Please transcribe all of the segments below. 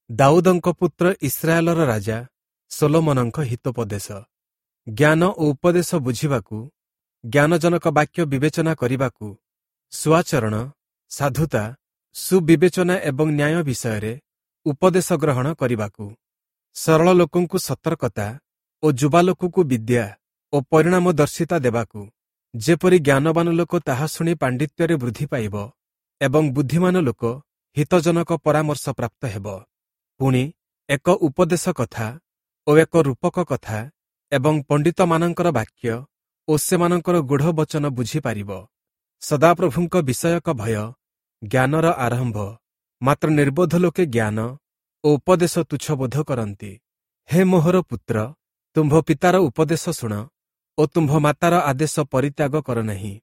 ଦାଉଦଙ୍କ ପୁତ୍ର ଇସ୍ରାଏଲର ରାଜା ସୋଲୋମନଙ୍କ ହିତୋପଦେଶ। ଜ୍ଞାନ ଓ ଉପଦେଶ ବୁଝିବାକୁ, ଜ୍ଞାନଜନକ ବାକ୍ୟ ବିବେଚନା କରିବାକୁ, ସୁଆଚରଣ, ସାଧୁତା, ସୁବିବେଚନା ଏବଂ ନ୍ୟାୟ ବିଷୟରେ ଉପଦେଶ ଗ୍ରହଣ କରିବାକୁ, ସରଳ ଲୋକଙ୍କୁ ସତର୍କତା ଓ ଯୁବା ଲୋକକୁ ବିଦ୍ୟା ଓ ପରିଣାମଦର୍ଶିତା ଦେବାକୁ, ଯେପରି ଜ୍ଞାନବାନ ଲୋକ ତାହା ଶୁଣି ପାଣ୍ଡିତ୍ୟରେ ବୃଦ୍ଧି ପାଇବ ଏବଂ ବୁଦ୍ଧିମାନ ଲୋକ ହିତଜନକ ପରାମର୍ଶ ପ୍ରାପ୍ତ ହେବ। ପୁଣି ଏକ ଉପଦେଶ କଥା ଓ ଏକ ରୂପକ କଥା ଏବଂ ପଣ୍ଡିତମାନଙ୍କର ବାକ୍ୟ ଓ ସେମାନଙ୍କର ଗୂଢ଼ ବଚନ ବୁଝିପାରିବ। ସଦାପ୍ରଭୁଙ୍କ ବିଷୟକ ଭୟ ଜ୍ଞାନର ଆରମ୍ଭ, ମାତ୍ର ନିର୍ବୋଧ ଲୋକେ ଜ୍ଞାନ ଓ ଉପଦେଶ ତୁଚ୍ଛବୋଧ କରନ୍ତି। ହେ ମୋହର ପୁତ୍ର, ତୁମ୍ଭ ପିତାର ଉପଦେଶ ଶୁଣ ଓ ତୁମ୍ଭ ମାତାର ଆଦେଶ ପରିତ୍ୟାଗ କର ନାହିଁ,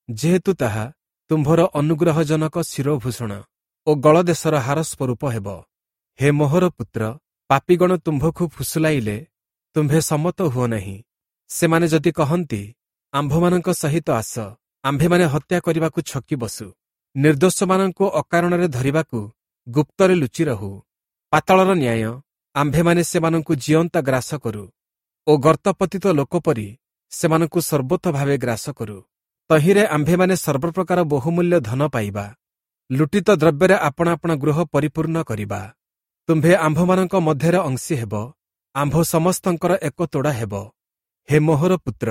ଯେହେତୁ ତାହା ତୁମ୍ଭର ଅନୁଗ୍ରହଜନକ ଶିରୋଭୂଷଣ ଓ ଗଳଦେଶର ହାର ସ୍ୱରୂପ ହେବ। ହେ ମୋହର ପୁତ୍ର, ପାପୀଗଣ ତୁମ୍ଭକୁ ଫୁସୁଲାଇଲେ ତୁମ୍ଭେ ସମ୍ମତ ହୁଅ ନାହିଁ। ସେମାନେ ଯଦି କହନ୍ତି, ଆମ୍ଭମାନଙ୍କ ସହିତ ଆସ, ଆମ୍ଭେମାନେ ହତ୍ୟା କରିବାକୁ ଛକି ବସୁ, ନିର୍ଦ୍ଦୋଷମାନଙ୍କୁ ଅକାରଣରେ ଧରିବାକୁ ଗୁପ୍ତରେ ଲୁଚି ରହୁ, ପାତାଳର ନ୍ୟାୟ ଆମ୍ଭେମାନେ ସେମାନଙ୍କୁ ଜିଅନ୍ତା ଗ୍ରାସ କରୁ ଓ ଗର୍ତ୍ତପତିତ ଲୋକ ପରି ସେମାନଙ୍କୁ ସର୍ବୋତ୍ତ ଭାବେ ଗ୍ରାସ କରୁ, ତହିଁରେ ଆମ୍ଭେମାନେ ସର୍ବପ୍ରକାର ବହୁମୂଲ୍ୟ ଧନ ପାଇବା, ଲୁଟିତ ଦ୍ରବ୍ୟରେ ଆପଣା ଆପଣା ଗୃହ ପରିପୂର୍ଣ୍ଣ କରିବା। ତୁମ୍ଭେ ଆମ୍ଭମାନଙ୍କ ମଧ୍ୟରେ ଅଂଶୀ ହେବ, ଆମ୍ଭ ସମସ୍ତଙ୍କର ଏକ ତୋଡ଼ା ହେବ। ହେ ମୋହର ପୁତ୍ର,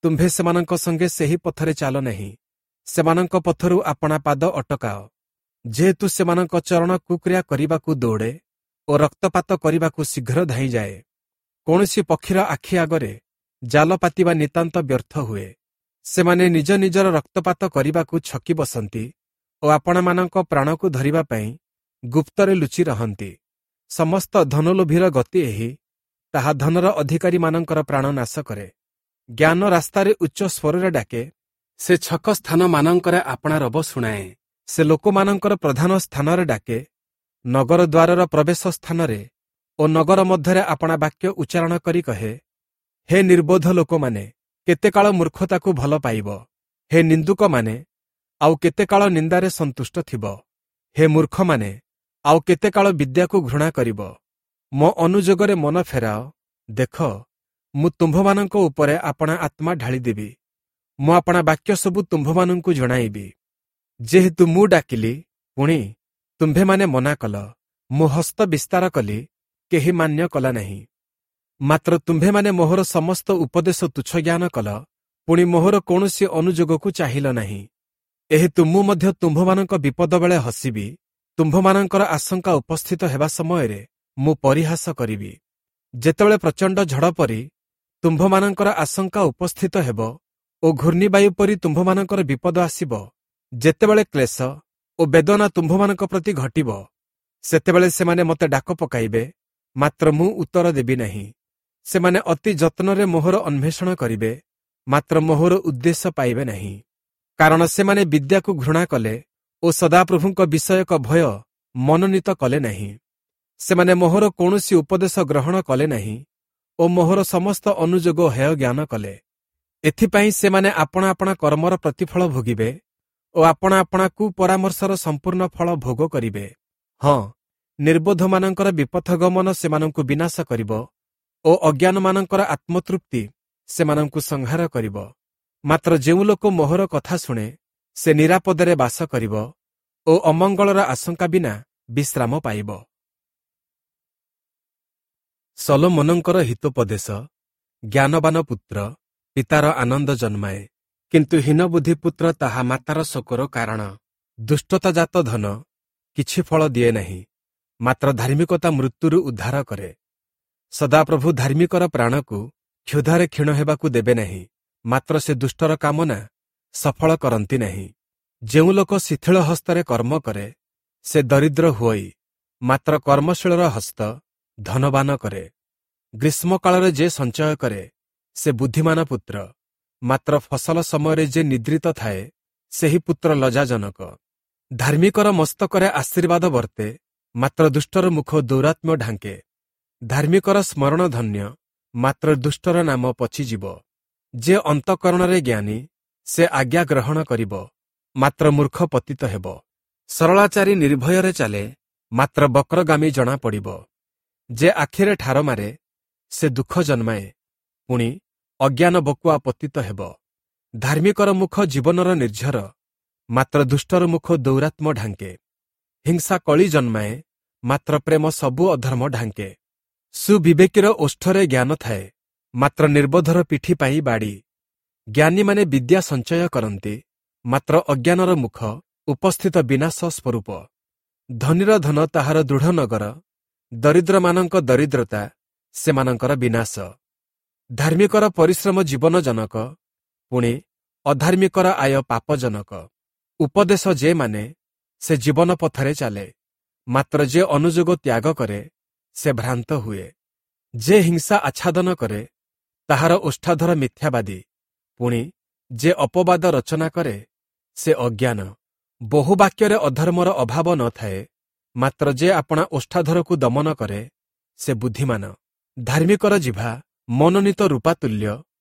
ତୁମ୍ଭେ ସେମାନଙ୍କ ସଙ୍ଗେ ସେହି ପଥରେ ଚାଲ ନାହିଁ, ସେମାନଙ୍କ ପଥରୁ ଆପଣା ପାଦ ଅଟକାଅ, ଯେହେତୁ ସେମାନଙ୍କ ଚରଣ କୁକ୍ରିୟା କରିବାକୁ ଦୌଡ଼େ ଓ ରକ୍ତପାତ କରିବାକୁ ଶୀଘ୍ର ଧାଇଁଯାଏ। କୌଣସି ପକ୍ଷୀର ଆଖି ଆଗରେ ଜାଲ ପାତିବା ନିତାନ୍ତ ବ୍ୟର୍ଥ ହୁଏ। ସେମାନେ ନିଜ ନିଜର ରକ୍ତପାତ କରିବାକୁ ଛକି ବସନ୍ତି ଓ ଆପଣମାନଙ୍କ ପ୍ରାଣକୁ ଧରିବା ପାଇଁ ଗୁପ୍ତରେ ଲୁଚି ରହନ୍ତି। ସମସ୍ତ ଧନଲୋଭୀର ଗତି ଏହି, ତାହା ଧନର ଅଧିକାରୀମାନଙ୍କର ପ୍ରାଣ ନାଶ କରେ। ଜ୍ଞାନ ରାସ୍ତାରେ ଉଚ୍ଚ ସ୍ୱରରେ ଡାକେ, ସେ ଛକ ସ୍ଥାନମାନଙ୍କରେ ଆପଣା ରବ ଶୁଣାଏ। ସେ ଲୋକମାନଙ୍କର ପ୍ରଧାନ ସ୍ଥାନରେ ଡାକେ, ନଗର ଦ୍ୱାରର ପ୍ରବେଶ ସ୍ଥାନରେ ଓ ନଗର ମଧ୍ୟରେ ଆପଣା ବାକ୍ୟ ଉଚ୍ଚାରଣ କରି କହେ, ହେ ନିର୍ବୋଧ ଲୋକମାନେ, କେତେ କାଳ ମୂର୍ଖତାକୁ ଭଲ ପାଇବ? ହେ ନିନ୍ଦୁକମାନେ, ଆଉ କେତେ କାଳ ନିନ୍ଦାରେ ସନ୍ତୁଷ୍ଟ ଥିବ? ହେ ମୂର୍ଖମାନେ, ଆଉ କେତେ କାଳ ବିଦ୍ୟାକୁ ଘୃଣା କରିବ? ମୋ ଅନୁଯୋଗରେ ମନ ଫେରାଅ, ଦେଖ, ମୁଁ ତୁମ୍ଭମାନଙ୍କ ଉପରେ ଆପଣା ଆତ୍ମା ଢାଳିଦେବି, ମୁଁ ଆପଣା ବାକ୍ୟ ସବୁ ତୁମ୍ଭମାନଙ୍କୁ ଜଣାଇବି। ଯେହେତୁ ମୁଁ ଡାକିଲି, ପୁଣି ତୁମ୍ଭେମାନେ ମନା କଲ, ମୁଁ ହସ୍ତ ବିସ୍ତାର କଲି, କେହି ମାନ୍ୟ କଲା ନାହିଁ। ମାତ୍ର ତୁମ୍ଭେମାନେ ମୋହର ସମସ୍ତ ଉପଦେଶ ତୁଚ୍ଛ ଜ୍ଞାନ କଲ, ପୁଣି ମୋହର କୌଣସି ଅନୁଯୋଗକୁ ଚାହିଁଲ ନାହିଁ। ଏହେତୁ ମୁଁ ମଧ୍ୟ ତୁମ୍ଭମାନଙ୍କ ବିପଦ ବେଳେ ହସିବି, ତୁମ୍ଭମାନଙ୍କର ଆଶଙ୍କା ଉପସ୍ଥିତ ହେବା ସମୟରେ ମୁଁ ପରିହାସ କରିବି। ଯେତେବେଳେ ପ୍ରଚଣ୍ଡ ଝଡ଼ ପରି ତୁମ୍ଭମାନଙ୍କର ଆଶଙ୍କା ଉପସ୍ଥିତ ହେବ ଓ ଘୂର୍ଣ୍ଣିବାୟୁ ପରି ତୁମ୍ଭମାନଙ୍କର ବିପଦ ଆସିବ, ଯେତେବେଳେ କ୍ଲେଶ ଓ ବେଦନା ତୁମ୍ଭମାନଙ୍କ ପ୍ରତି ଘଟିବ, ସେତେବେଳେ ସେମାନେ ମୋତେ ଡାକ ପକାଇବେ, ମାତ୍ର ମୁଁ ଉତ୍ତର ଦେବି ନାହିଁ। ସେମାନେ ଅତି ଯତ୍ନରେ ମୋହର ଅନ୍ୱେଷଣ କରିବେ, ମାତ୍ର ମୋହର ଉଦ୍ଦେଶ୍ୟ ପାଇବେ ନାହିଁ। କାରଣ ସେମାନେ ବିଦ୍ୟାକୁ ଘୃଣା କଲେ ଓ ସଦାପ୍ରଭୁଙ୍କ ବିଷୟକ ଭୟ ମନୋନୀତ କଲେ ନାହିଁ। ସେମାନେ ମୋହର କୌଣସି ଉପଦେଶ ଗ୍ରହଣ କଲେ ନାହିଁ ଓ ମୋହର ସମସ୍ତ ଅନୁଯୋଗ ହେୟ ଜ୍ଞାନ କଲେ। ଏଥିପାଇଁ ସେମାନେ ଆପଣା ଆପଣା କର୍ମର ପ୍ରତିଫଳ ଭୋଗିବେ ଓ ଆପଣା ଆପଣା କୁପରାମର୍ଶର ସମ୍ପୂର୍ଣ୍ଣ ଫଳ ଭୋଗ କରିବେ। ହଁ, ନିର୍ବୋଧମାନଙ୍କର ବିପଥଗମନ ସେମାନଙ୍କୁ ବିନାଶ କରିବ ଓ ଅଜ୍ଞାନମାନଙ୍କର ଆତ୍ମତୃପ୍ତି ସେମାନଙ୍କୁ ସଂହାର କରିବ। ମାତ୍ର ଯେଉଁ ଲୋକ ମୋହର କଥା ଶୁଣେ, ସେ ନିରାପଦରେ ବାସ କରିବ ଓ ଅମଙ୍ଗଳର ଆଶଙ୍କା ବିନା ବିଶ୍ରାମ ପାଇବ। ସଲୋମନଙ୍କର ହିତୋପଦେଶ। ଜ୍ଞାନବାନ ପୁତ୍ର ପିତାର ଆନନ୍ଦ ଜନ୍ମାଏ, କିନ୍ତୁ ହୀନବୁଦ୍ଧି ପୁତ୍ର ତାହା ମାତାର ଶୋକର କାରଣ। ଦୁଷ୍ଟତାଜାତ ଧନ କିଛି ଫଳ ଦିଏ ନାହିଁ, ମାତ୍ର ଧାର୍ମିକତା ମୃତ୍ୟୁରୁ ଉଦ୍ଧାର କରେ। ସଦାପ୍ରଭୁ ଧାର୍ମିକର ପ୍ରାଣକୁ କ୍ଷୁଧାରେ କ୍ଷୀଣ ହେବାକୁ ଦେବେ ନାହିଁ, ମାତ୍ର ସେ ଦୁଷ୍ଟର କାମନା ସଫଳ କରନ୍ତି ନାହିଁ। ଯେଉଁ ଲୋକ ଶିଥିଳ ହସ୍ତରେ କର୍ମ କରେ, ସେ ଦରିଦ୍ର ହୁଅଇ, ମାତ୍ର କର୍ମଶୀଳର ହସ୍ତ ଧନବାନ କରେ। ଗ୍ରୀଷ୍ମକାଳରେ ଯେ ସଞ୍ଚୟ କରେ, ସେ ବୁଦ୍ଧିମାନ ପୁତ୍ର, ମାତ୍ର ଫସଲ ସମୟରେ ଯେ ନିଦ୍ରିତ ଥାଏ, ସେହି ପୁତ୍ର ଲଜ୍ଜାଜନକ। ଧାର୍ମିକର ମସ୍ତକରେ ଆଶୀର୍ବାଦ ବର୍ତ୍ତେ, ମାତ୍ର ଦୁଷ୍ଟର ମୁଖ ଦୌରାତ୍ମ୍ୟ ଢାଙ୍କେ। ଧାର୍ମିକର ସ୍ମରଣ ଧନ୍ୟ, ମାତ୍ର ଦୁଷ୍ଟର ନାମ ପଚିଯିବ। ଯେ ଅନ୍ତଃକରଣରେ ଜ୍ଞାନୀ, ସେ ଆଜ୍ଞା ଗ୍ରହଣ କରିବ, ମାତ୍ର ମୂର୍ଖ ପତିତ ହେବ। ସରଳାଚାରୀ ନିର୍ଭୟରେ ଚାଲେ, ମାତ୍ର ବକ୍ରଗାମୀ ଜଣାପଡ଼ିବ। ଯେ ଆଖିରେ ଠାର ମାରେ ସେ ଦୁଃଖ ଜନ୍ମାଏ, ପୁଣି ଅଜ୍ଞାନ ବକୁଆ ପତିତ ହେବ। ଧାର୍ମିକର ମୁଖ ଜୀବନର ନିର୍ଝର, ମାତ୍ର ଦୁଷ୍ଟର ମୁଖ ଦୌରାତ୍ମ ଢାଙ୍କେ। ହିଂସା କଳି ଜନ୍ମାଏ, ମାତ୍ର ପ୍ରେମ ସବୁ ଅଧର୍ମ ଢାଙ୍କେ। ସୁବିବେକୀର ଓଷ୍ଠରେ ଜ୍ଞାନ ଥାଏ, ମାତ୍ର ନିର୍ବୋଧର ପିଠି ପାଇଁ ବାଡ଼ି। ଜ୍ଞାନୀମାନେ ବିଦ୍ୟା ସଞ୍ଚୟ କରନ୍ତି, ମାତ୍ର ଅଜ୍ଞାନର ମୁଖ ଉପସ୍ଥିତ ବିନାଶ ସ୍ୱରୂପ। ଧନୀର ଧନ ତାହାର ଦୃଢ଼ ନଗର, ଦରିଦ୍ରମାନଙ୍କ ଦରିଦ୍ରତା ସେମାନଙ୍କର ବିନାଶ। ଧାର୍ମିକର ପରିଶ୍ରମ ଜୀବନଜନକ, ପୁଣି ଅଧାର୍ମିକର ଆୟ ପାପଜନକ। ଉପଦେଶ ଯେ ମାନେ ସେ ଜୀବନ ପଥରେ ଚାଲେ, ମାତ୍ର ଯେ ଅନୁଯୋଗ ତ୍ୟାଗ କରେ ସେ ଭ୍ରାନ୍ତ ହୁଏ। ଯେ ହିଂସା ଆଚ୍ଛାଦନ କରେ ତାହାର ଓଷ୍ଠାଧର ମିଥ୍ୟାବାଦୀ, ପୁଣି ଯେ ଅପବାଦ ରଚନା କରେ ସେ ଅଜ୍ଞାନ। ବହୁ ବାକ୍ୟରେ ଅଧର୍ମର ଅଭାବ ନଥାଏ, ମାତ୍ର ଯେ ଆପଣା ଓଷ୍ଠାଧରକୁ ଦମନ କରେ ସେ ବୁଦ୍ଧିମାନ। ଧାର୍ମିକର ଜିଭା ମନୋନୀତ ରୂପାତୁଲ୍ୟ,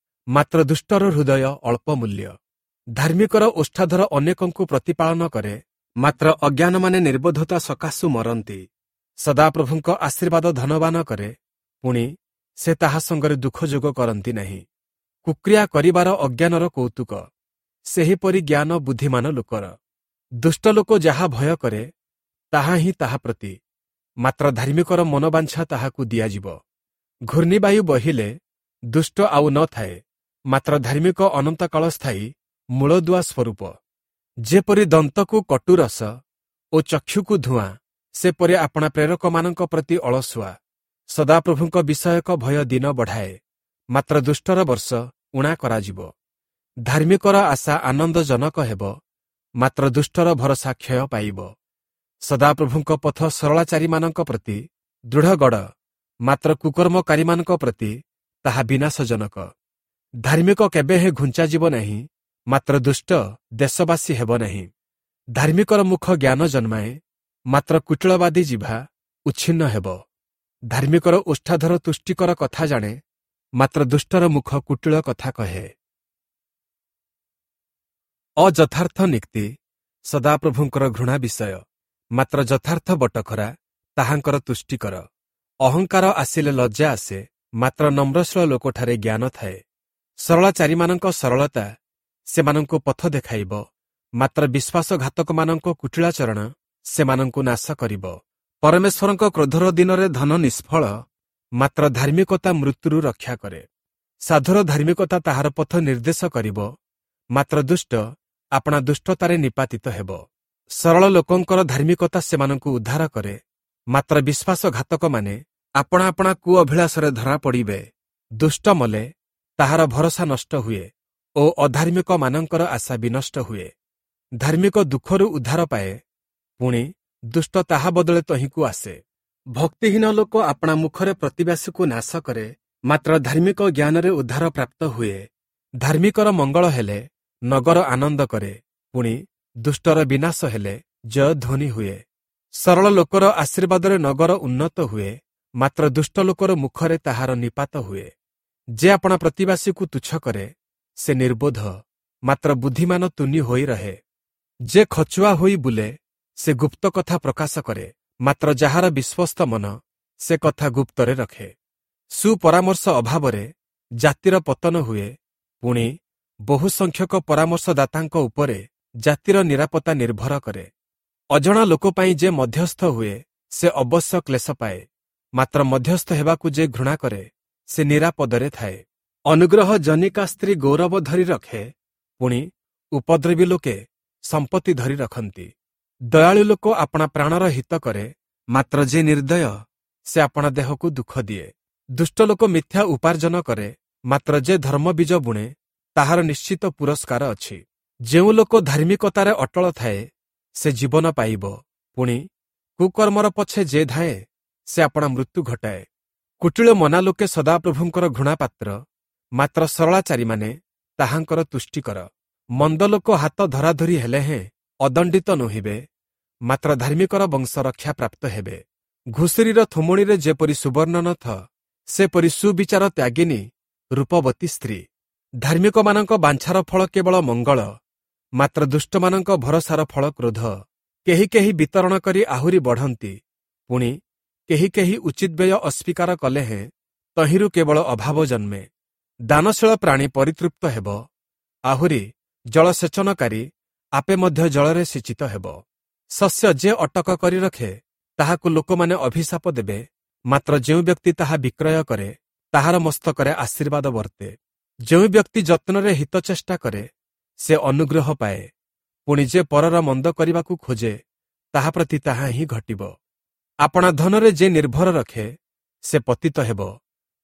ମାତ୍ର ଦୁଷ୍ଟର ହୃଦୟ ଅଳ୍ପ ମୂଲ୍ୟ। ଧାର୍ମିକର ଓଷ୍ଠାଧର ଅନେକଙ୍କୁ ପ୍ରତିପାଳନ କରେ, ମାତ୍ର ଅଜ୍ଞାନମାନେ ନିର୍ବୋଧତା ସକାଶୁ ମରନ୍ତି। ସଦାପ୍ରଭୁଙ୍କ ଆଶୀର୍ବାଦ ଧନବାନ କରେ, ପୁଣି ସେ ତାହା ସଙ୍ଗରେ ଦୁଃଖ ଯୋଗ କରନ୍ତି ନାହିଁ। କୁକ୍ରିୟା କରିବାର ଅଜ୍ଞାନର କୌତୁକ, ସେହିପରି ଜ୍ଞାନ ବୁଦ୍ଧିମାନ ଲୋକର। ଦୁଷ୍ଟ ଲୋକ ଯାହା ଭୟ କରେ ତାହା ହିଁ ତାହା ପ୍ରତି, ମାତ୍ର ଧାର୍ମିକର ମନୋବାଞ୍ଛା ତାହାକୁ ଦିଆଯିବ। ଘୂର୍ଣ୍ଣିବାୟୁ ବହିଲେ ଦୁଷ୍ଟ ଆଉ ନ ଥାଏ, ମାତ୍ର ଧାର୍ମିକ ଅନନ୍ତକାଳ ସ୍ଥାୟୀ ମୂଳଦୁଆ ସ୍ୱରୂପ। ଯେପରି ଦନ୍ତକୁ କଟୁରସ ଓ ଚକ୍ଷୁକୁ ଧୂଆଁ, ସେପରି ଆପଣା ପ୍ରେରକମାନଙ୍କ ପ୍ରତି ଅଳସୁଆ। ସଦାପ୍ରଭୁଙ୍କ ବିଷୟକ ଭୟ ଦିନ ବଢ଼ାଏ, ମାତ୍ର ଦୁଷ୍ଟର ବର୍ଷ ଊଣା କରାଯିବ। ଧାର୍ମିକର ଆଶା ଆନନ୍ଦଜନକ ହେବ, ମାତ୍ର ଦୁଷ୍ଟର ଭରସା କ୍ଷୟ ପାଇବ। ସଦାପ୍ରଭୁଙ୍କ ପଥ ସରଳାଚାରୀମାନଙ୍କ ପ୍ରତି ଦୃଢ଼ଗଡ଼, ମାତ୍ର କୁକର୍ମକାରୀମାନଙ୍କ ପ୍ରତି ତାହା ବିନାଶଜନକ। ଧାର୍ମିକ କେବେହେଁ ଘୁଞ୍ଚାଯିବ ନାହିଁ, ମାତ୍ର ଦୁଷ୍ଟ ଦେଶବାସୀ ହେବ ନାହିଁ। ଧାର୍ମିକର ମୁଖ ଜ୍ଞାନ ଜନ୍ମାଏ, ମାତ୍ର କୁଟିଳବାଦୀ ଜିଭା ଉଚ୍ଛିନ୍ନ ହେବ। ଧାର୍ମିକର ଓଷ୍ଠାଧର ତୁଷ୍ଟିକର କଥା ଜାଣେ, ମାତ୍ର ଦୁଷ୍ଟର ମୁଖ କୁଟିଳ କଥା କହେ। ଅଯଥାର୍ଥ ନୀତି ସଦାପ୍ରଭୁଙ୍କର ଘୃଣା ବିଷୟ, ମାତ୍ର ଯଥାର୍ଥ ବଟଖରା ତାହାଙ୍କର ତୁଷ୍ଟିକର। ଅହଙ୍କାର ଆସିଲେ ଲଜ୍ଜା ଆସେ, ମାତ୍ର ନମ୍ରଶୀଳ ଲୋକଠାରେ ଜ୍ଞାନ ଥାଏ। ସରଳାଚାରୀମାନଙ୍କ ସରଳତା ସେମାନଙ୍କୁ ପଥ ଦେଖାଇବ, ମାତ୍ର ବିଶ୍ୱାସଘାତକମାନଙ୍କ କୁଟିଳାଚରଣ ସେମାନଙ୍କୁ ନାଶ କରିବ। ପରମେଶ୍ୱରଙ୍କ କ୍ରୋଧର ଦିନରେ ଧନ ନିଷ୍ଫଳ, ମାତ୍ର ଧାର୍ମିକତା ମୃତ୍ୟୁରୁ ରକ୍ଷା କରେ। ସାଧୁର ଧାର୍ମିକତା ତାହାର ପଥ ନିର୍ଦ୍ଦେଶ କରିବ, ମାତ୍ର ଦୁଷ୍ଟ ଆପଣା ଦୁଷ୍ଟତାରେ ନିପାତିତ ହେବ। ସରଳ ଲୋକଙ୍କର ଧାର୍ମିକତା ସେମାନଙ୍କୁ ଉଦ୍ଧାର କରେ, ମାତ୍ର ବିଶ୍ୱାସଘାତକମାନେ ଆପଣା ଆପଣା କୁଅଭିଳାଷରେ ଧରା ପଡ଼ିବେ। ଦୁଷ୍ଟ ମଲେ ତାହାର ଭରସା ନଷ୍ଟ ହୁଏ ଓ ଅଧାର୍ମିକମାନଙ୍କର ଆଶା ବିନଷ୍ଟ ହୁଏ। ଧାର୍ମିକ ଦୁଃଖରୁ ଉଦ୍ଧାର ପାଏ, ପୁଣି ଦୁଷ୍ଟ ତାହା ବଦଳେ ତହିଁକୁ ଆସେ। ଭକ୍ତିହୀନ ଲୋକ ଆପଣା ମୁଖରେ ପ୍ରତିବାସୀକୁ ନାଶ କରେ, ମାତ୍ର ଧାର୍ମିକ ଜ୍ଞାନରେ ଉଦ୍ଧାର ପ୍ରାପ୍ତ ହୁଏ। ଧାର୍ମିକର ମଙ୍ଗଳ ହେଲେ ନଗର ଆନନ୍ଦ କରେ, ପୁଣି ଦୁଷ୍ଟର ବିନାଶ ହେଲେ ଜୟଧ୍ୱନି ହୁଏ। ସରଳ ଲୋକର ଆଶୀର୍ବାଦରେ ନଗର ଉନ୍ନତ ହୁଏ, ମାତ୍ର ଦୁଷ୍ଟ ଲୋକର ମୁଖରେ ତାହାର ନିପାତ ହୁଏ। ଯେ ଆପଣା ପ୍ରତିବାସୀକୁ ତୁଚ୍ଛ କରେ ସେ ନିର୍ବୋଧ, ମାତ୍ର ବୁଦ୍ଧିମାନ ତୁନି ହୋଇ ରହେ। ଯେ ଖଚୁଆ ହୋଇ ବୁଲେ ସେ ଗୁପ୍ତ କଥା ପ୍ରକାଶ କରେ, ମାତ୍ର ଯାହାର ବିଶ୍ୱସ୍ତ ମନ ସେ କଥା ଗୁପ୍ତରେ ରଖେ। ସୁପରାମର୍ଶ ଅଭାବରେ ଜାତିର ପତନ ହୁଏ, ପୁଣି ବହୁ ସଂଖ୍ୟକ ପରାମର୍ଶଦାତାଙ୍କ ଉପରେ ଜାତିର ନିରାପତ୍ତା ନିର୍ଭର କରେ। ଅଜଣା ଲୋକ ପାଇଁ ଯେ ମଧ୍ୟସ୍ଥ ହୁଏ ସେ ଅବଶ୍ୟ କ୍ଲେଶ ପାଏ, ମାତ୍ର ମଧ୍ୟସ୍ଥ ହେବାକୁ ଯେ ଘୃଣା କରେ ସେ ନିରାପଦରେ ଥାଏ। ଅନୁଗ୍ରହ ଜନିକା ସ୍ତ୍ରୀ ଗୌରବ ଧରି ରଖେ, ପୁଣି ଉପଦ୍ରବୀ ଲୋକେ ସମ୍ପତ୍ତି ଧରି ରଖନ୍ତି। ଦୟାଳୁ ଲୋକ ଆପଣା ପ୍ରାଣର ହିତ କରେ, ମାତ୍ର ଯେ ନିର୍ଦ୍ଦୟ ସେ ଆପଣା ଦେହକୁ ଦୁଃଖ ଦିଏ। ଦୁଷ୍ଟ ଲୋକ ମିଥ୍ୟା ଉପାର୍ଜନ କରେ, ମାତ୍ର ଯେ ଧର୍ମ ବୀଜ ବୁଣେ ତାହାର ନିଶ୍ଚିତ ପୁରସ୍କାର ଅଛି। ଯେଉଁ ଲୋକ ଧାର୍ମିକତାରେ ଅଟଳ ଥାଏ ସେ ଜୀବନ ପାଇବ, ପୁଣି କୁକର୍ମର ପଛେ ଯେ ଧାଏଁ ସେ ଆପଣା ମୃତ୍ୟୁ ଘଟାଏ। କୁଟିଳ ମନା ଲୋକେ ସଦାପ୍ରଭୁଙ୍କର ଘୃଣାପାତ୍ର, ମାତ୍ର ସରଳାଚାରୀମାନେ ତାହାଙ୍କର ତୁଷ୍ଟିକର। ମନ୍ଦ ଲୋକ ହାତ ଧରାଧରି ହେଲେ ହେଁ ଅଦଣ୍ଡିତ ନୋହିବେ, ମାତ୍ର ଧାର୍ମିକର ବଂଶ ରକ୍ଷା ପ୍ରାପ୍ତ ହେବେ। ଘୁଷୁରୀର ଥୁମୁଣିରେ ଯେପରି ସୁବର୍ଣ୍ଣ ନଥ, ସେପରି ସୁବିଚାର ତ୍ୟାଗିନୀ ରୂପବତୀ ସ୍ତ୍ରୀ। ଧାର୍ମିକମାନଙ୍କ ବାଞ୍ଛାର ଫଳ କେବଳ ମଙ୍ଗଳ, ମାତ୍ର ଦୁଷ୍ଟମାନଙ୍କ ଭରସାର ଫଳ କ୍ରୋଧ। କେହି କେହି ବିତରଣ କରି ଆହୁରି ବଢ଼ନ୍ତି, ପୁଣି କେହି କେହି ଉଚିତ ବ୍ୟୟ ଅସ୍ୱୀକାର କଲେ ହେଁ ତହିଁରୁ କେବଳ ଅଭାବ ଜନ୍ମେ। ଦାନଶୀଳ ପ୍ରାଣୀ ପରିତୃପ୍ତ ହେବ, ଆହୁରି ଜଳସେଚନକାରୀ ଆପେ ମଧ୍ୟ ଜଳରେ ସିଞ୍ଚିତ ହେବ। ଶସ୍ୟ ଯେ ଅଟକ କରି ରଖେ ତାହାକୁ ଲୋକମାନେ ଅଭିଶାପ ଦେବେ, ମାତ୍ର ଯେଉଁ ବ୍ୟକ୍ତି ତାହା ବିକ୍ରୟ କରେ ତାହାର ମସ୍ତକରେ ଆଶୀର୍ବାଦ ବର୍ତ୍ତେ। ଯେଉଁ ବ୍ୟକ୍ତି ଯତ୍ନରେ ହିତ ଚେଷ୍ଟା କରେ ସେ ଅନୁଗ୍ରହ ପାଏ, ପୁଣି ଯେ ପରର ମନ୍ଦ କରିବାକୁ ଖୋଜେ ତାହା ପ୍ରତି ତାହା ହିଁ ଘଟିବ। ଆପଣା ଧନରେ ଯେ ନିର୍ଭର ରଖେ ସେ ପତିତ ହେବ,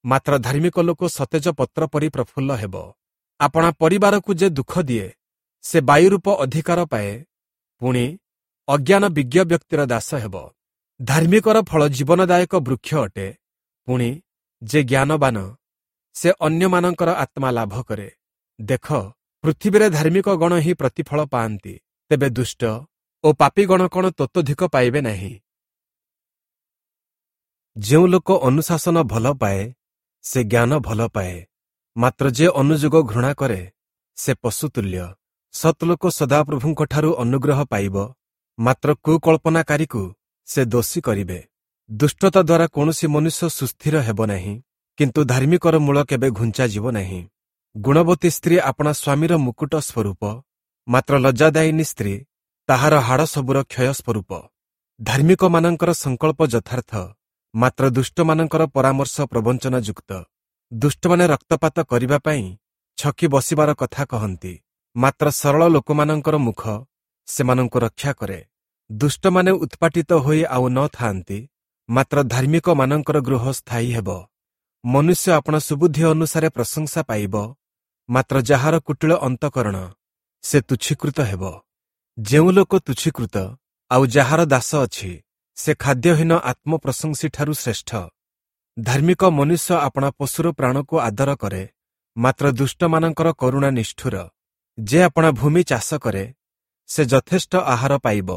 ମାତ୍ର ଧାର୍ମିକ ଲୋକ ସତେଜ ପତ୍ର ପରି ପ୍ରଫୁଲ୍ଲ ହେବ। ଆପଣା ପରିବାରକୁ ଯେ ଦୁଃଖ ଦିଏ ସେ ବାୟୁରୂପ ଅଧିକାର ପାଏ, ପୁଣି ଅଜ୍ଞାନ ବିଜ୍ଞ ବ୍ୟକ୍ତିର ଦାସ ହେବ। ଧାର୍ମିକର ଫଳ ଜୀବନଦାୟକ ବୃକ୍ଷ ଅଟେ, ପୁଣି ଯେ ଜ୍ଞାନବାନ ସେ ଅନ୍ୟମାନଙ୍କର ଆତ୍ମା ଲାଭ କରେ। ଦେଖ, ପୃଥିବୀରେ ଧାର୍ମିକ ଗଣ ହିଁ ପ୍ରତିଫଳ ପାଆନ୍ତି, ତେବେ ଦୁଷ୍ଟ ଓ ପାପୀଗଣ କ'ଣ ତତୋଧିକ ପାଇବେ ନାହିଁ? ଯେଉଁ ଲୋକ ଅନୁଶାସନ ଭଲ ପାଏ ସେ ଜ୍ଞାନ ଭଲ ପାଏ, ମାତ୍ର ଯେ ଅନୁଯୋଗ ଘୃଣା କରେ ସେ ପଶୁତୁଲ୍ୟ। ସତ୍ଲୋକ ସଦାପ୍ରଭୁଙ୍କଠାରୁ ଅନୁଗ୍ରହ ପାଇବ, ମାତ୍ର କୁକଳ୍ପନାକାରୀକୁ ସେ ଦୋଷୀ କରିବେ। ଦୁଷ୍ଟତା ଦ୍ୱାରା କୌଣସି ମନୁଷ୍ୟ ସୁସ୍ଥିର ହେବ ନାହିଁ, କିନ୍ତୁ ଧାର୍ମିକର ମୂଳ କେବେ ଘୁଞ୍ଚାଯିବ ନାହିଁ। ଗୁଣବତୀ ସ୍ତ୍ରୀ ଆପଣା ସ୍ୱାମୀର ମୁକୁଟ ସ୍ୱରୂପ, ମାତ୍ର ଲଜ୍ଜାଦାୟିନୀ ସ୍ତ୍ରୀ ତାହାର ହାଡ଼ ସବୁର କ୍ଷୟ ସ୍ୱରୂପ। ଧାର୍ମିକମାନଙ୍କର ସଂକଳ୍ପ ଯଥାର୍ଥ, ମାତ୍ର ଦୁଷ୍ଟମାନଙ୍କର ପରାମର୍ଶ ପ୍ରବଞ୍ଚନାଯୁକ୍ତ। ଦୁଷ୍ଟମାନେ ରକ୍ତପାତ କରିବା ପାଇଁ ଛକି ବସିବାର କଥା କହନ୍ତି, ମାତ୍ର ସରଳ ଲୋକମାନଙ୍କର ମୁଖ ସେମାନଙ୍କୁ ରକ୍ଷା କରେ। ଦୁଷ୍ଟମାନେ ଉତ୍ପାଟିତ ହୋଇ ଆଉ ନ ଥାଆନ୍ତି, ମାତ୍ର ଧାର୍ମିକମାନଙ୍କର ଗୃହ ସ୍ଥାୟୀ ହେବ। ମନୁଷ୍ୟ ଆପଣା ସୁବୁଦ୍ଧି ଅନୁସାରେ ପ୍ରଶଂସା ପାଇବ, ମାତ୍ର ଯାହାର କୁଟିଳ ଅନ୍ତଃକରଣ ସେ ତୁଚ୍ଛୀକୃତ ହେବ। ଯେଉଁ ଲୋକ ତୁଚ୍ଛୀକୃତ ଆଉ ଯାହାର ଦାସ ଅଛି ସେ ଖାଦ୍ୟହୀନ ଆତ୍ମପ୍ରଶଂସୀଠାରୁ ଶ୍ରେଷ୍ଠ। ଧାର୍ମିକ ମନୁଷ୍ୟ ଆପଣା ପଶୁର ପ୍ରାଣକୁ ଆଦର କରେ, ମାତ୍ର ଦୁଷ୍ଟମାନଙ୍କର କରୁଣା ନିଷ୍ଠୁର। ଯେ ଆପଣା ଭୂମି ଚାଷ କରେ ସେ ଯଥେଷ୍ଟ ଆହାର ପାଇବ,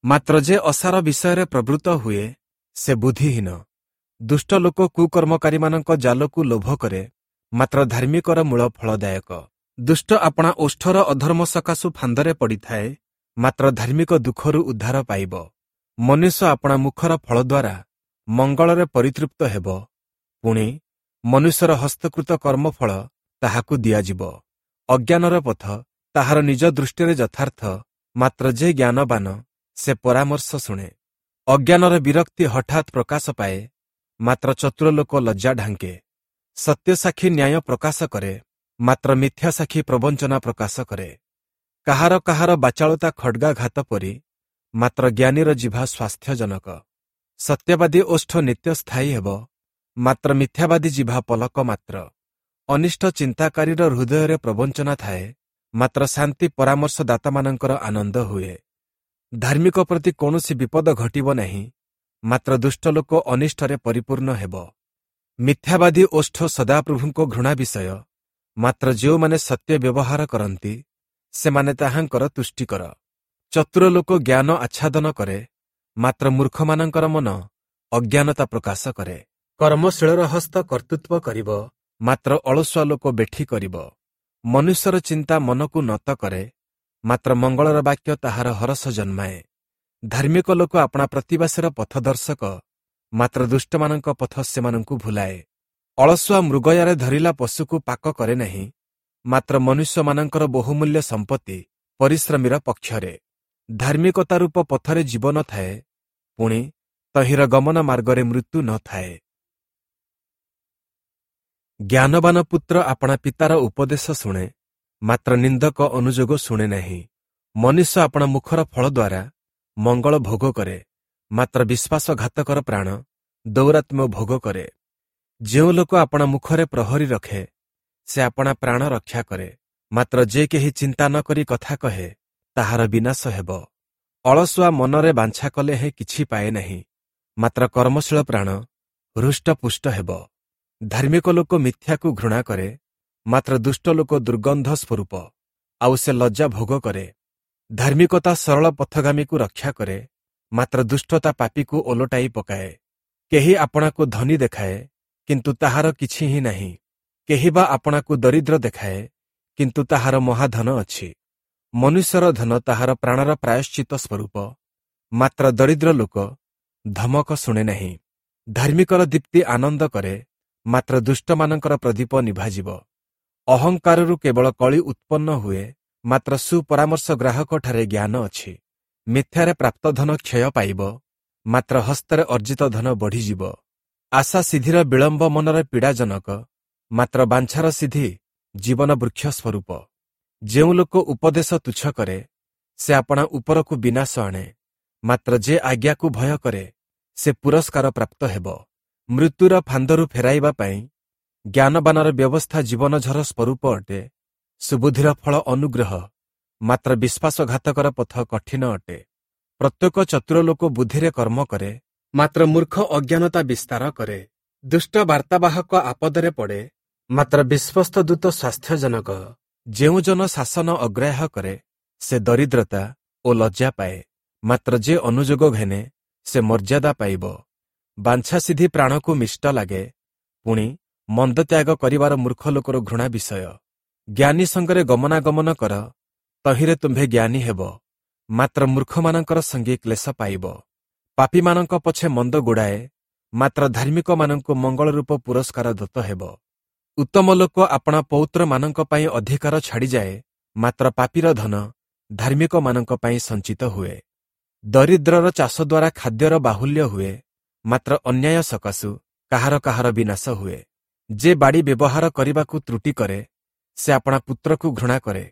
ମାତ୍ର ଯେ ଅସାର ବିଷୟରେ ପ୍ରବୃତ୍ତ ହୁଏ ସେ ବୁଦ୍ଧିହୀନ। ଦୁଷ୍ଟ ଲୋକ କୁକର୍ମକାରୀମାନଙ୍କ ଜାଲକୁ ଲୋଭ କରେ, ମାତ୍ର ଧାର୍ମିକର ମୂଳ ଫଳଦାୟକ। ଦୁଷ୍ଟ ଆପଣା ଓଷ୍ଠର ଅଧର୍ମ ସକାଶୁ ଫାନ୍ଦରେ ପଡ଼ିଥାଏ, ମାତ୍ର ଧାର୍ମିକ ଦୁଃଖରୁ ଉଦ୍ଧାର ପାଇବ। ମନୁଷ୍ୟ ଆପଣା ମୁଖର ଫଳ ଦ୍ୱାରା ମଙ୍ଗଳରେ ପରିତୃପ୍ତ ହେବ, ପୁଣି ମନୁଷ୍ୟର ହସ୍ତକୃତ କର୍ମଫଳ ତାହାକୁ ଦିଆଯିବ। ଅଜ୍ଞାନର ପଥ ତାହାର ନିଜ ଦୃଷ୍ଟିରେ ଯଥାର୍ଥ, ମାତ୍ର ଯେ ଜ୍ଞାନବାନ ସେ ପରାମର୍ଶ ଶୁଣେ। ଅଜ୍ଞାନର ବିରକ୍ତି ହଠାତ୍ ପ୍ରକାଶ ପାଏ, ମାତ୍ର ଚତୁର ଲୋକ ଲଜ୍ଜା ଢାଙ୍କେ। ସତ୍ୟସାକ୍ଷୀ ନ୍ୟାୟ ପ୍ରକାଶ କରେ, ମାତ୍ର ମିଥ୍ୟାସାକ୍ଷୀ ପ୍ରବଞ୍ଚନା ପ୍ରକାଶ କରେ। କାହାର କାହାର ବାଚାଳତା ଖଡ଼୍ଗାଘାତ ପରି, ମାତ୍ର ଜ୍ଞାନୀର ଜିଭା ସ୍ୱାସ୍ଥ୍ୟଜନକ। ସତ୍ୟବାଦୀ ଓଷ୍ଠ ନିତ୍ୟ ସ୍ଥାୟୀ ହେବ, ମାତ୍ର ମିଥ୍ୟାବାଦୀ ଜିଭା ପଲକ ମାତ୍ର। ଅନିଷ୍ଟ ଚିନ୍ତାକାରୀର ହୃଦୟରେ ପ୍ରବଞ୍ଚନା ଥାଏ, ମାତ୍ର ଶାନ୍ତି ପରାମର୍ଶଦାତାମାନଙ୍କର ଆନନ୍ଦ ହୁଏ। ଧାର୍ମିକ ପ୍ରତି କୌଣସି ବିପଦ ଘଟିବ ନାହିଁ, ମାତ୍ର ଦୁଷ୍ଟ ଲୋକ ଅନିଷ୍ଟରେ ପରିପୂର୍ଣ୍ଣ ହେବ। ମିଥ୍ୟାବାଦୀ ଓଷ୍ଠ ସଦାପ୍ରଭୁଙ୍କ ଘୃଣା ବିଷୟ, ମାତ୍ର ଯେଉଁମାନେ ସତ୍ୟ ବ୍ୟବହାର କରନ୍ତି ସେମାନେ ତାହାଙ୍କର ତୁଷ୍ଟିକର। ଚତୁର ଲୋକ ଜ୍ଞାନ ଆଚ୍ଛାଦନ କରେ, ମାତ୍ର ମୂର୍ଖମାନଙ୍କର ମନ ଅଜ୍ଞାନତା ପ୍ରକାଶ କରେ। କର୍ମଶୀଳର ହସ୍ତ କର୍ତ୍ତୃତ୍ୱ କରିବ, ମାତ୍ର ଅଳସୁଆ ଲୋକ ବେଠି କରିବ। ମନୁଷ୍ୟର ଚିନ୍ତା ମନକୁ ନତ କରେ, ମାତ୍ର ମଙ୍ଗଳର ବାକ୍ୟ ତାହାର ହରଷ ଜନ୍ମାଏ। ଧାର୍ମିକ ଲୋକ ଆପଣା ପ୍ରତିବାସୀର ପଥଦର୍ଶକ, ମାତ୍ର ଦୁଷ୍ଟମାନଙ୍କ ପଥ ସେମାନଙ୍କୁ ଭୁଲାଏ। ଅଳସୁଆ ମୃଗୟାରେ ଧରିଲା ପଶୁକୁ ପାକ କରେ ନାହିଁ, ମାତ୍ର ମନୁଷ୍ୟମାନଙ୍କର ବହୁମୂଲ୍ୟ ସମ୍ପତ୍ତି ପରିଶ୍ରମୀର ପକ୍ଷରେ। ଧାର୍ମିକତା ରୂପ ପଥରେ ଜୀବନ ଥାଏ, ପୁଣି ତହିଁର ଗମନ ମାର୍ଗରେ ମୃତ୍ୟୁ ନ ଥାଏ। ଜ୍ଞାନବାନ ପୁତ୍ର ଆପଣା ପିତାର ଉପଦେଶ ଶୁଣେ, ମାତ୍ର ନିନ୍ଦକ ଅନୁଯୋଗ ଶୁଣେ ନାହିଁ। ମନୁଷ୍ୟ ଆପଣା ମୁଖର ଫଳ ଦ୍ୱାରା ମଙ୍ଗଳ ଭୋଗ କରେ, ମାତ୍ର ବିଶ୍ୱାସଘାତକର ପ୍ରାଣ ଦୌରାତ୍ମ୍ୟ ଭୋଗ କରେ। ଯେଉଁ ଲୋକ ଆପଣା ମୁଖରେ ପ୍ରହରୀ ରଖେ ସେ ଆପଣା ପ୍ରାଣ ରକ୍ଷା କରେ, ମାତ୍ର ଯେ କେହି ଚିନ୍ତା ନ କରି କଥା କହେ ତାହାର ବିନାଶ ହେବ। ଅଳସୁଆ ମନରେ ବାଞ୍ଛା କଲେ ହେଁ କିଛି ପାଏ ନାହିଁ, ମାତ୍ର କର୍ମଶୀଳ ପ୍ରାଣ ହୃଷ୍ଟପୁଷ୍ଟ ହେବ। ଧାର୍ମିକ ଲୋକ ମିଥ୍ୟାକୁ ଘୃଣା କରେ, ମାତ୍ର ଦୁଷ୍ଟ ଲୋକ ଦୁର୍ଗନ୍ଧ ସ୍ୱରୂପ, ଆଉ ସେ ଲଜ୍ଜା ଭୋଗ କରେ। ଧାର୍ମିକତା ସରଳ ପଥଗାମୀକୁ ରକ୍ଷା କରେ, ମାତ୍ର ଦୁଷ୍ଟତା ପାପୀକୁ ଓଲଟାଇ ପକାଏ। କେହି ଆପଣାକୁ ଧନୀ ଦେଖାଏ, କିନ୍ତୁ ତାହାର କିଛି ହିଁ ନାହିଁ। କେହି ବା ଆପଣାକୁ ଦରିଦ୍ର ଦେଖାଏ, କିନ୍ତୁ ତାହାର ମହାଧନ ଅଛି। ମନୁଷ୍ୟର ଧନ ତାହାର ପ୍ରାଣର ପ୍ରାୟଶ୍ଚିତ ସ୍ୱରୂପ, ମାତ୍ର ଦରିଦ୍ର ଲୋକ ଧମକ ଶୁଣେ ନାହିଁ। ଧାର୍ମିକର ଦୀପ୍ତି ଆନନ୍ଦ କରେ, ମାତ୍ର ଦୁଷ୍ଟମାନଙ୍କର ପ୍ରଦୀପ ନିଭାଯିବ। ଅହଙ୍କାରରୁ କେବଳ କଳି ଉତ୍ପନ୍ନ ହୁଏ, ମାତ୍ର ସୁପରାମର୍ଶ ଗ୍ରାହକଠାରେ ଜ୍ଞାନ ଅଛି। ମିଥ୍ୟାରେ ପ୍ରାପ୍ତ ଧନ କ୍ଷୟ ପାଇବ, ମାତ୍ର ହସ୍ତରେ ଅର୍ଜିତ ଧନ ବଢ଼ିଯିବ। ଆଶା ସିଦ୍ଧିର ବିଳମ୍ବ ମନରେ ପୀଡ଼ାଜନକ, ମାତ୍ର ବାଞ୍ଛାର ସିଦ୍ଧି ଜୀବନ ବୃକ୍ଷ ସ୍ୱରୂପ। ଯେଉଁ ଲୋକ ଉପଦେଶ ତୁଚ୍ଛ କରେ, ସେ ଆପଣା ଉପରକୁ ବିନାଶ ଆଣେ, ମାତ୍ର ଯେ ଆଜ୍ଞାକୁ ଭୟ କରେ, ସେ ପୁରସ୍କାର ପ୍ରାପ୍ତ ହେବ। ମୃତ୍ୟୁର ଫାନ୍ଦରୁ ଫେରାଇବା ପାଇଁ ଜ୍ଞାନବାନର ବ୍ୟବସ୍ଥା ଜୀବନଝର ସ୍ୱରୂପ ଅଟେ। ସୁବୁଦ୍ଧିର ଫଳ ଅନୁଗ୍ରହ, ମାତ୍ର ବିଶ୍ୱାସଘାତକର ପଥ କଠିନ ଅଟେ। ପ୍ରତ୍ୟେକ ଚତୁର ଲୋକ ବୁଦ୍ଧିରେ କର୍ମ କରେ, ମାତ୍ର ମୂର୍ଖ ଅଜ୍ଞାନତା ବିସ୍ତାର କରେ। ଦୁଷ୍ଟ ବାର୍ତ୍ତାବାହକ ଆପଦରେ ପଡ଼େ, ମାତ୍ର ବିଶ୍ୱସ୍ତ ଦୂତ ସ୍ୱାସ୍ଥ୍ୟଜନକ। ଯେଉଁ ଜନ ଶାସନ ଅଗ୍ରାହ୍ୟ କରେ, ସେ ଦରିଦ୍ରତା ଓ ଲଜ୍ଜା ପାଏ, ମାତ୍ର ଯେ ଅନୁଯୋଗ ଘେନେ, ସେ ମର୍ଯ୍ୟାଦା ପାଇବ। ବାଞ୍ଛାସିଦ୍ଧି ପ୍ରାଣକୁ ମିଷ୍ଟ ଲାଗେ, ପୁଣି ମନ୍ଦ ତ୍ୟାଗ କରିବାର ମୂର୍ଖ ଲୋକର ଘୃଣା ବିଷୟ। ଜ୍ଞାନୀ ସଙ୍ଗରେ ଗମନାଗମନ କର, ତହିଁରେ ତୁମ୍ଭେ ଜ୍ଞାନୀ ହେବ, ମାତ୍ର ମୂର୍ଖମାନଙ୍କର ସଙ୍ଗୀ କ୍ଲେଶ ପାଇବ। ପାପୀମାନଙ୍କ ପଛେ ମନ୍ଦ ଗୋଡ଼ାଏ, ମାତ୍ର ଧାର୍ମିକମାନଙ୍କୁ ମଙ୍ଗଳ ରୂପ ପୁରସ୍କାର ଦତ୍ତ ହେବ। ଉତ୍ତମ ଲୋକ ଆପଣା ପୌତ୍ରମାନଙ୍କ ପାଇଁ ଅଧିକାର ଛାଡ଼ିଯାଏ, ମାତ୍ର ପାପୀର ଧନ ଧାର୍ମିକମାନଙ୍କ ପାଇଁ ସଞ୍ଚିତ ହୁଏ। ଦରିଦ୍ରର ଚାଷ ଦ୍ୱାରା ଖାଦ୍ୟର ବାହୁଲ୍ୟ ହୁଏ, ମାତ୍ର ଅନ୍ୟାୟ ସକାଶୁ କାହାର କାହାର ବିନାଶ ହୁଏ। ଯେ ବାଡ଼ି ବ୍ୟବହାର କରିବାକୁ ତ୍ରୁଟି କରେ, ସେ ଆପଣା ପୁତ୍ରକୁ ଘୃଣା କରେ,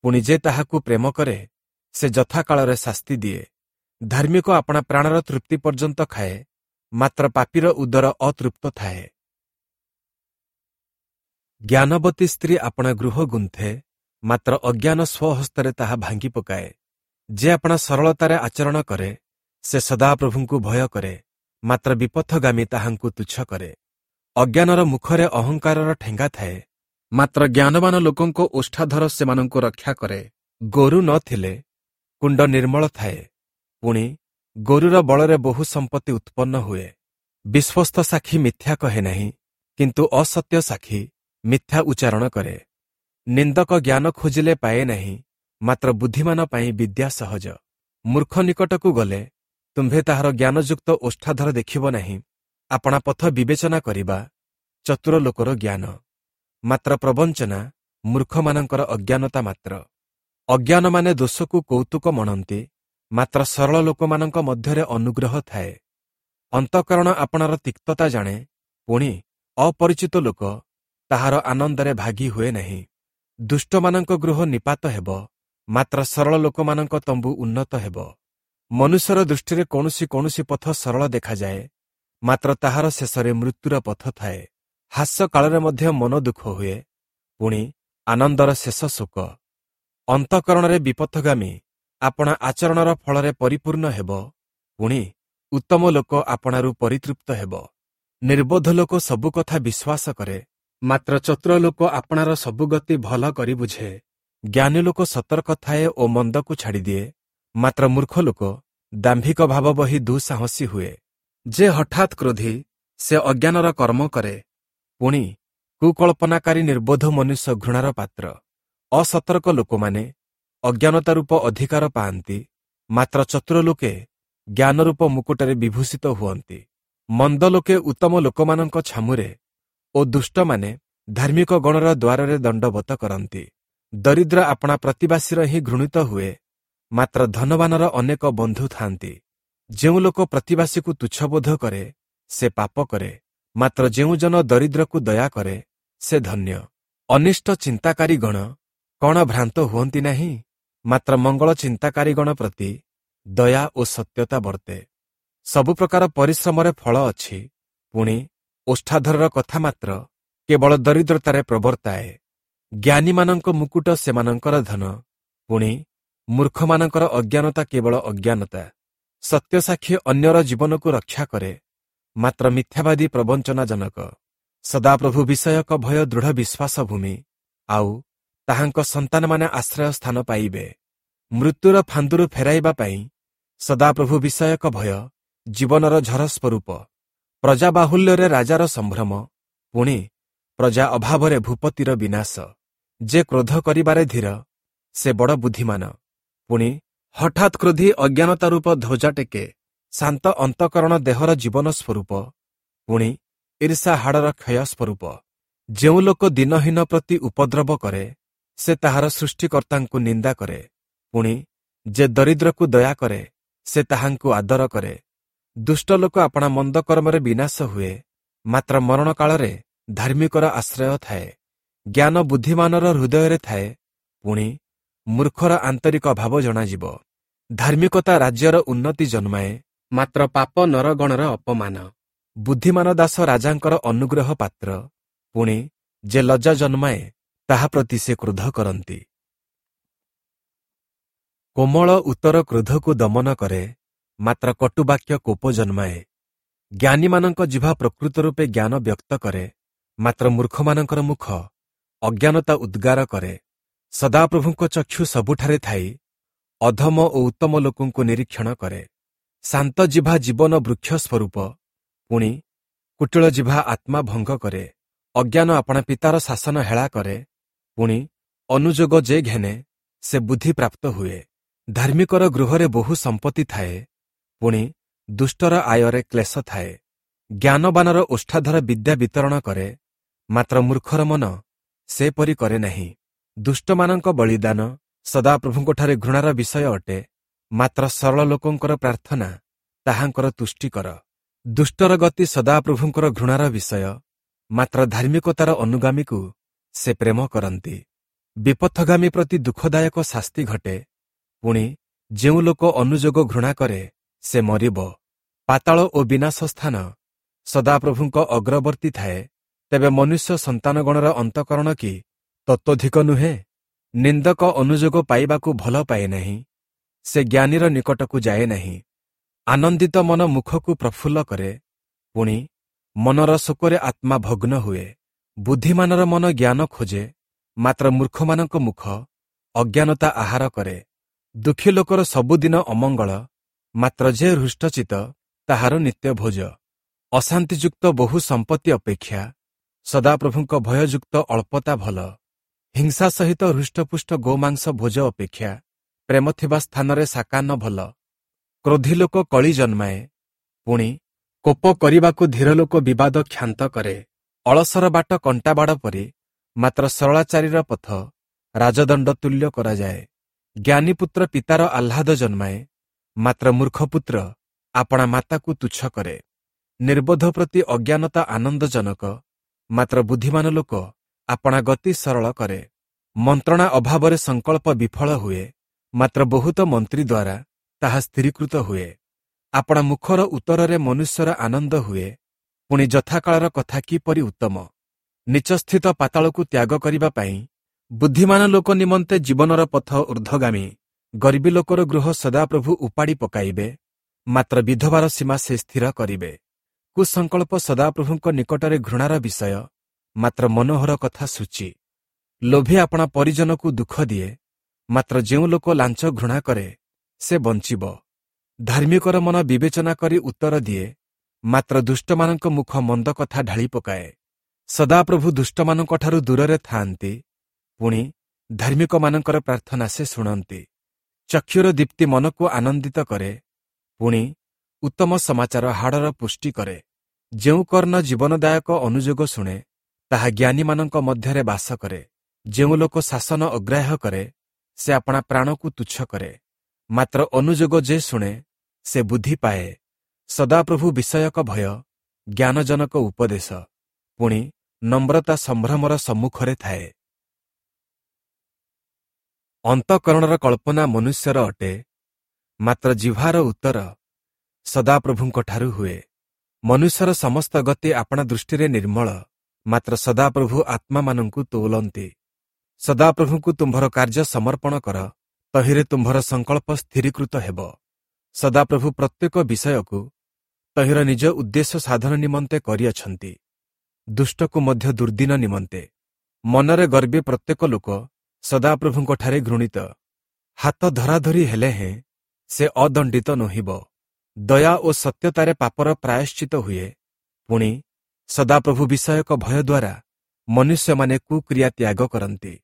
ପୁଣି ଯେ ତାହାକୁ ପ୍ରେମ କରେ, ସେ ଯଥାକାଳରେ ଶାସ୍ତି ଦିଏ। ଧାର୍ମିକ ଆପଣା ପ୍ରାଣର ତୃପ୍ତି ପର୍ଯ୍ୟନ୍ତ ଖାଏ, ମାତ୍ର ପାପୀର ଉଦର ଅତୃପ୍ତ ଥାଏ। ଜ୍ଞାନବତୀ ସ୍ତ୍ରୀ ଆପଣା ଗୃହ ଗୁନ୍ଥେ, ମାତ୍ର ଅଜ୍ଞାନ ସ୍ୱହସ୍ତରେ ତାହା ଭାଙ୍ଗି ପକାଏ। ଯେ ଆପଣା ସରଳତାରେ ଆଚରଣ କରେ, ସେ ସଦାପ୍ରଭୁଙ୍କୁ ଭୟ କରେ, ମାତ୍ର ବିପଥଗାମୀ ତାହାଙ୍କୁ ତୁଚ୍ଛ କରେ। ଅଜ୍ଞାନର ମୁଖରେ ଅହଙ୍କାରର ଠେଙ୍ଗା ଥାଏ, ମାତ୍ର ଜ୍ଞାନବାନ ଲୋକଙ୍କ ଓଷ୍ଠାଧର ସେମାନଙ୍କୁ ରକ୍ଷା କରେ। ଗୋରୁ ନଥିଲେ କୁଣ୍ଡ ନିର୍ମଳ ଥାଏ, ପୁଣି ଗୋରୁର ବଳରେ ବହୁ ସମ୍ପତ୍ତି ଉତ୍ପନ୍ନ ହୁଏ। ବିଶ୍ୱସ୍ତ ସାକ୍ଷୀ ମିଥ୍ୟା କହେ ନାହିଁ, କିନ୍ତୁ ଅସତ୍ୟ ସାକ୍ଷୀ ମିଥ୍ୟା ଉଚ୍ଚାରଣ କରେ। ନିନ୍ଦକ ଜ୍ଞାନ ଖୋଜିଲେ ପାଏ ନାହିଁ, ମାତ୍ର ବୁଦ୍ଧିମାନ ପାଇଁ ବିଦ୍ୟା ସହଜ। ମୂର୍ଖ ନିକଟକୁ ଗଲେ ତୁମ୍ଭେ ତାହାର ଜ୍ଞାନଯୁକ୍ତ ଓଷ୍ଠାଧର ଦେଖିବ ନାହିଁ। ଆପଣା ପଥ ବିବେଚନା କରିବା ଚତୁର ଲୋକର ଜ୍ଞାନ, ମାତ୍ର ପ୍ରବଞ୍ଚନା ମୂର୍ଖମାନଙ୍କର ଅଜ୍ଞାନତା ମାତ୍ର। ଅଜ୍ଞାନମାନେ ଦୋଷକୁ କୌତୁକ ମଣନ୍ତି, ମାତ୍ର ସରଳ ଲୋକମାନଙ୍କ ମଧ୍ୟରେ ଅନୁଗ୍ରହ ଥାଏ। ଅନ୍ତଃକରଣ ଆପଣାର ତିକ୍ତତା ଜାଣେ, ପୁଣି ଅପରିଚିତ ଲୋକ ତାହାର ଆନନ୍ଦରେ ଭାଗୀ ହୁଏ ନାହିଁ। ଦୁଷ୍ଟମାନଙ୍କ ଗୃହ ନିପାତ ହେବ, ମାତ୍ର ସରଳ ଲୋକମାନଙ୍କ ତମ୍ବୁ ଉନ୍ନତ ହେବ। ମନୁଷ୍ୟର ଦୃଷ୍ଟିରେ କୌଣସି କୌଣସି ପଥ ସରଳ ଦେଖାଯାଏ, ମାତ୍ର ତାହାର ଶେଷରେ ମୃତ୍ୟୁର ପଥ ଥାଏ। ହାସ୍ୟ କାଳରେ ମଧ୍ୟ ମନ ଦୁଃଖ ହୁଏ, ପୁଣି ଆନନ୍ଦର ଶେଷ ଶୋକ। ଅନ୍ତଃକରଣରେ ବିପଥଗାମୀ ଆପଣା ଆଚରଣର ଫଳରେ ପରିପୂର୍ଣ୍ଣ ହେବ, ପୁଣି ଉତ୍ତମ ଲୋକ ଆପଣାରୁ ପରିତୃପ୍ତ ହେବ। ନିର୍ବୋଧ ଲୋକ ସବୁ କଥା ବିଶ୍ୱାସ କରେ, ମାତ୍ର ଚତୁର ଲୋକ ଆପଣାର ସବୁ ଗତି ଭଲ କରି ବୁଝେ। ଜ୍ଞାନୀ ଲୋକ ସତର୍କ ଥାଏ ଓ ମନ୍ଦକୁ ଛାଡ଼ିଦିଏ, ମାତ୍ର ମୂର୍ଖ ଲୋକ ଦାମ୍ଭିକ ଭାବ ବହି ଦୁଃସାହସୀ ହୁଏ। ଯେ ହଠାତ୍ କ୍ରୋଧୀ, ସେ ଅଜ୍ଞାନର କର୍ମ କରେ, ପୁଣି କୁକଳ୍ପନାକାରୀ ନିର୍ବୋଧ ମନୁଷ୍ୟ ଘୃଣାର ପାତ୍ର। ଅସତର୍କ ଲୋକମାନେ ଅଜ୍ଞାନତା ରୂପ ଅଧିକାର ପାଆନ୍ତି, ମାତ୍ର ଚତୁର ଲୋକେ ଜ୍ଞାନରୂପ ମୁକୁଟରେ ବିଭୂଷିତ ହୁଅନ୍ତି। ମନ୍ଦ ଲୋକେ ଉତ୍ତମ ଲୋକମାନଙ୍କ ଛାମୁରେ ଓ ଦୁଷ୍ଟମାନେ ଧାର୍ମିକ ଗଣର ଦ୍ୱାରରେ ଦଣ୍ଡବତ କରନ୍ତି। ଦରିଦ୍ର ଆପଣା ପ୍ରତିବାସୀର ହିଁ ଘୃଣିତ ହୁଏ, ମାତ୍ର ଧନବାନର ଅନେକ ବନ୍ଧୁ ଥାନ୍ତି। ଯେଉଁ ଲୋକ ପ୍ରତିବାସୀକୁ ତୁଚ୍ଛବୋଧ କରେ, ସେ ପାପ କରେ, ମାତ୍ର ଯେଉଁ ଜନ ଦରିଦ୍ରକୁ ଦୟା କରେ, ସେ ଧନ୍ୟ। ଅନିଷ୍ଟ ଚିନ୍ତାକାରୀ ଗଣ କ'ଣ ଭ୍ରାନ୍ତ ହୁଅନ୍ତି ନାହିଁ? ମାତ୍ର ମଙ୍ଗଳ ଚିନ୍ତାକାରୀ ଗଣ ପ୍ରତି ଦୟା ଓ ସତ୍ୟତା ବର୍ତ୍ତେ। ସବୁ ପ୍ରକାର ପରିଶ୍ରମରେ ଫଳ ଅଛି, ପୁଣି ଓଷ୍ଠାଧରର କଥା ମାତ୍ର କେବଳ ଦରିଦ୍ରତାରେ ପ୍ରବର୍ତ୍ତାଏ। ଜ୍ଞାନୀମାନଙ୍କ ମୁକୁଟ ସେମାନଙ୍କର ଧନ, ପୁଣି ମୂର୍ଖମାନଙ୍କର ଅଜ୍ଞାନତା କେବଳ ଅଜ୍ଞାନତା। ସତ୍ୟସାକ୍ଷୀ ଅନ୍ୟର ଜୀବନକୁ ରକ୍ଷା କରେ, ମାତ୍ର ମିଥ୍ୟାବାଦୀ ପ୍ରବଞ୍ଚନାଜନକ। ସଦାପ୍ରଭୁ ବିଷୟକ ଭୟ ଦୃଢ଼ ବିଶ୍ୱାସ ଭୂମି, ଆଉ ତାହାଙ୍କ ସନ୍ତାନମାନେ ଆଶ୍ରୟ ସ୍ଥାନ ପାଇବେ। ମୃତ୍ୟୁର ଫାନ୍ଦୁରୁ ଫେରାଇବା ପାଇଁ ସଦାପ୍ରଭୁ ବିଷୟକ ଭୟ ଜୀବନର ଝର ସ୍ୱରୂପ। ପ୍ରଜା ବାହୁଲ୍ୟରେ ରାଜାର ସମ୍ଭ୍ରମ, ପୁଣି ପ୍ରଜା ଅଭାବରେ ଭୂପତିର ବିନାଶ। ଯେ କ୍ରୋଧ କରିବାରେ ଧୀର, ସେ ବଡ଼ ବୁଦ୍ଧିମାନ, ପୁଣି ହଠାତ୍ କ୍ରୋଧୀ ଅଜ୍ଞାନତା ରୂପ ଧ୍ୱଜା ଟେକେ। ଶାନ୍ତ ଅନ୍ତଃକରଣ ଦେହର ଜୀବନ ସ୍ୱରୂପ, ପୁଣି ଈର୍ଷା ହାଡ଼ର କ୍ଷୟ ସ୍ୱରୂପ। ଯେଉଁ ଲୋକ ଦୀନହୀନ ପ୍ରତି ଉପଦ୍ରବ କରେ, ସେ ତାହାର ସୃଷ୍ଟିକର୍ତ୍ତାଙ୍କୁ ନିନ୍ଦା କରେ। ପୁଣି ଯେ ଦରିଦ୍ରକୁ ଦୟା କରେ, ସେ ତାହାଙ୍କୁ ଆଦର କରେ। ଦୁଷ୍ଟ ଲୋକ ଆପଣା ମନ୍ଦ କର୍ମରେ ବିନାଶ ହୁଏ, ମାତ୍ର ମରଣ କାଳରେ ଧାର୍ମିକର ଆଶ୍ରୟ ଥାଏ। ଜ୍ଞାନ ବୁଦ୍ଧିମାନର ହୃଦୟରେ ଥାଏ, ପୁଣି ମୂର୍ଖର ଆନ୍ତରିକ ଭାବ ଜଣାଯିବ। ଧାର୍ମିକତା ରାଜ୍ୟର ଉନ୍ନତି ଜନ୍ମାଏ, ମାତ୍ର ପାପ ନରଗଣର ଅପମାନ। ବୁଦ୍ଧିମାନ ଦାସ ରାଜାଙ୍କର ଅନୁଗ୍ରହ ପାତ୍ର, ପୁଣି ଯେ ଲଜ୍ଜା ଜନ୍ମାଏ ତାହା ପ୍ରତି ସେ କ୍ରୋଧ କରନ୍ତି। କୋମଳ ଉତ୍ତର କ୍ରୋଧକୁ ଦମନ କରେ, ମାତ୍ର କଟୁବାକ୍ୟ କୋପ ଜନ୍ମାଏ। ଜ୍ଞାନୀମାନଙ୍କ ଜିଭା ପ୍ରକୃତ ରୂପେ ଜ୍ଞାନ ବ୍ୟକ୍ତ କରେ, ମାତ୍ର ମୂର୍ଖମାନଙ୍କର ମୁଖ ଅଜ୍ଞାନତା ଉଦ୍ଗାର କରେ। ସଦାପ୍ରଭୁଙ୍କ ଚକ୍ଷୁ ସବୁଠାରେ ଥାଇ ଅଧମ ଓ ଉତ୍ତମ ଲୋକଙ୍କୁ ନିରୀକ୍ଷଣ କରେ। ଶାନ୍ତ ଜିଭା ଜୀବନ ବୃକ୍ଷ ସ୍ୱରୂପ, ପୁଣି କୁଟିଳ ଜିଭା ଆତ୍ମା ଭଙ୍ଗ କରେ। ଅଜ୍ଞାନ ଆପଣା ପିତାର ଶାସନ ହେଳା କରେ, ପୁଣି ଅନୁଯୋଗ ଯେ ଘେନେ ସେ ବୁଦ୍ଧି ପ୍ରାପ୍ତ ହୁଏ। ଧାର୍ମିକର ଗୃହରେ ବହୁ ସମ୍ପତ୍ତି ଥାଏ, ପୁଣି ଦୁଷ୍ଟର ଆୟରେ କ୍ଲେଶ ଥାଏ। ଜ୍ଞାନବାନର ଓଷ୍ଠାଧର ବିଦ୍ୟା ବିତରଣ କରେ, ମାତ୍ର ମୂର୍ଖର ମନ ସେପରି କରେ ନାହିଁ। ଦୁଷ୍ଟମାନଙ୍କ ବଳିଦାନ ସଦାପ୍ରଭୁଙ୍କଠାରେ ଘୃଣାର ବିଷୟ ଅଟେ, ମାତ୍ର ସରଳ ଲୋକଙ୍କର ପ୍ରାର୍ଥନା ତାହାଙ୍କର ତୁଷ୍ଟିକର। ଦୁଷ୍ଟର ଗତି ସଦାପ୍ରଭୁଙ୍କର ଘୃଣାର ବିଷୟ, ମାତ୍ର ଧାର୍ମିକତାର ଅନୁଗାମୀକୁ ସେ ପ୍ରେମ କରନ୍ତି। ବିପଥଗାମୀ ପ୍ରତି ଦୁଃଖଦାୟକ ଶାସ୍ତି ଘଟେ, ପୁଣି ଯେଉଁ ଲୋକ ଅନୁଯୋଗ ଘୃଣା କରେ ସେ ମରିବ। ପାତାଳ ଓ ବିନାଶ ସ୍ଥାନ ସଦାପ୍ରଭୁଙ୍କ ଅଗ୍ରବର୍ତ୍ତୀ ଥାଏ, ତେବେ ମନୁଷ୍ୟ ସନ୍ତାନଗଣର ଅନ୍ତଃକରଣ କି ତତ୍ତ୍ୱଧିକ ନୁହେଁ? ନିନ୍ଦକ ଅନୁଯୋଗ ପାଇବାକୁ ଭଲ ପାଏ ନାହିଁ, ସେ ଜ୍ଞାନୀର ନିକଟକୁ ଯାଏ ନାହିଁ। ଆନନ୍ଦିତ ମନ ମୁଖକୁ ପ୍ରଫୁଲ୍ଲ କରେ, ପୁଣି ମନର ଶୋକରେ ଆତ୍ମା ଭଗ୍ନ ହୁଏ। ବୁଦ୍ଧିମାନର ମନ ଜ୍ଞାନ ଖୋଜେ, ମାତ୍ର ମୂର୍ଖମାନଙ୍କ ମୁଖ ଅଜ୍ଞାନତା ଆହାର କରେ। ଦୁଃଖୀ ଲୋକର ସବୁଦିନ ଅମଙ୍ଗଳ, ମାତ୍ର ଯେ ହୃଷ୍ଟଚିତ ତାହାର ନିତ୍ୟ ଭୋଜ। ଅଶାନ୍ତିଯୁକ୍ତ ବହୁ ସମ୍ପତ୍ତି ଅପେକ୍ଷା ସଦାପ୍ରଭୁଙ୍କ ଭୟଯୁକ୍ତ ଅଳ୍ପତା ଭଲ। ହିଂସା ସହିତ ହୃଷ୍ଟପୁଷ୍ଟ ଗୋମାଂସ ଭୋଜ ଅପେକ୍ଷା ପ୍ରେମ ଥିବା ସ୍ଥାନରେ ଶାକାନ୍ନ ଭଲ। କ୍ରୋଧୀ ଲୋକ କଳି ଜନ୍ମାଏ, ପୁଣି କୋପ କରିବାକୁ ଧୀର ଲୋକ ବିବାଦ କ୍ଷାନ୍ତ କରେ। ଅଳସର ବାଟ କଣ୍ଟାବାଡ଼ ପରି, ମାତ୍ର ସରଳାଚାରୀର ପଥ ରାଜଦଣ୍ଡ ତୁଲ୍ୟ କରାଯାଏ। ଜ୍ଞାନୀପୁତ୍ର ପିତାର ଆହ୍ଲାଦ ଜନ୍ମାଏ, ମାତ୍ର ମୂର୍ଖପୁତ୍ର ଆପଣା ମାତାକୁ ତୁଚ୍ଛ କରେ। ନିର୍ବୋଧ ପ୍ରତି ଅଜ୍ଞାନତା ଆନନ୍ଦଜନକ, ମାତ୍ର ବୁଦ୍ଧିମାନ ଲୋକ ଆପଣା ଗତି ସରଳ କରେ। ମନ୍ତ୍ରଣା ଅଭାବରେ ସଂକଳ୍ପ ବିଫଳ ହୁଏ, ମାତ୍ର ବହୁତ ମନ୍ତ୍ରୀ ଦ୍ୱାରା ତାହା ସ୍ଥିରୀକୃତ ହୁଏ। ଆପଣା ମୁଖର ଉତ୍ତରରେ ମନୁଷ୍ୟର ଆନନ୍ଦ ହୁଏ, ପୁଣି ଯଥାକାଳର କଥା କିପରି ଉତ୍ତମ। ନୀଚସ୍ଥିତ ପାତାଳକୁ ତ୍ୟାଗ କରିବା ପାଇଁ ବୁଦ୍ଧିମାନ ଲୋକ ନିମନ୍ତେ ଜୀବନର ପଥ ଊର୍ଦ୍ଧ୍ୱଗାମୀ। ଗର୍ବୀ ଲୋକର ଗୃହ ସଦାପ୍ରଭୁ ଉପାଡ଼ି ପକାଇବେ, ମାତ୍ର ବିଧବାର ସୀମା ସେ ସ୍ଥିର କରିବେ। କୁସଂକଳ୍ପ ସଦାପ୍ରଭୁଙ୍କ ନିକଟରେ ଘୃଣାର ବିଷୟ, ମାତ୍ର ମନୋହର କଥା ସୂଚି। ଲୋଭୀ ଆପଣା ପରିଜନକୁ ଦୁଃଖ ଦିଏ, ମାତ୍ର ଯେଉଁ ଲୋକ ଲାଞ୍ଚ ଘୃଣା କରେ ସେ ବଞ୍ଚିବ। ଧାର୍ମିକର ମନ ବିବେଚନା କରି ଉତ୍ତର ଦିଏ, ମାତ୍ର ଦୁଷ୍ଟମାନଙ୍କ ମୁଖ ମନ୍ଦ କଥା ଢାଳି ପକାଏ। ସଦାପ୍ରଭୁ ଦୁଷ୍ଟମାନଙ୍କଠାରୁ ଦୂରରେ ଥାଆନ୍ତି, ପୁଣି ଧାର୍ମିକମାନଙ୍କର ପ୍ରାର୍ଥନା ସେ ଶୁଣନ୍ତି। ଚକ୍ଷୁର ଦୀପ୍ତି ମନକୁ ଆନନ୍ଦିତ କରେ, ପୁଣି ଉତ୍ତମ ସମାଚାର ହାଡ଼ର ପୁଷ୍ଟି କରେ। ଯେଉଁ କର୍ଣ୍ଣ ଜୀବନଦାୟକ ଅନୁଯୋଗ ଶୁଣେ, ତାହା ଜ୍ଞାନୀମାନଙ୍କ ମଧ୍ୟରେ ବାସ କରେ। ଯେଉଁ ଲୋକ ଶାସନ ଅଗ୍ରାହ୍ୟ କରେ, ସେ ଆପଣା ପ୍ରାଣକୁ ତୁଚ୍ଛ କରେ, ମାତ୍ର ଅନୁଯୋଗ ଯେ ଶୁଣେ ସେ ବୁଦ୍ଧି ପାଏ। ସଦାପ୍ରଭୁ ବିଷୟକ ଭୟ ଜ୍ଞାନଜନକ ଉପଦେଶ, ପୁଣି ନମ୍ରତା ସମ୍ଭ୍ରମର ସମ୍ମୁଖରେ ଥାଏ। ଅନ୍ତଃକରଣର କଳ୍ପନା ମନୁଷ୍ୟର ଅଟେ, ମାତ୍ର ଜିହ୍ବାର ଉତ୍ତର ସଦାପ୍ରଭୁଙ୍କଠାରୁ ହୁଏ। ମନୁଷ୍ୟର ସମସ୍ତ ଗତି ଆପଣା ଦୃଷ୍ଟିରେ ନିର୍ମଳ, ମାତ୍ର ସଦାପ୍ରଭୁ ଆତ୍ମାମାନଙ୍କୁ ତୋଲନ୍ତି। ସଦାପ୍ରଭୁଙ୍କୁ ତୁମ୍ଭର କାର୍ଯ୍ୟ ସମର୍ପଣ କର, ତହିଁରେ ତୁମ୍ଭର ସଂକଳ୍ପ ସ୍ଥିରୀକୃତ ହେବ। ସଦାପ୍ରଭୁ ପ୍ରତ୍ୟେକ ବିଷୟକୁ ତହିଁର ନିଜ ଉଦ୍ଦେଶ୍ୟ ସାଧନ ନିମନ୍ତେ କରିଅଛନ୍ତି, ଦୁଷ୍ଟକୁ ମଧ୍ୟ ଦୁର୍ଦିନ ନିମନ୍ତେ। ମନରେ ଗର୍ବୀ ପ୍ରତ୍ୟେକ ଲୋକ ସଦାପ୍ରଭୁଙ୍କଠାରେ ଘୃଣିତ। ହାତ ଧରାଧରି ହେଲେ ହେଁ ସେ ଅଦଣ୍ଡିତ ନୋହିବ। ଦୟା ଓ ସତ୍ୟତାରେ ପାପର ପ୍ରାୟଶ୍ଚିତ ହୁଏ, ପୁଣି ସଦାପ୍ରଭୁ ବିଷୟକ ଭୟ ଦ୍ୱାରା ମନୁଷ୍ୟମାନେ କୁକ୍ରିୟା ତ୍ୟାଗ କରନ୍ତି।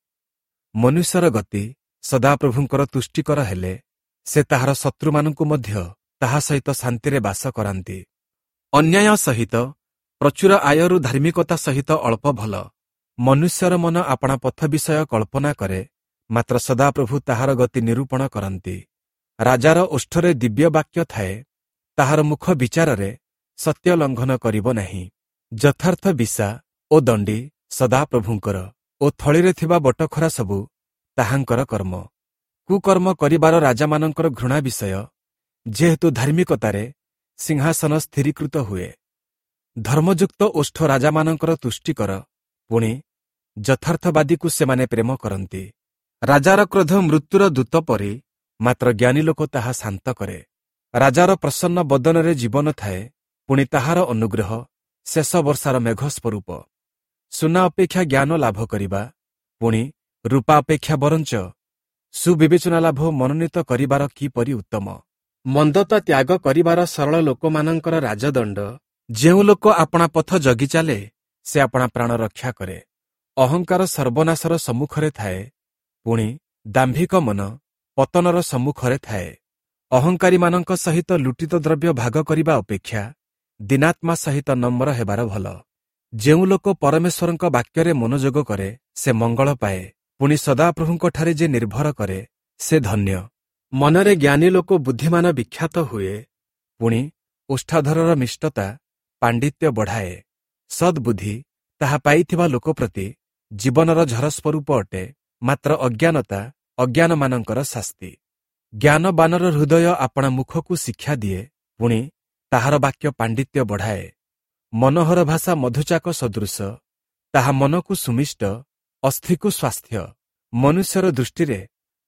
ମନୁଷ୍ୟର ଗତି ସଦାପ୍ରଭୁଙ୍କର ତୁଷ୍ଟିକର ହେଲେ ସେ ତାହାର ଶତ୍ରୁମାନଙ୍କୁ ମଧ୍ୟ ତାହା ସହିତ ଶାନ୍ତିରେ ବାସ କରାନ୍ତି। ଅନ୍ୟାୟ ସହିତ ପ୍ରଚୁର ଆୟରୁ ଧାର୍ମିକତା ସହିତ ଅଳ୍ପ ଭଲ। ମନୁଷ୍ୟର ମନ ଆପଣା ପଥ ବିଷୟ କଳ୍ପନା କରେ, ମାତ୍ର ସଦାପ୍ରଭୁ ତାହାର ଗତି ନିରୂପଣ କରନ୍ତି। ରାଜାର ଓଷ୍ଠରେ ଦିବ୍ୟ ବାକ୍ୟ ଥାଏ, ତାହାର ମୁଖ ବିଚାରରେ ସତ୍ୟ ଲଙ୍ଘନ କରିବ ନାହିଁ। ଯଥାର୍ଥ ବିଶା ଓ ଦଣ୍ଡି ସଦାପ୍ରଭୁଙ୍କର ଓ ଥଳିରେ ଥିବା ବଟଖରା ସବୁ ତାହାଙ୍କର କର୍ମ। କୁକର୍ମ କରିବାର ରାଜାମାନଙ୍କର ଘୃଣା ବିଷୟ, ଯେହେତୁ ଧାର୍ମିକତାରେ ସିଂହାସନ ସ୍ଥିରୀକୃତ ହୁଏ। ଧର୍ମଯୁକ୍ତ ଓଷ୍ଠ ରାଜାମାନଙ୍କର ତୁଷ୍ଟିକର, ପୁଣି ଯଥାର୍ଥବାଦୀକୁ ସେମାନେ ପ୍ରେମ କରନ୍ତି। ରାଜାର କ୍ରୋଧ ମୃତ୍ୟୁର ଦୂତ ପରି, ମାତ୍ର ଜ୍ଞାନୀ ଲୋକ ତାହା ଶାନ୍ତ କରେ। ରାଜାର ପ୍ରସନ୍ନ ବଦନରେ ଜୀବନ ଥାଏ, ପୁଣି ତାହାର ଅନୁଗ୍ରହ ଶେଷ ବର୍ଷାର ମେଘ ସ୍ୱରୂପ। ସୁନା ଅପେକ୍ଷା ଜ୍ଞାନ ଲାଭ କରିବା, ପୁଣି ରୂପା ଅପେକ୍ଷା ବରଞ୍ଚ ସୁବିବେଚନା ଲାଭ ମନୋନୀତ କରିବାର କିପରି ଉତ୍ତମ। ମନ୍ଦତା ତ୍ୟାଗ କରିବାର ସରଳ ଲୋକମାନଙ୍କର ରାଜଦଣ୍ଡ। ଯେଉଁ ଲୋକ ଆପଣା ପଥ ଜଗି ଚାଲେ, ସେ ଆପଣା ପ୍ରାଣ ରକ୍ଷା କରେ। ଅହଙ୍କାର ସର୍ବନାଶର ସମ୍ମୁଖରେ ଥାଏ, ପୁଣି ଦାମ୍ଭିକ ମନ ପତନର ସମ୍ମୁଖରେ ଥାଏ। ଅହଙ୍କାରୀମାନଙ୍କ ସହିତ ଲୁଟିତ ଦ୍ରବ୍ୟ ଭାଗ କରିବା ଅପେକ୍ଷା ଦୀନାତ୍ମା ସହିତ ନମ୍ର ହେବାର ଭଲ। ଯେଉଁ ଲୋକ ପରମେଶ୍ୱରଙ୍କ ବାକ୍ୟରେ ମନୋଯୋଗ କରେ, ସେ ମଙ୍ଗଳ ପାଏ, ପୁଣି ସଦାପ୍ରଭୁଙ୍କଠାରେ ଯେ ନିର୍ଭର କରେ, ସେ ଧନ୍ୟ। ମନରେ ଜ୍ଞାନୀ ଲୋକ ବୁଦ୍ଧିମାନ ବିଖ୍ୟାତ ହୁଏ, ପୁଣି ଓଷ୍ଠାଧରର ମିଷ୍ଟତା ପାଣ୍ଡିତ୍ୟ ବଢ଼ାଏ। ସଦ୍ବୁଦ୍ଧି ତାହା ପାଇଥିବା ଲୋକ ପ୍ରତି ଜୀବନର ଝର ସ୍ୱରୂପ ଅଟେ, ମାତ୍ର ଅଜ୍ଞାନତା ଅଜ୍ଞାନମାନଙ୍କର ଶାସ୍ତି। ଜ୍ଞାନବାନର ହୃଦୟ ଆପଣା ମୁଖକୁ ଶିକ୍ଷା ଦିଏ, ପୁଣି ତାହାର ବାକ୍ୟ ପାଣ୍ଡିତ୍ୟ ବଢ଼ାଏ। ମନୋହର ଭାଷା ମଧୁଚାକ ସଦୃଶ, ତାହା ମନକୁ ସୁମିଷ୍ଟ, ଅସ୍ଥିକୁ ସ୍ୱାସ୍ଥ୍ୟ। ମନୁଷ୍ୟର ଦୃଷ୍ଟିରେ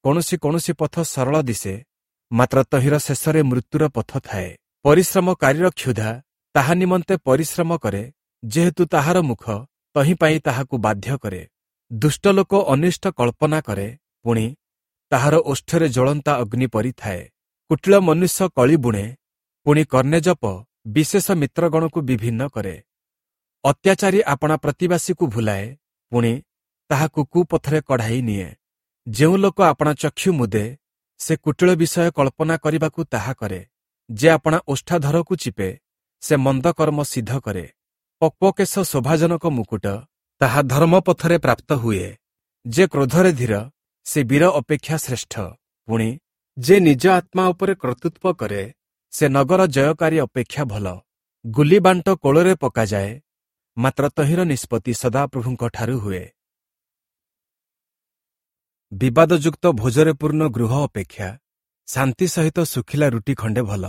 କୌଣସି କୌଣସି ପଥ ସରଳ ଦିଶେ, ମାତ୍ର ତହିଁର ଶେଷରେ ମୃତ୍ୟୁର ପଥ ଥାଏ। ପରିଶ୍ରମକାରୀର କ୍ଷୁଧା ତାହା ନିମନ୍ତେ ପରିଶ୍ରମ କରେ, ଯେହେତୁ ତାହାର ମୁଖ ତହିଁ ପାଇଁ ତାହାକୁ ବାଧ୍ୟ କରେ। ଦୁଷ୍ଟ ଲୋକ ଅନିଷ୍ଟ କଳ୍ପନା କରେ, ପୁଣି ତାହାର ଓଷ୍ଠରେ ଜ୍ୱଳନ୍ତା ଅଗ୍ନି ପରି ଥାଏ। କୁଟିଳ ମନୁଷ୍ୟ କଳି ବୁଣେ, ପୁଣି କର୍ଣ୍ଣେଜପ ବିଶେଷ ମିତ୍ରଗଣକୁ ବିଭିନ୍ନ କରେ। ଅତ୍ୟାଚାରୀ ଆପଣା ପ୍ରତିବାସୀକୁ ଭୁଲାଏ, ପୁଣି ତାହାକୁ କୁପଥରେ କଢ଼ାଇ ନିଏ। ଯେଉଁ ଲୋକ ଆପଣା ଚକ୍ଷୁ ମୁଦେ, ସେ କୁଟିଳ ବିଷୟ କଳ୍ପନା କରିବାକୁ ତାହା କରେ। ଯେ ଆପଣା ଓଷ୍ଠାଧରକୁ ଚିପେ, ସେ ମନ୍ଦ କର୍ମ ସିଦ୍ଧ କରେ। ପକ୍ୱକେଶ ଶୋଭାଜନକ ମୁକୁଟ, ତାହା ଧର୍ମପଥରେ ପ୍ରାପ୍ତ ହୁଏ। ଯେ କ୍ରୋଧରେ ଧୀର, ସେ ବୀର ଅପେକ୍ଷା ଶ୍ରେଷ୍ଠ, ପୁଣି ଯେ ନିଜ ଆତ୍ମା ଉପରେ କର୍ତ୍ତୃତ୍ୱ କରେ, ସେ ନଗର ଜୟକାରୀ ଅପେକ୍ଷା ଭଲ। ଗୁଲିବାଣ୍ଟ କୋଳରେ ପକାଯାଏ, ମାତ୍ର ତହିଁର ନିଷ୍ପତ୍ତି ସଦାପ୍ରଭୁଙ୍କଠାରୁ ହୁଏ। ବିବାଦଯୁକ୍ତ ଭୋଜରେ ପୂର୍ଣ୍ଣ ଗୃହ ଅପେକ୍ଷା ଶାନ୍ତି ସହିତ ଶୁଖିଲା ରୁଟି ଖଣ୍ଡେ ଭଲ।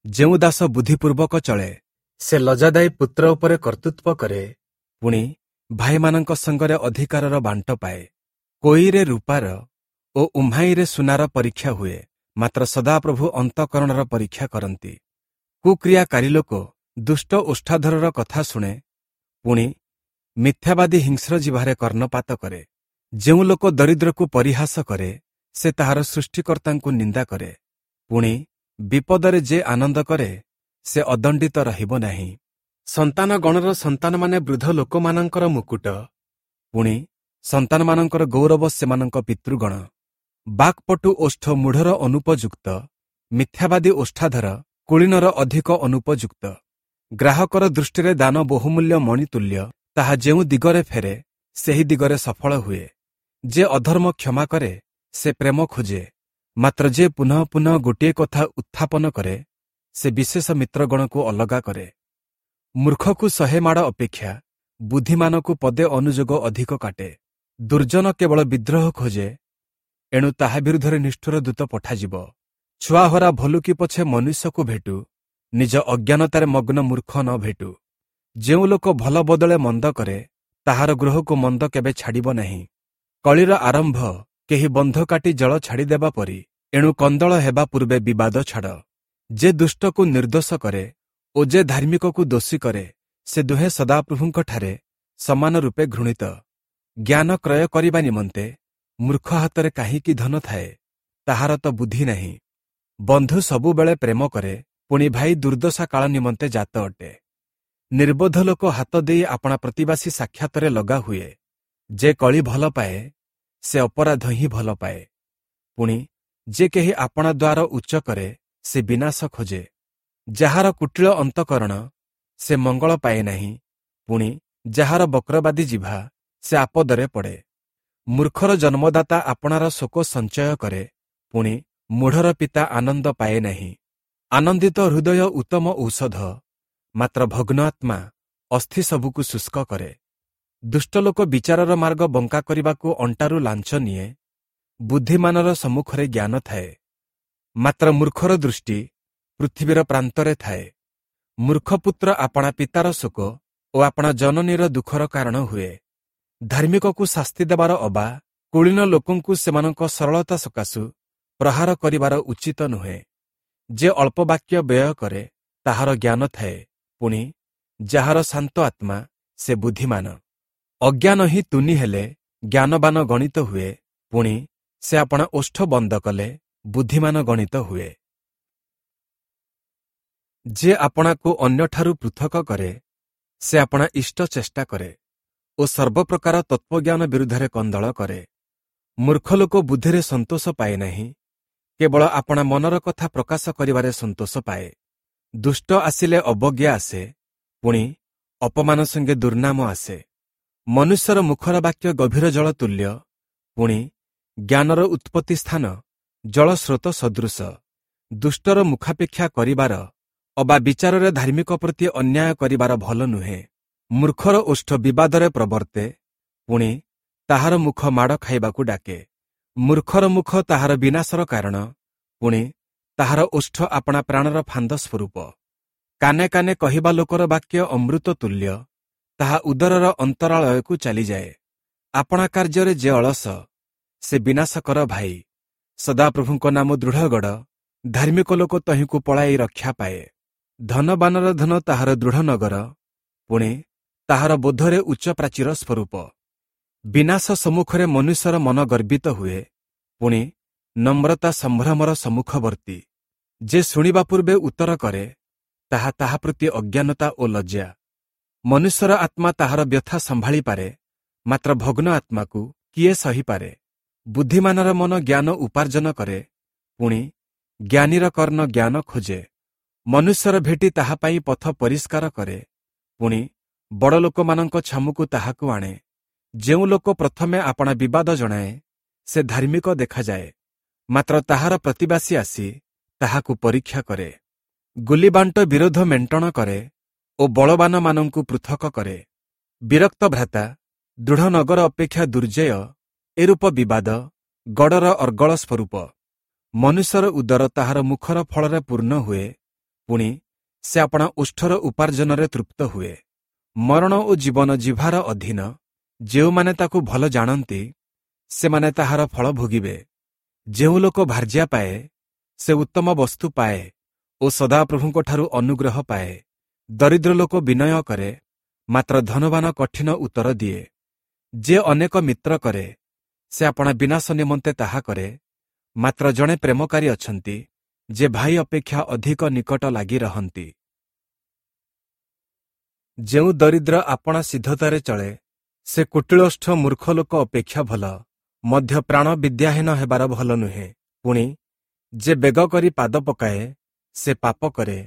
ଯେଉଁ ଦାସ ବୁଦ୍ଧିପୂର୍ବକ ଚଳେ, ସେ ଲଜ୍ଜାଦାୟୀ ପୁତ୍ର ଉପରେ କର୍ତ୍ତୃତ୍ୱ କରେ, ପୁଣି ଭାଇମାନଙ୍କ ସଙ୍ଗରେ ଅଧିକାରର ବାଣ୍ଟ ପାଏ। କୋଇରେ ରୂପାର ଓ ଉହ୍ମାଇରେ ସୁନାର ପରୀକ୍ଷା ହୁଏ, ମାତ୍ର ସଦାପ୍ରଭୁ ଅନ୍ତଃକରଣର ପରୀକ୍ଷା କରନ୍ତି। କୁକ୍ରିୟାକାରୀ ଲୋକ ଦୁଷ୍ଟ ଓଷ୍ଠାଧରର କଥା ଶୁଣେ, ପୁଣି ମିଥ୍ୟାବାଦୀ ହିଂସ୍ର ଜିହ୍ବାରେ କର୍ଣ୍ଣପାତ କରେ। ଯେଉଁ ଲୋକ ଦରିଦ୍ରକୁ ପରିହାସ କରେ, ସେ ତାହାର ସୃଷ୍ଟିକର୍ତ୍ତାଙ୍କୁ ନିନ୍ଦା କରେ, ପୁଣି ବିପଦରେ ଯେ ଆନନ୍ଦ କରେ, ସେ ଅଦଣ୍ଡିତ ରହିବ ନାହିଁ। ସନ୍ତାନଗଣର ସନ୍ତାନମାନେ ବୃଦ୍ଧ ଲୋକମାନଙ୍କର ମୁକୁଟ, ପୁଣି ସନ୍ତାନମାନଙ୍କର ଗୌରବ ସେମାନଙ୍କ ପିତୃଗଣ। ବାକ୍ପଟୁ ଓଷ୍ଠ ମୂଢ଼ର ଅନୁପଯୁକ୍ତ, ମିଥ୍ୟାବାଦୀ ଓଷ୍ଠାଧର କୁଳୀନର ଅଧିକ ଅନୁପଯୁକ୍ତ। ଗ୍ରାହକର ଦୃଷ୍ଟିରେ ଦାନ ବହୁମୂଲ୍ୟ ମଣିତୁଲ୍ୟ, ତାହା ଯେଉଁ ଦିଗରେ ଫେରେ ସେହି ଦିଗରେ ସଫଳ ହୁଏ। ଯେ ଅଧର୍ମ କ୍ଷମା କରେ, ସେ ପ୍ରେମ ଖୋଜେ, ମାତ୍ର ଯେ ପୁନଃ ପୁନଃ ଗୋଟିଏ କଥା ଉତ୍ଥାପନ କରେ, ସେ ବିଶେଷ ମିତ୍ରଗଣକୁ ଅଲଗା କରେ। ମୂର୍ଖକୁ 100 ମାଡ଼ ଅପେକ୍ଷା ବୁଦ୍ଧିମାନକୁ ପଦେ ଅନୁଯୋଗ ଅଧିକ କାଟେ। ଦୁର୍ଜନ କେବଳ ବିଦ୍ରୋହ ଖୋଜେ, ଏଣୁ ତାହା ବିରୁଦ୍ଧରେ ନିଷ୍ଠୁର ଦୂତ ପଠାଯିବ। ଛୁଆହରା ଭଲୁକି ପଛେ ମନୁଷ୍ୟକୁ ଭେଟୁ, ନିଜ ଅଜ୍ଞାନତାରେ ମଗ୍ନ ମୂର୍ଖ ନ ଭେଟୁ। ଯେଉଁ ଲୋକ ଭଲ ବଦଳେ ମନ୍ଦ କରେ, ତାହାର ଗୃହକୁ ମନ୍ଦ କେବେ ଛାଡ଼ିବ ନାହିଁ। କଳିର ଆରମ୍ଭ କେହି ବନ୍ଧ କାଟି ଜଳ ଛାଡ଼ିଦେବା ପରି, ଏଣୁ କନ୍ଦଳ ହେବା ପୂର୍ବେ ବିବାଦ ଛାଡ଼। ଯେ ଦୁଷ୍ଟକୁ ନିର୍ଦ୍ଦୋଷ କରେ ଓ ଯେ ଧାର୍ମିକକୁ ଦୋଷୀ କରେ, ସେ ଦୁହେଁ ସଦାପ୍ରଭୁଙ୍କଠାରେ ସମାନ ରୂପେ ଘୃଣିତ। ଜ୍ଞାନ କ୍ରୟ କରିବା ନିମନ୍ତେ ମୂର୍ଖ ହାତରେ କାହିଁକି ଧନ ଥାଏ, ତାହାର ତ ବୁଦ୍ଧି ନାହିଁ। ବନ୍ଧୁ ସବୁବେଳେ ପ୍ରେମ କରେ, ପୁଣି ଭାଇ ଦୁର୍ଦ୍ଦଶା କାଳ ନିମନ୍ତେ ଜାତ ଅଟେ। ନିର୍ବୋଧ ଲୋକ ହାତ ଦେଇ ଆପଣା ପ୍ରତିବାସୀ ସାକ୍ଷାତରେ ଲଗା ହୁଏ। ଯେ କଳି ଭଲ ପାଏ, ସେ ଅପରାଧ ହିଁ ଭଲ ପାଏ। ପୁଣି ଯେ କେହି ଆପଣା ଦ୍ୱାର ଉଚ୍ଚ କରେ, ସେ ବିନାଶ ଖୋଜେ। ଯାହାର କୁଟିଳ ଅନ୍ତଃକରଣ, ସେ ମଙ୍ଗଳ ପାଏ ନାହିଁ, ପୁଣି ଯାହାର ବକ୍ରବାଦୀ ଜିଭା, ସେ ଆପଦରେ ପଡ଼େ। ମୂର୍ଖର ଜନ୍ମଦାତା ଆପଣାର ଶୋକ ସଞ୍ଚୟ କରେ, ପୁଣି ମୂଢ଼ର ପିତା ଆନନ୍ଦ ପାଏ ନାହିଁ। ଆନନ୍ଦିତ ହୃଦୟ ଉତ୍ତମ ଔଷଧ, ମାତ୍ର ଭଗ୍ନ ଆତ୍ମା ଅସ୍ଥି ସବୁକୁ ଶୁଷ୍କ କରେ। ଦୁଷ୍ଟ ଲୋକ ବିଚାରର ମାର୍ଗ ବଙ୍କା କରିବାକୁ ଅଣ୍ଟାରୁ ଲାଞ୍ଚ ନିଏ। ବୁଦ୍ଧିମାନର ସମ୍ମୁଖରେ ଜ୍ଞାନ ଥାଏ, ମାତ୍ର ମୂର୍ଖର ଦୃଷ୍ଟି ପୃଥିବୀର ପ୍ରାନ୍ତରେ ଥାଏ। ମୂର୍ଖପୁତ୍ର ଆପଣା ପିତାର ଶୋକ ଓ ଆପଣା ଜନନୀର ଦୁଃଖର କାରଣ ହୁଏ। ଧାର୍ମିକକୁ ଶାସ୍ତି ଦେବାର ଅବା କୁଳୀନ ଲୋକଙ୍କୁ ସେମାନଙ୍କ ସରଳତା ସକାଶୁ ପ୍ରହାର କରିବାର ଉଚିତ ନୁହେଁ। ଯେ ଅଳ୍ପ ବାକ୍ୟ ବ୍ୟୟ କରେ, ତାହାର ଜ୍ଞାନ ଥାଏ, ପୁଣି ଯାହାର ଶାନ୍ତ ଆତ୍ମା, ସେ ବୁଦ୍ଧିମାନ। ଅଜ୍ଞାନ ହିଁ ତୁନି ହେଲେ ଜ୍ଞାନବାନ ଗଣିତ ହୁଏ, ପୁଣି ସେ ଆପଣା ଓଷ୍ଠ ବନ୍ଦ କଲେ ବୁଦ୍ଧିମାନ ଗଣିତ ହୁଏ। ଯେ ଆପଣାକୁ ଅନ୍ୟଠାରୁ ପୃଥକ କରେ, ସେ ଆପଣା ଇଷ୍ଟ ଚେଷ୍ଟା କରେ ଓ ସର୍ବପ୍ରକାର ତତ୍ତ୍ୱଜ୍ଞାନ ବିରୁଦ୍ଧରେ କନ୍ଦଳ କରେ। ମୂର୍ଖ ଲୋକ ବୁଦ୍ଧିରେ ସନ୍ତୋଷ ପାଏ ନାହିଁ, କେବଳ ଆପଣା ମନର କଥା ପ୍ରକାଶ କରିବାରେ ସନ୍ତୋଷ ପାଏ। ଦୁଷ୍ଟ ଆସିଲେ ଅବଜ୍ଞା ଆସେ, ପୁଣି ଅପମାନ ସଙ୍ଗେ ଦୁର୍ନାମ ଆସେ। ମନୁଷ୍ୟର ମୁଖର ବାକ୍ୟ ଗଭୀର ଜଳ ତୁଲ୍ୟ, ପୁଣି ଜ୍ଞାନର ଉତ୍ପତ୍ତି ସ୍ଥାନ ଜଳସ୍ରୋତ ସଦୃଶ। ଦୁଷ୍ଟର ମୁଖାପେକ୍ଷା କରିବାର ଅବା ବିଚାରରେ ଧାର୍ମିକ ପ୍ରତି ଅନ୍ୟାୟ କରିବାର ଭଲ ନୁହେଁ। ମୂର୍ଖର ଓଷ୍ଠ ବିବାଦରେ ପ୍ରବର୍ତ୍ତେ, ପୁଣି ତାହାର ମୁଖ ମାଡ଼ ଖାଇବାକୁ ଡାକେ। ମୂର୍ଖର ମୁଖ ତାହାର ବିନାଶର କାରଣ, ପୁଣି ତାହାର ଓଷ୍ଠ ଆପଣା ପ୍ରାଣର ଫାନ୍ଦ ସ୍ୱରୂପ। କାନେ କାନେ କହିବା ଲୋକର ବାକ୍ୟ ଅମୃତ ତୁଲ୍ୟ, ତାହା ଉଦରର ଅନ୍ତରାଳୟକୁ ଚାଲିଯାଏ। ଆପଣା କାର୍ଯ୍ୟରେ ଯେ ଅଳସ, ସେ ବିନାଶକର ଭାଇ। ସଦାପ୍ରଭୁଙ୍କ ନାମ ଦୃଢ଼ଗଡ଼, ଧାର୍ମିକ ଲୋକ ତହିଁକୁ ପଳାଇ ରକ୍ଷା ପାଏ। ଧନବାନର ଧନ ତାହାର ଦୃଢ଼ ନଗର, ପୁଣି ତାହାର ବୋଧରେ ଉଚ୍ଚ ପ୍ରାଚୀର ସ୍ୱରୂପ। ବିନାଶ ସମ୍ମୁଖରେ ମନୁଷ୍ୟର ମନ ଗର୍ବିତ ହୁଏ, ପୁଣି ନମ୍ରତା ସମ୍ଭ୍ରମର ସମ୍ମୁଖବର୍ତ୍ତୀ। ଯେ ଶୁଣିବା ପୂର୍ବେ ଉତ୍ତର କରେ, ତାହା ତାହା ପ୍ରତି ଅଜ୍ଞାନତା ଓ ଲଜ୍ଜା। ମନୁଷ୍ୟର ଆତ୍ମା ତାହାର ବ୍ୟଥା ସମ୍ଭାଳିପାରେ, ମାତ୍ର ଭଗ୍ନ ଆତ୍ମାକୁ କିଏ ସହିପାରେ? ବୁଦ୍ଧିମାନର ମନ ଜ୍ଞାନ ଉପାର୍ଜନ କରେ, ପୁଣି ଜ୍ଞାନୀର କର୍ଣ୍ଣ ଜ୍ଞାନ ଖୋଜେ। ମନୁଷ୍ୟର ଭେଟି ତାହା ପାଇଁ ପଥ ପରିଷ୍କାର କରେ, ପୁଣି ବଡ଼ ଲୋକମାନଙ୍କ ଛାମୁକୁ ତାହାକୁ ଆଣେ। ଯେଉଁ ଲୋକ ପ୍ରଥମେ ଆପଣା ବିବାଦ ଜଣାଏ, ସେ ଧାର୍ମିକ ଦେଖାଯାଏ, ମାତ୍ର ତାହାର ପ୍ରତିବାସୀ ଆସି ତାହାକୁ ପରୀକ୍ଷା କରେ। ଗୁଲିବାଣ୍ଟ ବିରୋଧ ମେଣ୍ଟଣ କରେ ଓ ବଳବାନମାନଙ୍କୁ ପୃଥକ କରେ। ବିରକ୍ତ ଭ୍ରାତା ଦୃଢ଼ ନଗର ଅପେକ୍ଷା ଦୁର୍ଜେୟ, ଏରୂପ ବିବାଦ ଗଡ଼ର ଅର୍ଗଳ ସ୍ୱରୂପ। ମନୁଷ୍ୟର ଉଦର ତାହାର ମୁଖର ଫଳରେ ପୂର୍ଣ୍ଣ ହୁଏ, ପୁଣି ସେ ଆପଣା ଓଷ୍ଠର ଉପାର୍ଜନରେ ତୃପ୍ତ ହୁଏ। ମରଣ ଓ ଜୀବନ ଜିଭାର ଅଧୀନ, ଯେଉଁମାନେ ତାକୁ ଭଲ ଜାଣନ୍ତି, ସେମାନେ ତାହାର ଫଳ ଭୋଗିବେ। ଯେଉଁ ଲୋକ ଭାର୍ଯ୍ୟା ପାଏ, ସେ ଉତ୍ତମ ବସ୍ତୁ ପାଏ ଓ ସଦାପ୍ରଭୁଙ୍କଠାରୁ ଅନୁଗ୍ରହ ପାଏ। ଦରିଦ୍ର ଲୋକ ବିନୟ କରେ, ମାତ୍ର ଧନବାନ କଠିନ ଉତ୍ତର ଦିଏ। ଯେ ଅନେକ ମିତ୍ର କରେ, ସେ ଆପଣା ବିନାଶ ନିମନ୍ତେ ତାହା କରେ, ମାତ୍ର ଜଣେ ପ୍ରେମକାରୀ ଅଛନ୍ତି, ଯେ ଭାଇ ଅପେକ୍ଷା ଅଧିକ ନିକଟ ଲାଗି ରହନ୍ତି। ଯେଉଁ ଦରିଦ୍ର ଆପଣା ସିଦ୍ଧତାରେ ଚଳେ, ସେ କୁଟିଳୋଷ୍ଠ ମୂର୍ଖ ଲୋକ ଅପେକ୍ଷା ଭଲ, ମଧ୍ୟ ପ୍ରାଣ ବିଦ୍ୟାହୀନ ହେବାର ଭଲ ନୁହେଁ। ପୁଣି ଯେ ବେଗ କରି ପାଦ ପକାଏ, ସେ ପାପ କରେ।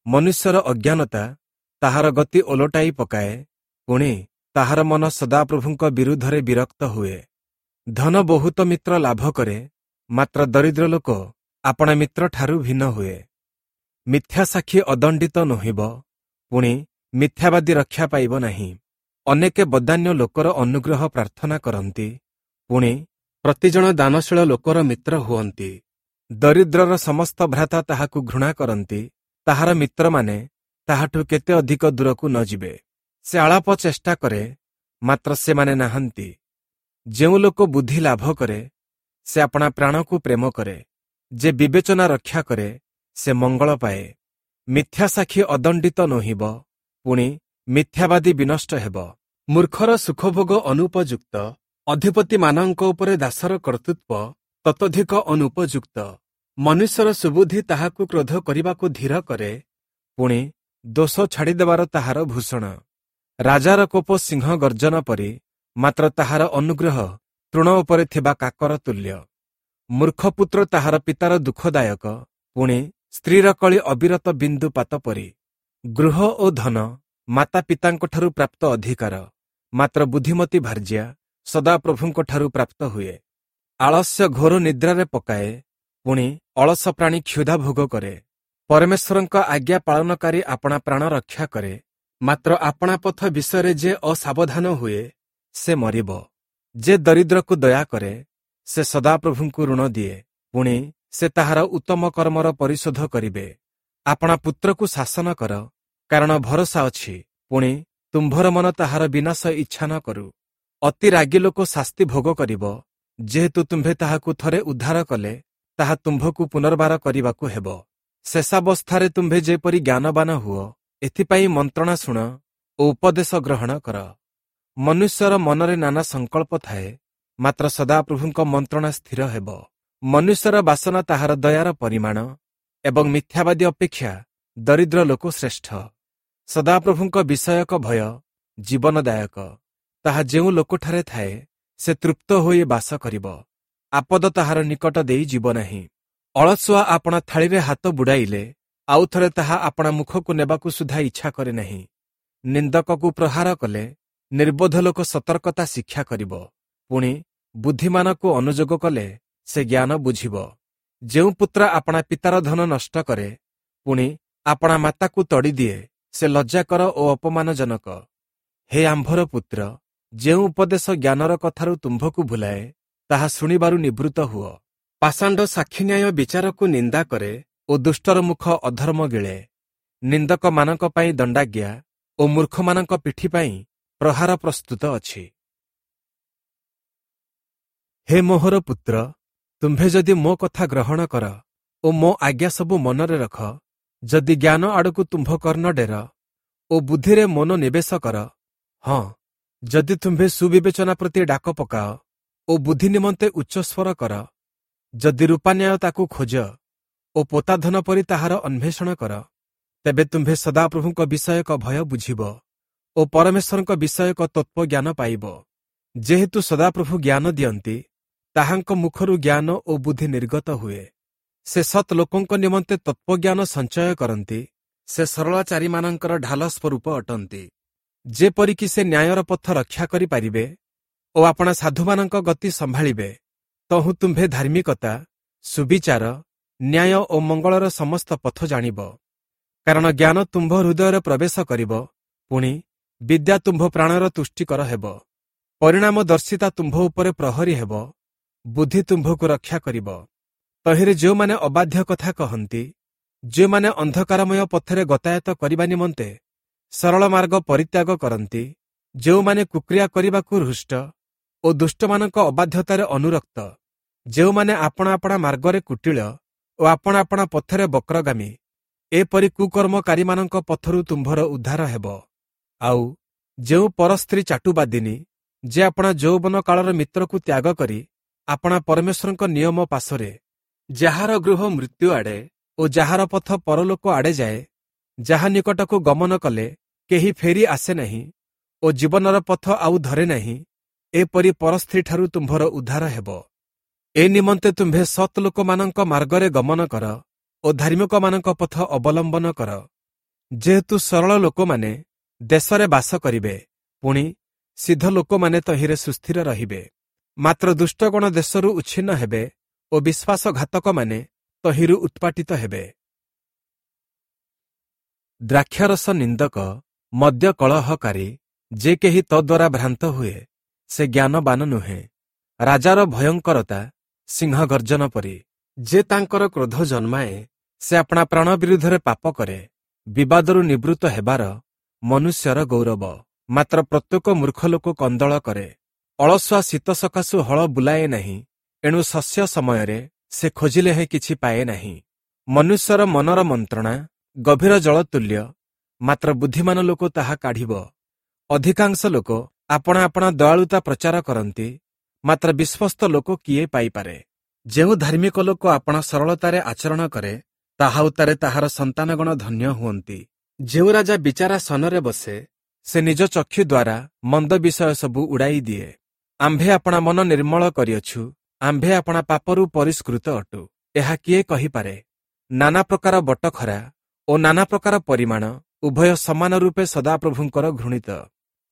ମନୁଷ୍ୟର ଅଜ୍ଞାନତା ତାହାର ଗତି ଓଲଟାଇ ପକାଏ, ପୁଣି ତାହାର ମନ ସଦାପ୍ରଭୁଙ୍କ ବିରୁଦ୍ଧରେ ବିରକ୍ତ ହୁଏ। ଧନ ବହୁତ ମିତ୍ର ଲାଭ କରେ, ମାତ୍ର ଦରିଦ୍ର ଲୋକ ଆପଣା ମିତ୍ରଠାରୁ ଭିନ୍ନ ହୁଏ। ମିଥ୍ୟା ସାକ୍ଷୀ ଅଦଣ୍ଡିତ ନୋହିବ, ପୁଣି ମିଥ୍ୟାବାଦୀ ରକ୍ଷା ପାଇବ ନାହିଁ। ଅନେକେ ବଦାନ୍ୟ ଲୋକର ଅନୁଗ୍ରହ ପ୍ରାର୍ଥନା କରନ୍ତି, ପୁଣି ପ୍ରତିଜଣ ଦାନଶୀଳ ଲୋକର ମିତ୍ର ହୁଅନ୍ତି। ଦରିଦ୍ରର ସମସ୍ତ ଭ୍ରାତା ତାହାକୁ ଘୃଣା କରନ୍ତି, ତାହାର ମିତ୍ରମାନେ ତାହାଠୁ କେତେ ଅଧିକ ଦୂରକୁ ନ ଯିବେ। ସେ ଆଳାପ ଚେଷ୍ଟା କରେ, ମାତ୍ର ସେମାନେ ନାହାନ୍ତି। ଯେଉଁ ଲୋକ ବୁଦ୍ଧି ଲାଭ କରେ, ସେ ଆପଣା ପ୍ରାଣକୁ ପ୍ରେମ କରେ। ଯେ ବିବେଚନା ରକ୍ଷା କରେ, ସେ ମଙ୍ଗଳ ପାଏ। ମିଥ୍ୟା ସାକ୍ଷୀ ଅଦଣ୍ଡିତ ନୋହିବ, ପୁଣି ମିଥ୍ୟାବାଦୀ ବିନଷ୍ଟ ହେବ। ମୂର୍ଖର ସୁଖଭୋଗ ଅନୁପଯୁକ୍ତ, ଅଧିପତିମାନଙ୍କ ଉପରେ ଦାସର କର୍ତ୍ତୃତ୍ୱ ତତୋଧିକ ଅନୁପଯୁକ୍ତ। ମନୁଷ୍ୟର ସୁବୁଦ୍ଧି ତାହାକୁ କ୍ରୋଧ କରିବାକୁ ଧୀର କରେ, ପୁଣି ଦୋଷ ଛାଡ଼ିଦେବାର ତାହାର ଭୂଷଣ। ରାଜାର କୋପ ସିଂହ ଗର୍ଜନ ପରି, ମାତ୍ର ତାହାର ଅନୁଗ୍ରହ ତୃଣ ଉପରେ ଥିବା କାକର ତୁଲ୍ୟ। ମୂର୍ଖପୁତ୍ର ତାହାର ପିତାର ଦୁଃଖଦାୟକ, ପୁଣି ସ୍ତ୍ରୀର କଳି ଅବିରତ ବିନ୍ଦୁପାତ ପରି। ଗୃହ ଓ ଧନ ମାତା ପିତାଙ୍କଠାରୁ ପ୍ରାପ୍ତ ଅଧିକାର, ମାତ୍ର ବୁଦ୍ଧିମତୀ ଭାର୍ଯ୍ୟା ସଦାପ୍ରଭୁଙ୍କଠାରୁ ପ୍ରାପ୍ତ ହୁଏ। ଆଳସ୍ୟ ଘୋର ନିଦ୍ରାରେ ପକାଏ, ପୁଣି ଅଳସ ପ୍ରାଣୀ କ୍ଷୁଧା ଭୋଗ କରେ। ପରମେଶ୍ୱରଙ୍କ ଆଜ୍ଞା ପାଳନକାରୀ ଆପଣା ପ୍ରାଣ ରକ୍ଷା କରେ, ମାତ୍ର ଆପଣା ପଥ ବିଷୟରେ ଯେ ଅସାବଧାନ ହୁଏ ସେ ମରିବ। ଯେ ଦରିଦ୍ରକୁ ଦୟା କରେ ସେ ସଦାପ୍ରଭୁଙ୍କୁ ଋଣ ଦିଏ, ପୁଣି ସେ ତାହାର ଉତ୍ତମ କର୍ମର ପରିଶୋଧ କରିବେ। ଆପଣା ପୁତ୍ରକୁ ଶାସନ କର, କାରଣ ଭରସା ଅଛି, ପୁଣି ତୁମ୍ଭର ମନ ତାହାର ବିନାଶ ଇଚ୍ଛା ନ କରୁ। ଅତି ରାଗି ଲୋକ ଶାସ୍ତି ଭୋଗ କରିବ, ଯେହେତୁ ତୁମ୍ଭେ ତାହାକୁ ଥରେ ଉଦ୍ଧାର କଲେ ତାହା ତୁମ୍ଭକୁ ପୁନର୍ବାର କରିବାକୁ ହେବ। ଶେଷାବସ୍ଥାରେ ତୁମ୍ଭେ ଯେପରି ଜ୍ଞାନବାନ ହୁଅ, ଏଥିପାଇଁ ମନ୍ତ୍ରଣା ଶୁଣ ଓ ଉପଦେଶ ଗ୍ରହଣ କର। ମନୁଷ୍ୟର ମନରେ ନାନା ସଂକଳ୍ପ ଥାଏ, ମାତ୍ର ସଦାପ୍ରଭୁଙ୍କ ମନ୍ତ୍ରଣା ସ୍ଥିର ହେବ। ମନୁଷ୍ୟର ବାସନା ତାହାର ଦୟାର ପରିମାଣ, ଏବଂ ମିଥ୍ୟାବାଦୀ ଅପେକ୍ଷା ଦରିଦ୍ର ଲୋକ ଶ୍ରେଷ୍ଠ। ସଦାପ୍ରଭୁଙ୍କ ବିଷୟକ ଭୟ ଜୀବନଦାୟକ, ତାହା ଯେଉଁ ଲୋକଠାରେ ଥାଏ ସେ ତୃପ୍ତ ହୋଇ ବାସ କରିବ, ଆପଦ ତାହାର ନିକଟ ଦେଇ ଯିବ ନାହିଁ। ଅଳସୁଆ ଆପଣା ଥାଳିରେ ହାତ ବୁଡ଼ାଇଲେ ଆଉ ଥରେ ତାହା ଆପଣା ମୁଖକୁ ନେବାକୁ ସୁଦ୍ଧା ଇଚ୍ଛା କରେ ନାହିଁ। ନିନ୍ଦକକୁ ପ୍ରହାର କଲେ ନିର୍ବୋଧ ଲୋକ ସତର୍କତା ଶିକ୍ଷା କରିବ, ପୁଣି ବୁଦ୍ଧିମାନକୁ ଅନୁଯୋଗ କଲେ ସେ ଜ୍ଞାନ ବୁଝିବ। ଯେଉଁ ପୁତ୍ର ଆପଣା ପିତାର ଧନ ନଷ୍ଟ କରେ, ପୁଣି ଆପଣା ମାତାକୁ ତଡ଼ିଦିଏ, ସେ ଲଜ୍ଜାକର ଓ ଅପମାନଜନକ। ହେ ଆମ୍ଭର ପୁତ୍ର, ଯେଉଁ ଉପଦେଶ ଜ୍ଞାନର କଥାରୁ ତୁମ୍ଭକୁ ଭୁଲାଏ, ତାହା ଶୁଣିବାରୁ ନିବୃତ୍ତ ହୁଅ। ପାଷାଣ୍ଡ ସାକ୍ଷୀ ନ୍ୟାୟ ବିଚାରକୁ ନିନ୍ଦା କରେ ଓ ଦୁଷ୍ଟର ମୁଖ ଅଧର୍ମ ଗିଳେ। ନିନ୍ଦକମାନଙ୍କ ପାଇଁ ଦଣ୍ଡାଜ୍ଞା ଓ ମୂର୍ଖମାନଙ୍କ ପିଠି ପାଇଁ ପ୍ରହାର ପ୍ରସ୍ତୁତ ଅଛି। ହେ ମୋହର ପୁତ୍ର, ତୁମ୍ଭେ ଯଦି ମୋ କଥା ଗ୍ରହଣ କର ଓ ମୋ ଆଜ୍ଞା ସବୁ ମନରେ ରଖ, ଯଦି ଜ୍ଞାନ ଆଡ଼କୁ ତୁମ୍ଭ କର୍ଣ୍ଣ ଡେର ଓ ବୁଦ୍ଧିରେ ମନ ନିବେଶ କର, ହଁ, ଯଦି ତୁମ୍ଭେ ସୁବିବେଚନା ପ୍ରତି ଡାକ ପକାଅ ଓ ବୁଦ୍ଧି ନିମନ୍ତେ ଉଚ୍ଚସ୍ୱର କର, ଯଦି ରୂପାନ୍ୟାୟ ତାକୁ ଖୋଜ ଓ ପୋତାଧନ ପରି ତାହାର ଅନ୍ୱେଷଣ କର, ତେବେ ତୁମ୍ଭେ ସଦାପ୍ରଭୁଙ୍କ ବିଷୟକ ଭୟ ବୁଝିବ ଓ ପରମେଶ୍ୱରଙ୍କ ବିଷୟକ ତତ୍ତ୍ୱଜ୍ଞାନ ପାଇବ। ଯେହେତୁ ସଦାପ୍ରଭୁ ଜ୍ଞାନ ଦିଅନ୍ତି, ତାହାଙ୍କ ମୁଖରୁ ଜ୍ଞାନ ଓ ବୁଦ୍ଧି ନିର୍ଗତ ହୁଏ। ସେ ସତ୍ ଲୋକଙ୍କ ନିମନ୍ତେ ତତ୍ତ୍ୱଜ୍ଞାନ ସଞ୍ଚୟ କରନ୍ତି, ସେ ସରଳାଚାରୀମାନଙ୍କର ଢାଲ ସ୍ୱରୂପ ଅଟନ୍ତି। ଯେପରିକି ସେ ନ୍ୟାୟର ପଥ ରକ୍ଷା କରିପାରିବେ ଓ ଆପଣା ସାଧୁମାନଙ୍କ ଗତି ସମ୍ଭାଳିବେ, ତହୁଁ ତୁମ୍ଭେ ଧାର୍ମିକତା, ସୁବିଚାର, ନ୍ୟାୟ ଓ ମଙ୍ଗଳର ସମସ୍ତ ପଥ ଜାଣିବ। କାରଣ ଜ୍ଞାନ ତୁମ୍ଭ ହୃଦୟରେ ପ୍ରବେଶ କରିବ, ପୁଣି ବିଦ୍ୟା ତୁମ୍ଭ ପ୍ରାଣର ତୁଷ୍ଟିକର ହେବ। ପରିଣାମଦର୍ଶିତା ତୁମ୍ଭ ଉପରେ ପ୍ରହରୀ ହେବ, ବୁଦ୍ଧି ତୁମ୍ଭକୁ ରକ୍ଷା କରିବ। ତହିଁରେ ଯେଉଁମାନେ ଅବାଧ୍ୟ କଥା କହନ୍ତି, ଯେଉଁମାନେ ଅନ୍ଧକାରମୟ ପଥରେ ଗତାୟତ କରିବା ନିମନ୍ତେ ସରଳ ମାର୍ଗ ପରିତ୍ୟାଗ କରନ୍ତି, ଯେଉଁମାନେ କୁକ୍ରିୟା କରିବାକୁ ହୃଷ୍ଟ ଓ ଦୁଷ୍ଟମାନଙ୍କ ଅବାଧ୍ୟତାରେ ଅନୁରକ୍ତ, ଯେଉଁମାନେ ଆପଣା ଆପଣା ମାର୍ଗରେ କୁଟିଳ ଓ ଆପଣା ଆପଣା ପଥରେ ବକ୍ରଗାମୀ, ଏପରି କୁକର୍ମକାରୀମାନଙ୍କ ପଥରୁ ତୁମ୍ଭର ଉଦ୍ଧାର ହେବ। ଆଉ ଯେଉଁ ପରସ୍ତ୍ରୀ ଚାଟୁବାଦିନୀ, ଯେ ଆପଣା ଯୌବନ କାଳର ମିତ୍ରକୁ ତ୍ୟାଗ କରି ଆପଣା ପରମେଶ୍ୱରଙ୍କ ନିୟମ ପାଶରେ, ଯାହାର ଗୃହ ମୃତ୍ୟୁ ଆଡ଼େ ଓ ଯାହାର ପଥ ପରଲୋକ ଆଡ଼େ ଯାଏ, ଯାହା ନିକଟକୁ ଗମନ କଲେ କେହି ଫେରି ଆସେ ନାହିଁ ଓ ଜୀବନର ପଥ ଆଉ ଧରେ ନାହିଁ, ଏପରି ପରସ୍ତ୍ରୀଠାରୁ ତୁମ୍ଭର ଉଦ୍ଧାର ହେବ। ଏ ନିମନ୍ତେ ତୁମ୍ଭେ ସତ୍ ଲୋକମାନଙ୍କ ମାର୍ଗରେ ଗମନ କର ଓ ଧାର୍ମିକମାନଙ୍କ ପଥ ଅବଲମ୍ବନ କର। ଯେହେତୁ ସରଳ ଲୋକମାନେ ଦେଶରେ ବାସ କରିବେ, ପୁଣି ସିଦ୍ଧ ଲୋକମାନେ ତହିଁରେ ସୁସ୍ଥିର ରହିବେ। ମାତ୍ର ଦୁଷ୍ଟଗଣ ଦେଶରୁ ଉଚ୍ଛିନ୍ନ ହେବେ ଓ ବିଶ୍ୱାସଘାତକମାନେ ତହିଁରୁ ଉତ୍ପାଟିତ ହେବେ। ଦ୍ରାକ୍ଷାରସ ନିନ୍ଦକ, ମଦ୍ୟ କଳହକାରୀ, ଯେ କେହି ତଦ୍ୱାରା ଭ୍ରାନ୍ତ ହୁଏ, ସେ ଜ୍ଞାନବାନ ନୁହେଁ। ରାଜାର ଭୟଙ୍କରତା ସିଂହ ଗର୍ଜନ ପରି। ଯେ ତାଙ୍କର କ୍ରୋଧ ଜନ୍ମାଏ, ସେ ଆପଣା ପ୍ରାଣ ବିରୁଦ୍ଧରେ ପାପ କରେ। ବିବାଦରୁ ନିବୃତ୍ତ ହେବାର ମନୁଷ୍ୟର ଗୌରବ, ମାତ୍ର ପ୍ରତ୍ୟେକ ମୂର୍ଖ ଲୋକ କନ୍ଦଳ କରେ। ଅଳସୁଆ ଶୀତ ସକାଶୁ ହଳ ବୁଲାଏ ନାହିଁ, ଏଣୁ ଶସ୍ୟ ସମୟରେ ସେ ଖୋଜିଲେ ହେଁ କିଛି ପାଏ ନାହିଁ। ମନୁଷ୍ୟର ମନର ମନ୍ତ୍ରଣା ଗଭୀର ଜଳ ତୁଲ୍ୟ, ମାତ୍ର ବୁଦ୍ଧିମାନ ଲୋକ ତାହା କାଢ଼ିବ। ଅଧିକାଂଶ ଲୋକ ଆପଣା ଆପଣା ଦୟାଳୁତା ପ୍ରଚାର କରନ୍ତି, ମାତ୍ର ବିଶ୍ୱସ୍ତ ଲୋକ କିଏ ପାଇପାରେ? ଯେଉଁ ଧାର୍ମିକ ଲୋକ ଆପଣା ସରଳତାରେ ଆଚରଣ କରେ, ତାହା ଉତ୍ତାରେ ତାହାର ସନ୍ତାନଗଣ ଧନ୍ୟ ହୁଅନ୍ତି। ଯେଉଁ ରାଜା ବିଚାରାସନରେ ବସେ, ସେ ନିଜ ଚକ୍ଷୁ ଦ୍ୱାରା ମନ୍ଦ ବିଷୟ ସବୁ ଉଡ଼ାଇ ଦିଏ। ଆମ୍ଭେ ଆପଣା ମନ ନିର୍ମଳ କରିଅଛୁ, ଆମ୍ଭେ ଆପଣା ପାପରୁ ପରିଷ୍କୃତ ଅଟୁ, ଏହା କିଏ କହିପାରେ? ନାନା ପ୍ରକାର ବଟଖରା ଓ ନାନା ପ୍ରକାର ପରିମାଣ ଉଭୟ ସମାନ ରୂପେ ସଦାପ୍ରଭୁଙ୍କର ଘୃଣିତ।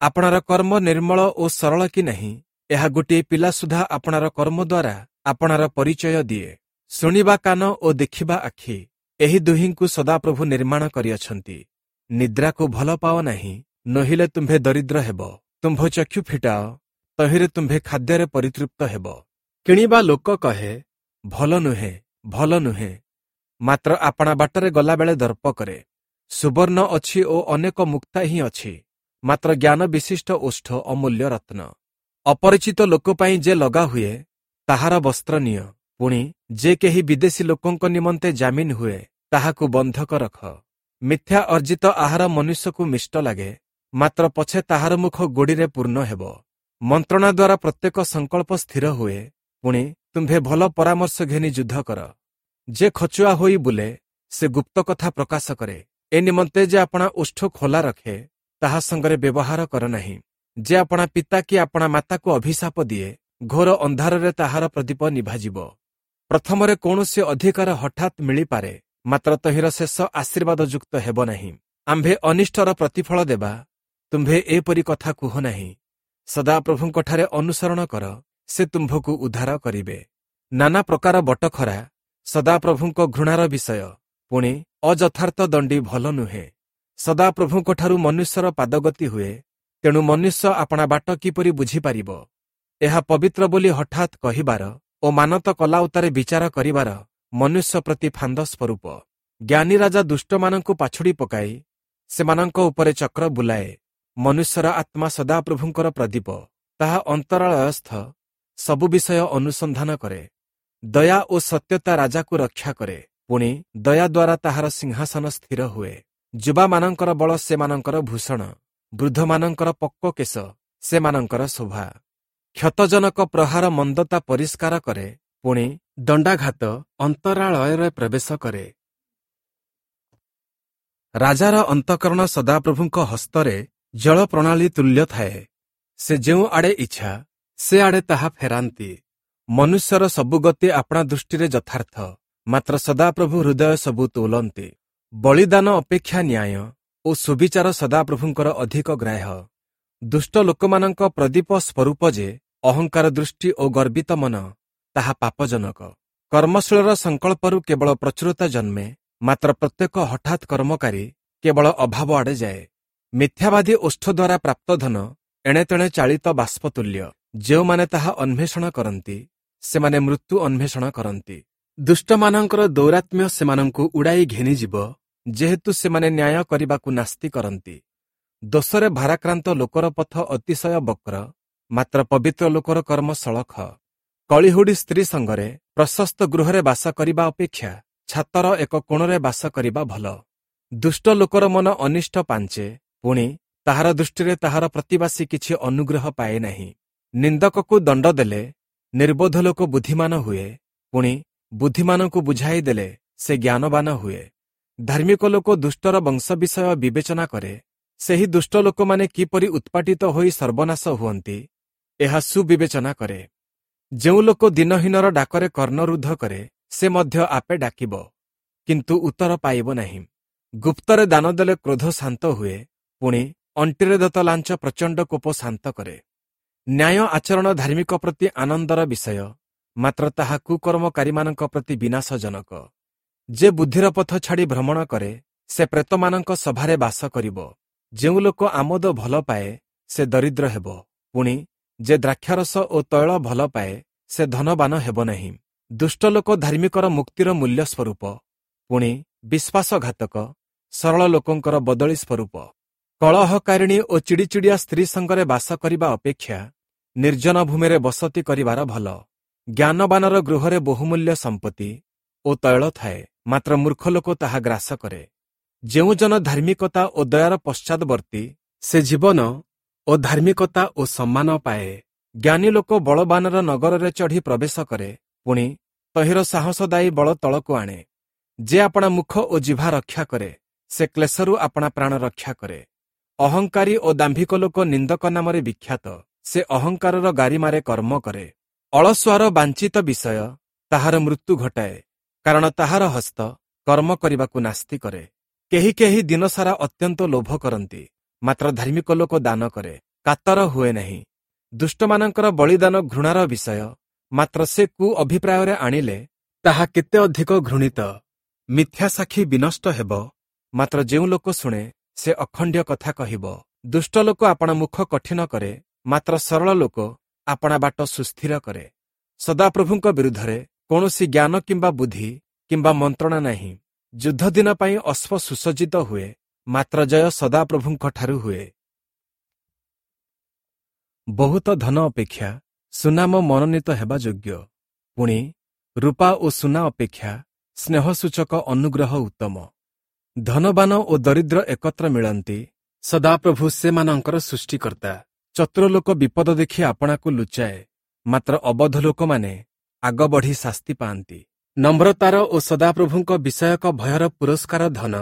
ଆପଣାର କର୍ମ ନିର୍ମଳ ଓ ସରଳ କି ନାହିଁ, ଏହା ଗୋଟିଏ ପିଲା ସୁଦ୍ଧା ଆପଣାର କର୍ମ ଦ୍ୱାରା ଆପଣାର ପରିଚୟ ଦିଏ। ଶୁଣିବା କାନ ଓ ଦେଖିବା ଆଖି, ଏହି ଦୁହିଁଙ୍କୁ ସଦାପ୍ରଭୁ ନିର୍ମାଣ କରିଅଛନ୍ତି। ନିଦ୍ରାକୁ ଭଲ ପାଅ ନାହିଁ, ନୋହିଲେ ତୁମ୍ଭେ ଦରିଦ୍ର ହେବ। ତୁମ୍ଭ ଚକ୍ଷୁ ଫିଟାଅ, ତହିଁରେ ତୁମ୍ଭେ ଖାଦ୍ୟରେ ପରିତୃପ୍ତ ହେବ। କିଣିବା ଲୋକ କହେ, ଭଲ ନୁହେଁ, ଭଲ ନୁହେଁ, ମାତ୍ର ଆପଣା ବାଟରେ ଗଲାବେଳେ ଦର୍ପ କରେ। ସୁବର୍ଣ୍ଣ ଅଛି ଓ ଅନେକ ମୁକ୍ତା ହିଁ ଅଛି, ମାତ୍ର ଜ୍ଞାନ ବିଶିଷ୍ଟ ଓଷ୍ଠ ଅମୂଲ୍ୟ ରତ୍ନ। ଅପରିଚିତ ଲୋକ ପାଇଁ ଯେ ଲଗା ହୁଏ, ତାହାର ବସ୍ତ୍ର ନିଅ, ପୁଣି ଯେ କେହି ବିଦେଶୀ ଲୋକଙ୍କ ନିମନ୍ତେ ଜାମିନ ହୁଏ, ତାହାକୁ ବନ୍ଧକ ରଖ। ମିଥ୍ୟା ଅର୍ଜିତ ଆହାର ମନୁଷ୍ୟକୁ ମିଷ୍ଟ ଲାଗେ, ମାତ୍ର ପଛେ ତାହାର ମୁଖ ଗୋଡ଼ିରେ ପୂର୍ଣ୍ଣ ହେବ। ମନ୍ତ୍ରଣା ଦ୍ୱାରା ପ୍ରତ୍ୟେକ ସଂକଳ୍ପ ସ୍ଥିର ହୁଏ, ପୁଣି ତୁମ୍ଭେ ଭଲ ପରାମର୍ଶ ଘେନି ଯୁଦ୍ଧ କର। ଯେ ଖଚୁଆ ହୋଇ ବୁଲେ, ସେ ଗୁପ୍ତ କଥା ପ୍ରକାଶ କରେ। ଏ ନିମନ୍ତେ ଯେ ଆପଣା ଓଷ୍ଠ ଖୋଲା ରଖେ, ତାହା ସଙ୍ଗରେ ବ୍ୟବହାର କର ନାହିଁ। ଯେ ଆପଣା ପିତା କି ଆପଣା ମାତାକୁ ଅଭିଶାପ ଦିଏ, ଘୋର ଅନ୍ଧାରରେ ତାହାର ପ୍ରଦୀପ ନିଭାଯିବ। ପ୍ରଥମରେ କୌଣସି ଅଧିକାର ହଠାତ୍ ମିଳିପାରେ, ମାତ୍ର ତହିଁର ଶେଷ ଆଶୀର୍ବାଦ ଯୁକ୍ତ ହେବ ନାହିଁ। ଆମ୍ଭେ ଅନିଷ୍ଟର ପ୍ରତିଫଳ ଦେବା, ତୁମ୍ଭେ ଏପରି କଥା କୁହ ନାହିଁ। ସଦାପ୍ରଭୁଙ୍କଠାରେ ଅନୁସରଣ କର, ସେ ତୁମ୍ଭକୁ ଉଦ୍ଧାର କରିବେ। ନାନା ପ୍ରକାର ବଟଖରା ସଦାପ୍ରଭୁଙ୍କ ଘୃଣାର ବିଷୟ, ପୁଣି ଅଯଥାର୍ଥ ଦଣ୍ଡି ଭଲ ନୁହେଁ। ସଦାପ୍ରଭୁଙ୍କଠାରୁ ମନୁଷ୍ୟର ପାଦଗତି ହୁଏ, ତେଣୁ ମନୁଷ୍ୟ ଆପଣା ବାଟ କିପରି ବୁଝିପାରିବ? ଏହା ପବିତ୍ର ବୋଲି ହଠାତ୍ କହିବାର ଓ ମାନତ କଲା ଉତ୍ତାରେ ବିଚାର କରିବାର ମନୁଷ୍ୟ ପ୍ରତି ଫାନ୍ଦ ସ୍ୱରୂପ। ଜ୍ଞାନୀ ରାଜା ଦୁଷ୍ଟମାନଙ୍କୁ ପାଛୁଡ଼ି ପକାଇ ସେମାନଙ୍କ ଉପରେ ଚକ୍ର ବୁଲାଏ। ମନୁଷ୍ୟର ଆତ୍ମା ସଦାପ୍ରଭୁଙ୍କର ପ୍ରଦୀପ, ତାହା ଅନ୍ତରାଳୟସ୍ଥ ସବୁ ବିଷୟ ଅନୁସନ୍ଧାନ କରେ। ଦୟା ଓ ସତ୍ୟତା ରାଜାକୁ ରକ୍ଷା କରେ, ପୁଣି ଦୟା ଦ୍ୱାରା ତାହାର ସିଂହାସନ ସ୍ଥିର ହୁଏ। ଯୁବାମାନଙ୍କର ବଳ ସେମାନଙ୍କର ଭୂଷଣ, ବୃଦ୍ଧମାନଙ୍କର ପକ୍ୱ କେଶ ସେମାନଙ୍କର ଶୋଭା। କ୍ଷତଜନକ ପ୍ରହାର ମନ୍ଦତା ପରିଷ୍କାର କରେ, ପୁଣି ଦଣ୍ଡାଘାତ ଅନ୍ତରାଳୟରେ ପ୍ରବେଶ କରେ। ରାଜାର ଅନ୍ତଃକରଣ ସଦାପ୍ରଭୁଙ୍କ ହସ୍ତରେ ଜଳ ପ୍ରଣାଳୀ ତୁଲ୍ୟ ଥାଏ, ସେ ଯେଉଁ ଆଡ଼େ ଇଚ୍ଛା ସେ ଆଡ଼େ ତାହା ଫେରାନ୍ତି। ମନୁଷ୍ୟର ସବୁ ଗତି ଆପଣା ଦୃଷ୍ଟିରେ ଯଥାର୍ଥ, ମାତ୍ର ସଦାପ୍ରଭୁ ହୃଦୟ ସବୁ ତୋଲନ୍ତି। ବଳିଦାନ ଅପେକ୍ଷା ନ୍ୟାୟ ଓ ସୁବିଚାର ସଦାପ୍ରଭୁଙ୍କର ଅଧିକ ଗ୍ରାହ୍ୟ। ଦୁଷ୍ଟ ଲୋକମାନଙ୍କ ପ୍ରଦୀପ ସ୍ୱରୂପ ଯେ ଅହଙ୍କାର ଦୃଷ୍ଟି ଓ ଗର୍ବିତ ମନ, ତାହା ପାପଜନକ। କର୍ମଶୀଳର ସଂକଳ୍ପରୁ କେବଳ ପ୍ରଚୁରତା ଜନ୍ମେ, ମାତ୍ର ପ୍ରତ୍ୟେକ ହଠାତ୍ କର୍ମକାରୀ କେବଳ ଅଭାବ ଆଡ଼େ ଯାଏ। ମିଥ୍ୟାବାଦୀ ଓଷ୍ଠ ଦ୍ୱାରା ପ୍ରାପ୍ତ ଧନ ଏଣେତେଣେ ଚାଳିତ ବାଷ୍ପତୁଲ୍ୟ। ଯେଉଁମାନେ ତାହା ଅନ୍ୱେଷଣ କରନ୍ତି, ସେମାନେ ମୃତ୍ୟୁ ଅନ୍ୱେଷଣ କରନ୍ତି। ଦୁଷ୍ଟମାନଙ୍କର ଦୌରାତ୍ମ୍ୟ ସେମାନଙ୍କୁ ଉଡ଼ାଇ ଘେନିଯିବ, ଯେହେତୁ ସେମାନେ ନ୍ୟାୟ କରିବାକୁ ନାସ୍ତି କରନ୍ତି। ଦୋଷରେ ଭାରାକ୍ରାନ୍ତ ଲୋକର ପଥ ଅତିଶୟ ବକ୍ର, ମାତ୍ର ପବିତ୍ର ଲୋକର କର୍ମ ସଳଖ। କଳିହୁଡ଼ି ସ୍ତ୍ରୀ ସଙ୍ଗରେ ପ୍ରଶସ୍ତ ଗୃହରେ ବାସ କରିବା ଅପେକ୍ଷା ଛାତର ଏକ କୋଣରେ ବାସ କରିବା ଭଲ। ଦୁଷ୍ଟ ଲୋକର ମନ ଅନିଷ୍ଟ ପାଞ୍ଚେ, ପୁଣି ତାହାର ଦୃଷ୍ଟିରେ ତାହାର ପ୍ରତିବାସୀ କିଛି ଅନୁଗ୍ରହ ପାଏ ନାହିଁ। ନିନ୍ଦକକୁ ଦଣ୍ଡ ଦେଲେ ନିର୍ବୋଧ ଲୋକ ବୁଦ୍ଧିମାନ ହୁଏ, ପୁଣି ବୁଦ୍ଧିମାନଙ୍କୁ ବୁଝାଇ ଦେଲେ ସେ ଜ୍ଞାନବାନ ହୁଏ। ଧାର୍ମିକ ଲୋକ ଦୁଷ୍ଟର ବଂଶ ବିଷୟ ବିବେଚନା କରେ, ସେହି ଦୁଷ୍ଟ ଲୋକମାନେ କିପରି ଉତ୍ପାଟିତ ହୋଇ ସର୍ବନାଶ ହୁଅନ୍ତି, ଏହା ସୁବିବେଚନା କରେ। ଯେଉଁ ଲୋକ ଦିନହୀନର ଡାକରେ କର୍ଣ୍ଣରୁଦ୍ଧ କରେ, ସେ ମଧ୍ୟ ଆପେ ଡାକିବ, କିନ୍ତୁ ଉତ୍ତର ପାଇବ ନାହିଁ। ଗୁପ୍ତରେ ଦାନ ଦେଲେ କ୍ରୋଧ ଶାନ୍ତ ହୁଏ, ପୁଣି ଅଣ୍ଟିରେ ଦତ୍ତ ଲାଞ୍ଚ ପ୍ରଚଣ୍ଡ କୋପ ଶାନ୍ତ କରେ। ନ୍ୟାୟ ଆଚରଣ ଧାର୍ମିକ ପ୍ରତି ଆନନ୍ଦର ବିଷୟ, ମାତ୍ର ତାହା କୁକର୍ମକାରୀମାନଙ୍କ ପ୍ରତି ବିନାଶଜନକ। ଯେ ବୁଦ୍ଧିର ପଥ ଛାଡ଼ି ଭ୍ରମଣ କରେ, ସେ ପ୍ରେତମାନଙ୍କ ସଭାରେ ବାସ କରିବ। ଯେଉଁ ଲୋକ ଆମୋଦ ଭଲ ପାଏ, ସେ ଦରିଦ୍ର ହେବ, ପୁଣି ଯେ ଦ୍ରାକ୍ଷାରସ ଓ ତୈଳ ଭଲ ପାଏ, ସେ ଧନବାନ ହେବ ନାହିଁ। ଦୁଷ୍ଟ ଲୋକ ଧାର୍ମିକର ମୁକ୍ତିର ମୂଲ୍ୟ ସ୍ୱରୂପ, ପୁଣି ବିଶ୍ୱାସଘାତକ ସରଳ ଲୋକଙ୍କର ବଦଳି ସ୍ୱରୂପ। କଳହକାରିଣୀ ଓ ଚିଡ଼ିଚିଡ଼ିଆ ସ୍ତ୍ରୀ ସଙ୍ଗରେ ବାସ କରିବା ଅପେକ୍ଷା ନିର୍ଜନ ଭୂମିରେ ବସତି କରିବାର ଭଲ। ଜ୍ଞାନବାନର ଗୃହରେ ବହୁମୂଲ୍ୟ ସମ୍ପତ୍ତି ଓ ତୈଳ ଥାଏ, ମାତ୍ର ମୂର୍ଖ ଲୋକ ତାହା ଗ୍ରାସ କରେ। ଯେଉଁ ଜନ ଧାର୍ମିକତା ଓ ଦୟାର ପଶ୍ଚାଦବର୍ତ୍ତୀ, ସେ ଜୀବନ ଓ ଧାର୍ମିକତା ଓ ସମ୍ମାନ ପାଏ। ଜ୍ଞାନୀ ଲୋକ ବଳବାନର ନଗରରେ ଚଢ଼ି ପ୍ରବେଶ କରେ, ପୁଣି ତହିଁର ସାହସଦାୟୀ ବଳ ତଳକୁ ଆଣେ। ଯେ ଆପଣା ମୁଖ ଓ ଜିଭା ରକ୍ଷା କରେ, ସେ କ୍ଲେଶରୁ ଆପଣା ପ୍ରାଣ ରକ୍ଷା କରେ। ଅହଙ୍କାରୀ ଓ ଦାମ୍ଭିକ ଲୋକ ନିନ୍ଦକ ନାମରେ ବିଖ୍ୟାତ, ସେ ଅହଙ୍କାରର ଗାରିମାରେ କର୍ମ କରେ। ଅଳସୁଆର ବାଞ୍ଛିତ ବିଷୟ ତାହାର ମୃତ୍ୟୁ ଘଟାଏ, କାରଣ ତାହାର ହସ୍ତ କର୍ମ କରିବାକୁ ନାସ୍ତି କରେ। କେହି କେହି ଦିନସାରା ଅତ୍ୟନ୍ତ ଲୋଭ କରନ୍ତି, ମାତ୍ର ଧାର୍ମିକ ଲୋକ ଦାନ କରେ, କାତର ହୁଏ ନାହିଁ। ଦୁଷ୍ଟମାନଙ୍କର ବଳିଦାନ ଘୃଣାର ବିଷୟ, ମାତ୍ର ସେ କୁ ଅଭିପ୍ରାୟରେ ଆଣିଲେ ତାହା କେତେ ଅଧିକ ଘୃଣିତ। ମିଥ୍ୟା ସାକ୍ଷୀ ବିନଷ୍ଟ ହେବ, ମାତ୍ର ଯେଉଁ ଲୋକ ଶୁଣେ ସେ ଅଖଣ୍ଡ୍ୟ କଥା କହିବ। ଦୁଷ୍ଟ ଲୋକ ଆପଣା ମୁଖ କଠିନ କରେ, ମାତ୍ର ସରଳ ଲୋକ ଆପଣା ବାଟ ସୁସ୍ଥିର କରେ। ସଦାପ୍ରଭୁଙ୍କ ବିରୁଦ୍ଧରେ କୌଣସି ଜ୍ଞାନ କିମ୍ବା ବୁଦ୍ଧି କିମ୍ବା ମନ୍ତ୍ରଣା ନାହିଁ। ଯୁଦ୍ଧ ଦିନ ପାଇଁ ଅଶ୍ଵ ସୁସଜ୍ଜିତ ହୁଏ, ମାତ୍ର ଜୟ ସଦାପ୍ରଭୁଙ୍କଠାରୁ ହୁଏ। ବହୁତ ଧନ ଅପେକ୍ଷା ସୁନାମ ମନୋନୀତ ହେବା ଯୋଗ୍ୟ, ପୁଣି ରୂପା ଓ ସୁନା ଅପେକ୍ଷା ସ୍ନେହସୂଚକ ଅନୁଗ୍ରହ ଉତ୍ତମ। ଧନବାନ ଓ ଦରିଦ୍ର ଏକତ୍ର ମିଳନ୍ତି, ସଦାପ୍ରଭୁ ସେମାନଙ୍କର ସୃଷ୍ଟିକର୍ତ୍ତା। ଚତୁର ଲୋକ ବିପଦ ଦେଖି ଆପଣାକୁ ଲୁଚାଏ, ମାତ୍ର ଅବୋଧ ଲୋକମାନେ ଆଗ ବଢ଼ି ଶାସ୍ତି ପାଆନ୍ତି। ନମ୍ରତାର ଓ ସଦାପ୍ରଭୁଙ୍କ ବିଷୟକ ଭୟର ପୁରସ୍କାର ଧନ,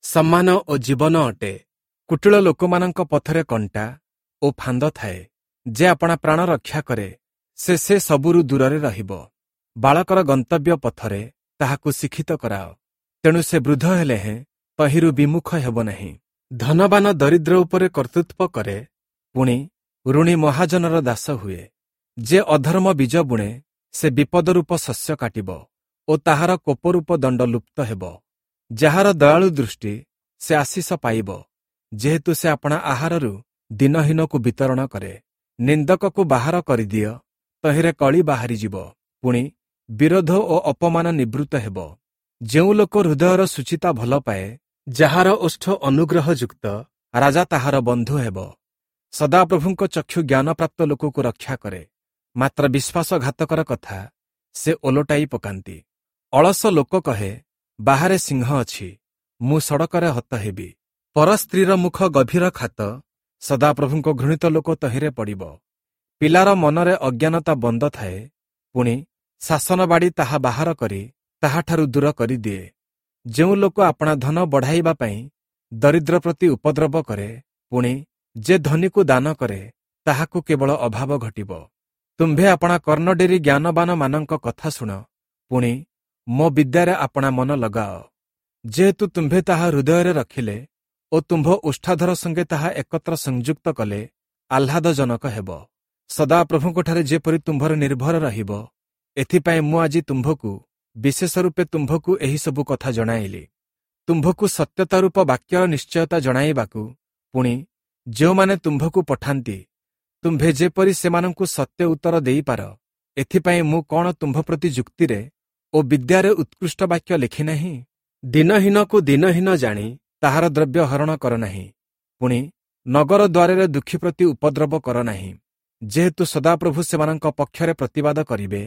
ସମ୍ମାନ ଓ ଜୀବନ ଅଟେ। କୁଟିଳ ଲୋକମାନଙ୍କ ପଥରେ କଣ୍ଟା ଓ ଫାନ୍ଦ ଥାଏ। ଯେ ଆପଣା ପ୍ରାଣ ରକ୍ଷା କରେ, ସେ ସେ ସବୁରୁ ଦୂରରେ ରହିବ। ବାଳକର ଗନ୍ତବ୍ୟ ପଥରେ ତାହାକୁ ଶିକ୍ଷିତ କରାଅ, ତେଣୁ ସେ ବୃଦ୍ଧ ହେଲେ ହେଁ ତହିଁରୁ ବିମୁଖ ହେବ ନାହିଁ। ଧନବାନ ଦରିଦ୍ର ଉପରେ କର୍ତ୍ତୃତ୍ୱ କରେ, ପୁଣି ଋଣୀ ମହାଜନର ଦାସ ହୁଏ। ଯେ ଅଧର୍ମ ବୀଜ ବୁଣେ, ସେ ବିପଦ ରୂପ ଶସ୍ୟ କାଟିବ ଓ ତାହାର କୋପରୂପ ଦଣ୍ଡ ଲୁପ୍ତ ହେବ। ଯାହାର ଦୟାଳୁ ଦୃଷ୍ଟି, ସେ ଆଶିଷ ପାଇବ, ଯେହେତୁ ସେ ଆପଣା ଆହାରରୁ ଦିନହୀନକୁ ବିତରଣ କରେ। ନିନ୍ଦକକୁ ବାହାର କରିଦିଅ, ତହିଁରେ କଳି ବାହାରିଯିବ, ପୁଣି ବିରୋଧ ଓ ଅପମାନ ନିବୃତ୍ତ ହେବ। ଯେଉଁ ଲୋକ ହୃଦୟର ଶୁଚିତା ଭଲ ପାଏ, ଯାହାର ଓଷ୍ଠ ଅନୁଗ୍ରହଯୁକ୍ତ, ରାଜା ତାହାର ବନ୍ଧୁ ହେବ। ସଦାପ୍ରଭୁଙ୍କ ଚକ୍ଷୁ ଜ୍ଞାନପ୍ରାପ୍ତ ଲୋକକୁ ରକ୍ଷା କରେ, ମାତ୍ର ବିଶ୍ୱାସଘାତକର କଥା ସେ ଓଲଟାଇ ପକାନ୍ତି। ଅଳସ ଲୋକ କହେ, ବାହାରେ ସିଂହ ଅଛି, ମୁଁ ସଡ଼କରେ ହତ ହେବି। ପରସ୍ତ୍ରୀର ମୁଖ ଗଭୀର ଖାତ, ସଦାପ୍ରଭୁଙ୍କ ଘୃଣିତ ଲୋକ ତହିଁରେ ପଡ଼ିବ। ପିଲାର ମନରେ ଅଜ୍ଞାନତା ବନ୍ଦ ଥାଏ, ପୁଣି ଶାସନ ବାଡ଼ି ତାହା ବାହାର କରି ତାହାଠାରୁ ଦୂର କରିଦିଏ। ଯେଉଁ ଲୋକ ଆପଣା ଧନ ବଢ଼ାଇବା ପାଇଁ ଦରିଦ୍ର ପ୍ରତି ଉପଦ୍ରବ କରେ, ପୁଣି ଯେ ଧନୀକୁ ଦାନ କରେ, ତାହାକୁ କେବଳ ଅଭାବ ଘଟିବ। ତୁମ୍ଭେ ଆପଣା କର୍ଣ୍ଣ ଡେରି ଜ୍ଞାନବାନମାନଙ୍କ କଥା ଶୁଣ, ପୁଣି ମୋ ବିଦ୍ୟାରେ ଆପଣା ମନ ଲଗାଅ। ଯେହେତୁ ତୁମ୍ଭେ ତାହା ହୃଦୟରେ ରଖିଲେ ଓ ତୁମ୍ଭ ଓଷ୍ଠାଧର ସଙ୍ଗେ ତାହା ଏକତ୍ର ସଂଯୁକ୍ତ କଲେ ଆହ୍ଲାଦଜନକ ହେବ। ସଦାପ୍ରଭୁଙ୍କଠାରେ ଯେପରି ତୁମ୍ଭର ନିର୍ଭର ରହିବ, ଏଥିପାଇଁ ମୁଁ ଆଜି ତୁମ୍ଭକୁ ବିଶେଷ ରୂପେ ତୁମ୍ଭକୁ ଏହିସବୁ କଥା ଜଣାଇଲି। ତୁମ୍ଭକୁ ସତ୍ୟତା ରୂପ ବାକ୍ୟର ନିଶ୍ଚୟତା ଜଣାଇବାକୁ, ପୁଣି ଯେଉଁମାନେ ତୁମ୍ଭକୁ ପଠାନ୍ତି, ତୁମ୍ଭେ ଯେପରି ସେମାନଙ୍କୁ ସତ୍ୟ ଉତ୍ତର ଦେଇପାର, ଏଥିପାଇଁ ମୁଁ କ'ଣ ତୁମ୍ଭ ପ୍ରତି ଯୁକ୍ତିରେ ଓ ବିଦ୍ୟାରେ ଉତ୍କୃଷ୍ଟ ବାକ୍ୟ ଲେଖିନାହିଁ? ଦିନହୀନକୁ ଦିନହୀନ ଜାଣି ତାହାର ଦ୍ରବ୍ୟ ହରଣ କର ନାହିଁ, ପୁଣି ନଗର ଦ୍ୱାରରେ ଦୁଃଖୀ ପ୍ରତି ଉପଦ୍ରବ କର ନାହିଁ। ଯେହେତୁ ସଦାପ୍ରଭୁ ସେମାନଙ୍କ ପକ୍ଷରେ ପ୍ରତିବାଦ କରିବେ,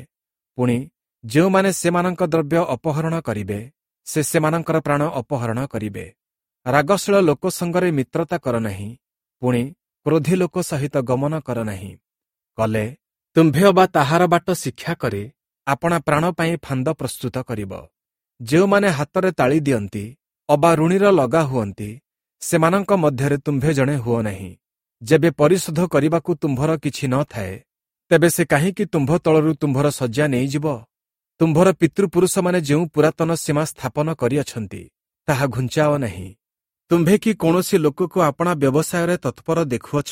ପୁଣି ଯେଉଁମାନେ ସେମାନଙ୍କ ଦ୍ରବ୍ୟ ଅପହରଣ କରିବେ, ସେ ସେମାନଙ୍କର ପ୍ରାଣ ଅପହରଣ କରିବେ। ରାଗଶୀଳ ଲୋକ ସଙ୍ଗରେ ମିତ୍ରତା କର ନାହିଁ, ପୁଣି କ୍ରୋଧୀ ଲୋକ ସହିତ ଗମନ କର ନାହିଁ। କଲେ ତୁମ୍ଭେ ଅବା ତାହାର ବାଟ ଶିକ୍ଷା କରି ଆପଣା ପ୍ରାଣ ପାଇଁ ଫାନ୍ଦ ପ୍ରସ୍ତୁତ କରିବ। ଯେଉଁମାନେ ହାତରେ ତାଳି ଦିଅନ୍ତି ଅବା ଋଣୀର ଲଗା ହୁଅନ୍ତି, ସେମାନଙ୍କ ମଧ୍ୟରେ ତୁମ୍ଭେ ଜଣେ ହୁଅ ନାହିଁ। ଯେବେ ପରିଶୋଧ କରିବାକୁ ତୁମ୍ଭର କିଛି ନ ଥାଏ, ତେବେ ସେ କାହିଁକି ତୁମ୍ଭ ତଳରୁ ତୁମ୍ଭର ଶଯ୍ୟା ନେଇଯିବ? ତୁମ୍ଭର ପିତୃପୁରୁଷମାନେ ଯେଉଁ ପୁରାତନ ସୀମା ସ୍ଥାପନ କରିଅଛନ୍ତି, ତାହା ଘୁଞ୍ଚାଅ ନାହିଁ। ତୁମ୍ଭେ କି କୌଣସି ଲୋକକୁ ଆପଣା ବ୍ୟବସାୟରେ ତତ୍ପର ଦେଖୁଅଛ?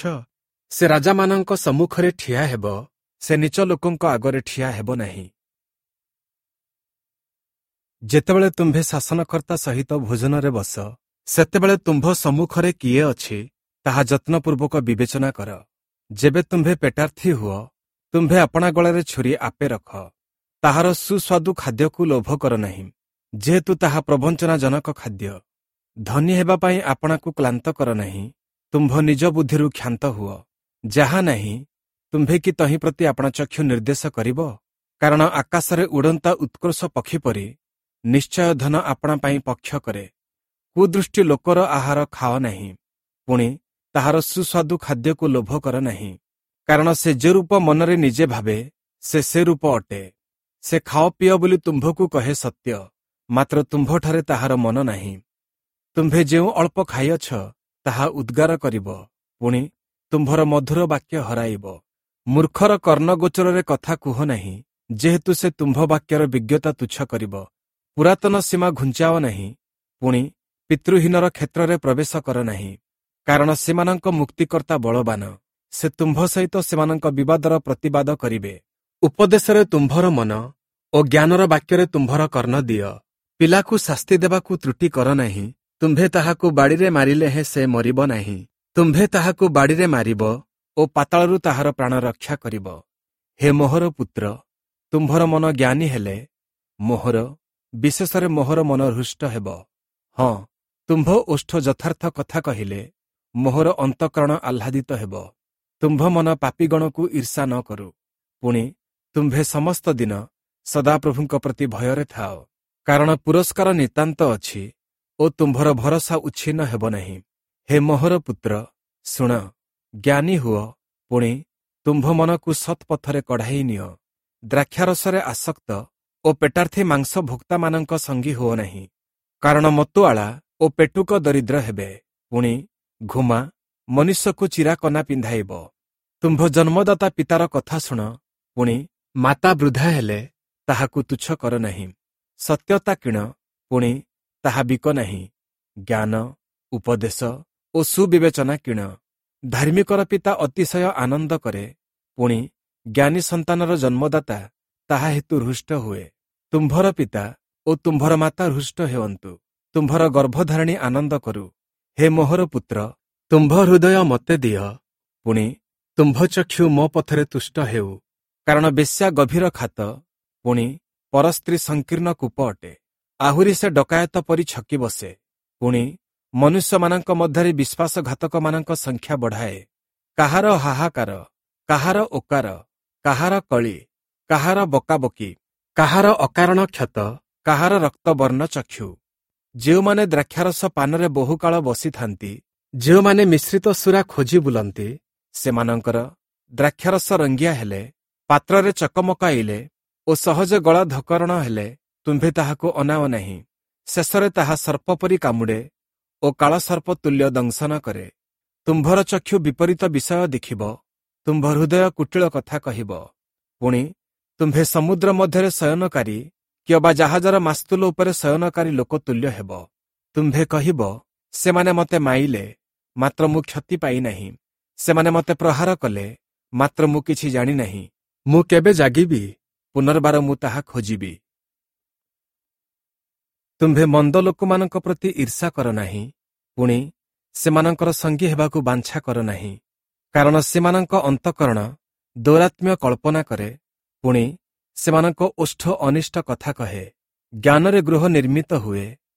ସେ ରାଜାମାନଙ୍କ ସମ୍ମୁଖରେ ଠିଆ ହେବ, ସେ ନୀଚ ଲୋକଙ୍କ ଆଗରେ ଠିଆ ହେବ ନାହିଁ। ଯେତେବେଳେ ତୁମ୍ଭେ ଶାସନକର୍ତ୍ତା ସହିତ ଭୋଜନରେ ବସ, ସେତେବେଳେ ତୁମ୍ଭ ସମ୍ମୁଖରେ କିଏ ଅଛି, ତାହା ଯତ୍ନପୂର୍ବକ ବିବେଚନା କର। ଯେବେ ତୁମ୍ଭେ ପେଟାର୍ଥୀ ହୁଅ, ତୁମ୍ଭେ ଆପଣା ଗଳାରେ ଛୁରୀ ଆପେ ରଖ। ତାହାର ସୁସ୍ୱାଦୁ ଖାଦ୍ୟକୁ ଲୋଭ କର ନାହିଁ, ଯେହେତୁ ତାହା ପ୍ରବଞ୍ଚନାଜନକ ଖାଦ୍ୟ। ଧନୀ ହେବା ପାଇଁ ଆପଣାକୁ କ୍ଳାନ୍ତ କର ନାହିଁ, ତୁମ୍ଭ ନିଜ ବୁଦ୍ଧିରୁ କ୍ଷାନ୍ତ ହୁଅ। ଯାହା ନାହିଁ, ତୁମ୍ଭେ କି ତହିଁ ପ୍ରତି ଆପଣା ଚକ୍ଷୁ ନିର୍ଦ୍ଦେଶ କରିବ? କାରଣ ଆକାଶରେ ଉଡ଼ନ୍ତା ଉତ୍କର୍ଷ ପକ୍ଷୀ ପରି ନିଶ୍ଚୟ ଧନ ଆପଣା ପାଇଁ ପକ୍ଷ କରେ। କୁଦୃଷ୍ଟି ଲୋକର ଆହାର ଖାଅ ନାହିଁ, ପୁଣି ତାହାର ସୁସ୍ୱାଦୁ ଖାଦ୍ୟକୁ ଲୋଭ କର ନାହିଁ। କାରଣ ସେ ଯେ ରୂପ ମନରେ ନିଜେ ଭାବେ, ସେ ସେ ରୂପ ଅଟେ। ସେ ଖାଅ ପିଅ ବୋଲି ତୁମ୍ଭକୁ କହେ ସତ୍ୟ, ମାତ୍ର ତୁମ୍ଭଠାରେ ତାହାର ମନ ନାହିଁ। ତୁମ୍ଭେ ଯେଉଁ ଅଳ୍ପ ଖାଇଅଛ, ତାହା ଉଦ୍ଗାର କରିବ, ପୁଣି ତୁମ୍ଭର ମଧୁର ବାକ୍ୟ ହରାଇବ। ମୂର୍ଖର କର୍ଣ୍ଣଗୋଚରରେ କଥା କୁହ ନାହିଁ, ଯେହେତୁ ସେ ତୁମ୍ଭ ବାକ୍ୟର ବିଜ୍ଞତା ତୁଚ୍ଛ କରିବ। ପୁରାତନ ସୀମା ଘୁଞ୍ଚାଅ ନାହିଁ, ପୁଣି ପିତୃହୀନର କ୍ଷେତ୍ରରେ ପ୍ରବେଶ କର ନାହିଁ। କାରଣ ସେମାନଙ୍କ ମୁକ୍ତିକର୍ତ୍ତା ବଳବାନ, ସେ ତୁମ୍ଭ ସହିତ ସେମାନଙ୍କ ବିବାଦର ପ୍ରତିବାଦ କରିବେ। ଉପଦେଶରେ ତୁମ୍ଭର ମନ ଓ ଜ୍ଞାନର ବାକ୍ୟରେ ତୁମ୍ଭର କର୍ଣ୍ଣ ଦିଅ। ପିଲାକୁ ଶାସ୍ତି ଦେବାକୁ ତ୍ରୁଟି କର ନାହିଁ, ତୁମ୍ଭେ ତାହାକୁ ବାଡ଼ିରେ ମାରିଲେ ହେଁ ସେ ମରିବ ନାହିଁ। ତୁମ୍ଭେ ତାହାକୁ ବାଡ଼ିରେ ମାରିବ ଓ ପାତାଳରୁ ତାହାର ପ୍ରାଣ ରକ୍ଷା କରିବ। ହେ ମୋହର ପୁତ୍ର, ତୁମ୍ଭର ମନ ଜ୍ଞାନୀ ହେଲେ ମୋହର, ବିଶେଷରେ ମୋହର ମନ ହୃଷ୍ଟ ହେବ। ହଁ, ତୁମ୍ଭ ଓଷ୍ଠ ଯଥାର୍ଥ କଥା କହିଲେ ମୋହର ଅନ୍ତଃକରଣ ଆହ୍ଲାଦିତ ହେବ। ତୁମ୍ଭ ମନ ପାପୀଗଣକୁ ଈର୍ଷା ନ କରୁ, ପୁଣି ତୁମ୍ଭେ ସମସ୍ତ ଦିନ ସଦାପ୍ରଭୁଙ୍କ ପ୍ରତି ଭୟରେ ଥାଅ। କାରଣ ପୁରସ୍କାର ନିତାନ୍ତ ଅଛି ଓ ତୁମ୍ଭର ଭରସା ଉଚ୍ଛିନ୍ନ ହେବ ନାହିଁ। ହେ ମୋହର ପୁତ୍ର, ଶୁଣ, ଜ୍ଞାନୀ ହୁଅ, ପୁଣି ତୁମ୍ଭ ମନକୁ ସତ୍ପଥରେ କଢ଼ାଇ ନିଅ। ଦ୍ରାକ୍ଷାରସରେ ଆସକ୍ତ ଓ ପେଟାର୍ଥୀ ମାଂସ ଭୋକ୍ତାମାନଙ୍କ ସଙ୍ଗୀ ହୁଅ ନାହିଁ। କାରଣ ମତୁଆଳା ଓ ପେଟୁକ ଦରିଦ୍ର ହେବେ, ପୁଣି ଘୁମା ମନୁଷ୍ୟକୁ ଚିରା କନା ପିନ୍ଧାଇବ। ତୁମ୍ଭ ଜନ୍ମଦାତା ପିତାର କଥା ଶୁଣ, ପୁଣି ମାତା ବୃଦ୍ଧା ହେଲେ ତାହାକୁ ତୁଚ୍ଛ କର ନାହିଁ। ସତ୍ୟତା କିଣ, ପୁଣି ତାହା ବିକ ନାହିଁ। ଜ୍ଞାନ, ଉପଦେଶ ଓ ସୁବିବେଚନା କିଣ। ଧାର୍ମିକର ପିତା ଅତିଶୟ ଆନନ୍ଦ କରେ, ପୁଣି ଜ୍ଞାନୀ ସନ୍ତାନର ଜନ୍ମଦାତା ତାହା ହେତୁ ହୃଷ୍ଟ ହୁଏ। ତୁମ୍ଭର ପିତା ଓ ତୁମ୍ଭର ମାତା ହୃଷ୍ଟ ହେଅନ୍ତୁ, ତୁମ୍ଭର ଗର୍ଭଧାରିଣୀ ଆନନ୍ଦ କରୁ। ହେ ମୋହର ପୁତ୍ର, ତୁମ୍ଭ ହୃଦୟ ମୋତେ ଦିଅ, ପୁଣି ତୁମ୍ଭ ଚକ୍ଷୁ ମୋ ପଥରେ ତୁଷ୍ଟ ହେଉ। କାରଣ ବେଶ୍ୟା ଗଭୀର ଖାତ, ପୁଣି ପରସ୍ତ୍ରୀ ସଂକୀର୍ଣ୍ଣ କୂପ ଅଟେ। ଆହୁରି ସେ ଡକାୟତ ପରି ଛକି ବସେ, ପୁଣି ମନୁଷ୍ୟମାନଙ୍କ ମଧ୍ୟରେ ବିଶ୍ୱାସଘାତକମାନଙ୍କ ସଂଖ୍ୟା ବଢ଼ାଏ। କାହାର ହାହାକାର, କାହାର ଓକାର, କାହାର କଳି, କାହାର ବକାବକି, କାହାର ଅକାରଣ କ୍ଷତ, କାହାର ରକ୍ତବର୍ଣ୍ଣ ଚକ୍ଷୁ। ଯେଉଁମାନେ ଦ୍ରାକ୍ଷାରସ ପାନରେ ବହୁକାଳ ବସିଥାନ୍ତି, ଯେଉଁମାନେ ମିଶ୍ରିତ ସୁରା ଖୋଜି ବୁଲନ୍ତି, ସେମାନଙ୍କର ଦ୍ରାକ୍ଷାରସ ରଙ୍ଗିଆ ହେଲେ, ପାତ୍ରରେ ଚକମକାଇଲେ ଓ ସହଜ ଗଳା ଧକରଣ ହେଲେ ତୁମ୍ଭେ ତାହାକୁ ଅନାଅ ନାହିଁ। ଶେଷରେ ତାହା ସର୍ପ ପରି କାମୁଡ଼େ ଓ କାଳସର୍ପ ତୁଲ୍ୟ ଦଂଶନ କରେ। ତୁମ୍ଭର ଚକ୍ଷୁ ବିପରୀତ ବିଷୟ ଦେଖିବ, ତୁମ୍ଭ ହୃଦୟ କୁଟିଳ କଥା କହିବ। ପୁଣି ତୁମ୍ଭେ ସମୁଦ୍ର ମଧ୍ୟରେ ଶୟନକାରୀ କିମ୍ବା ଜାହାଜର ମାସ୍ତୁଲ ଉପରେ ଶୟନକାରୀ ଲୋକ ତୁଲ୍ୟ ହେବ। ତୁମ୍ଭେ କହିବ, ସେମାନେ ମୋତେ ମାଇଲେ, ମାତ୍ର ମୁଁ କ୍ଷତି ପାଇନାହିଁ। ସେମାନେ ମୋତେ ପ୍ରହାର କଲେ, ମାତ୍ର ମୁଁ କିଛି ଜାଣିନାହିଁ। ମୁଁ କେବେ ଜାଗିବି? ପୁନର୍ବାର ମୁଁ ତାହା ଖୋଜିବି। ତୁମ୍ଭେ ମନ୍ଦ ଲୋକମାନଙ୍କ ପ୍ରତି ଈର୍ଷା କର ନାହିଁ, ପୁଣି ସେମାନଙ୍କର ସଙ୍ଗୀ ହେବାକୁ ବାଞ୍ଛା କର ନାହିଁ। କାରଣ ସେମାନଙ୍କ ଅନ୍ତଃକରଣ ଦୌରାତ୍ମ୍ୟ କଳ୍ପନା କରେ, ପୁଣି ସେମାନଙ୍କ ଓଷ୍ଠ ଅନିଷ୍ଟ କଥା କହେ। ଜ୍ଞାନରେ ଗୃହ ନିର୍ମିତ ହୁଏ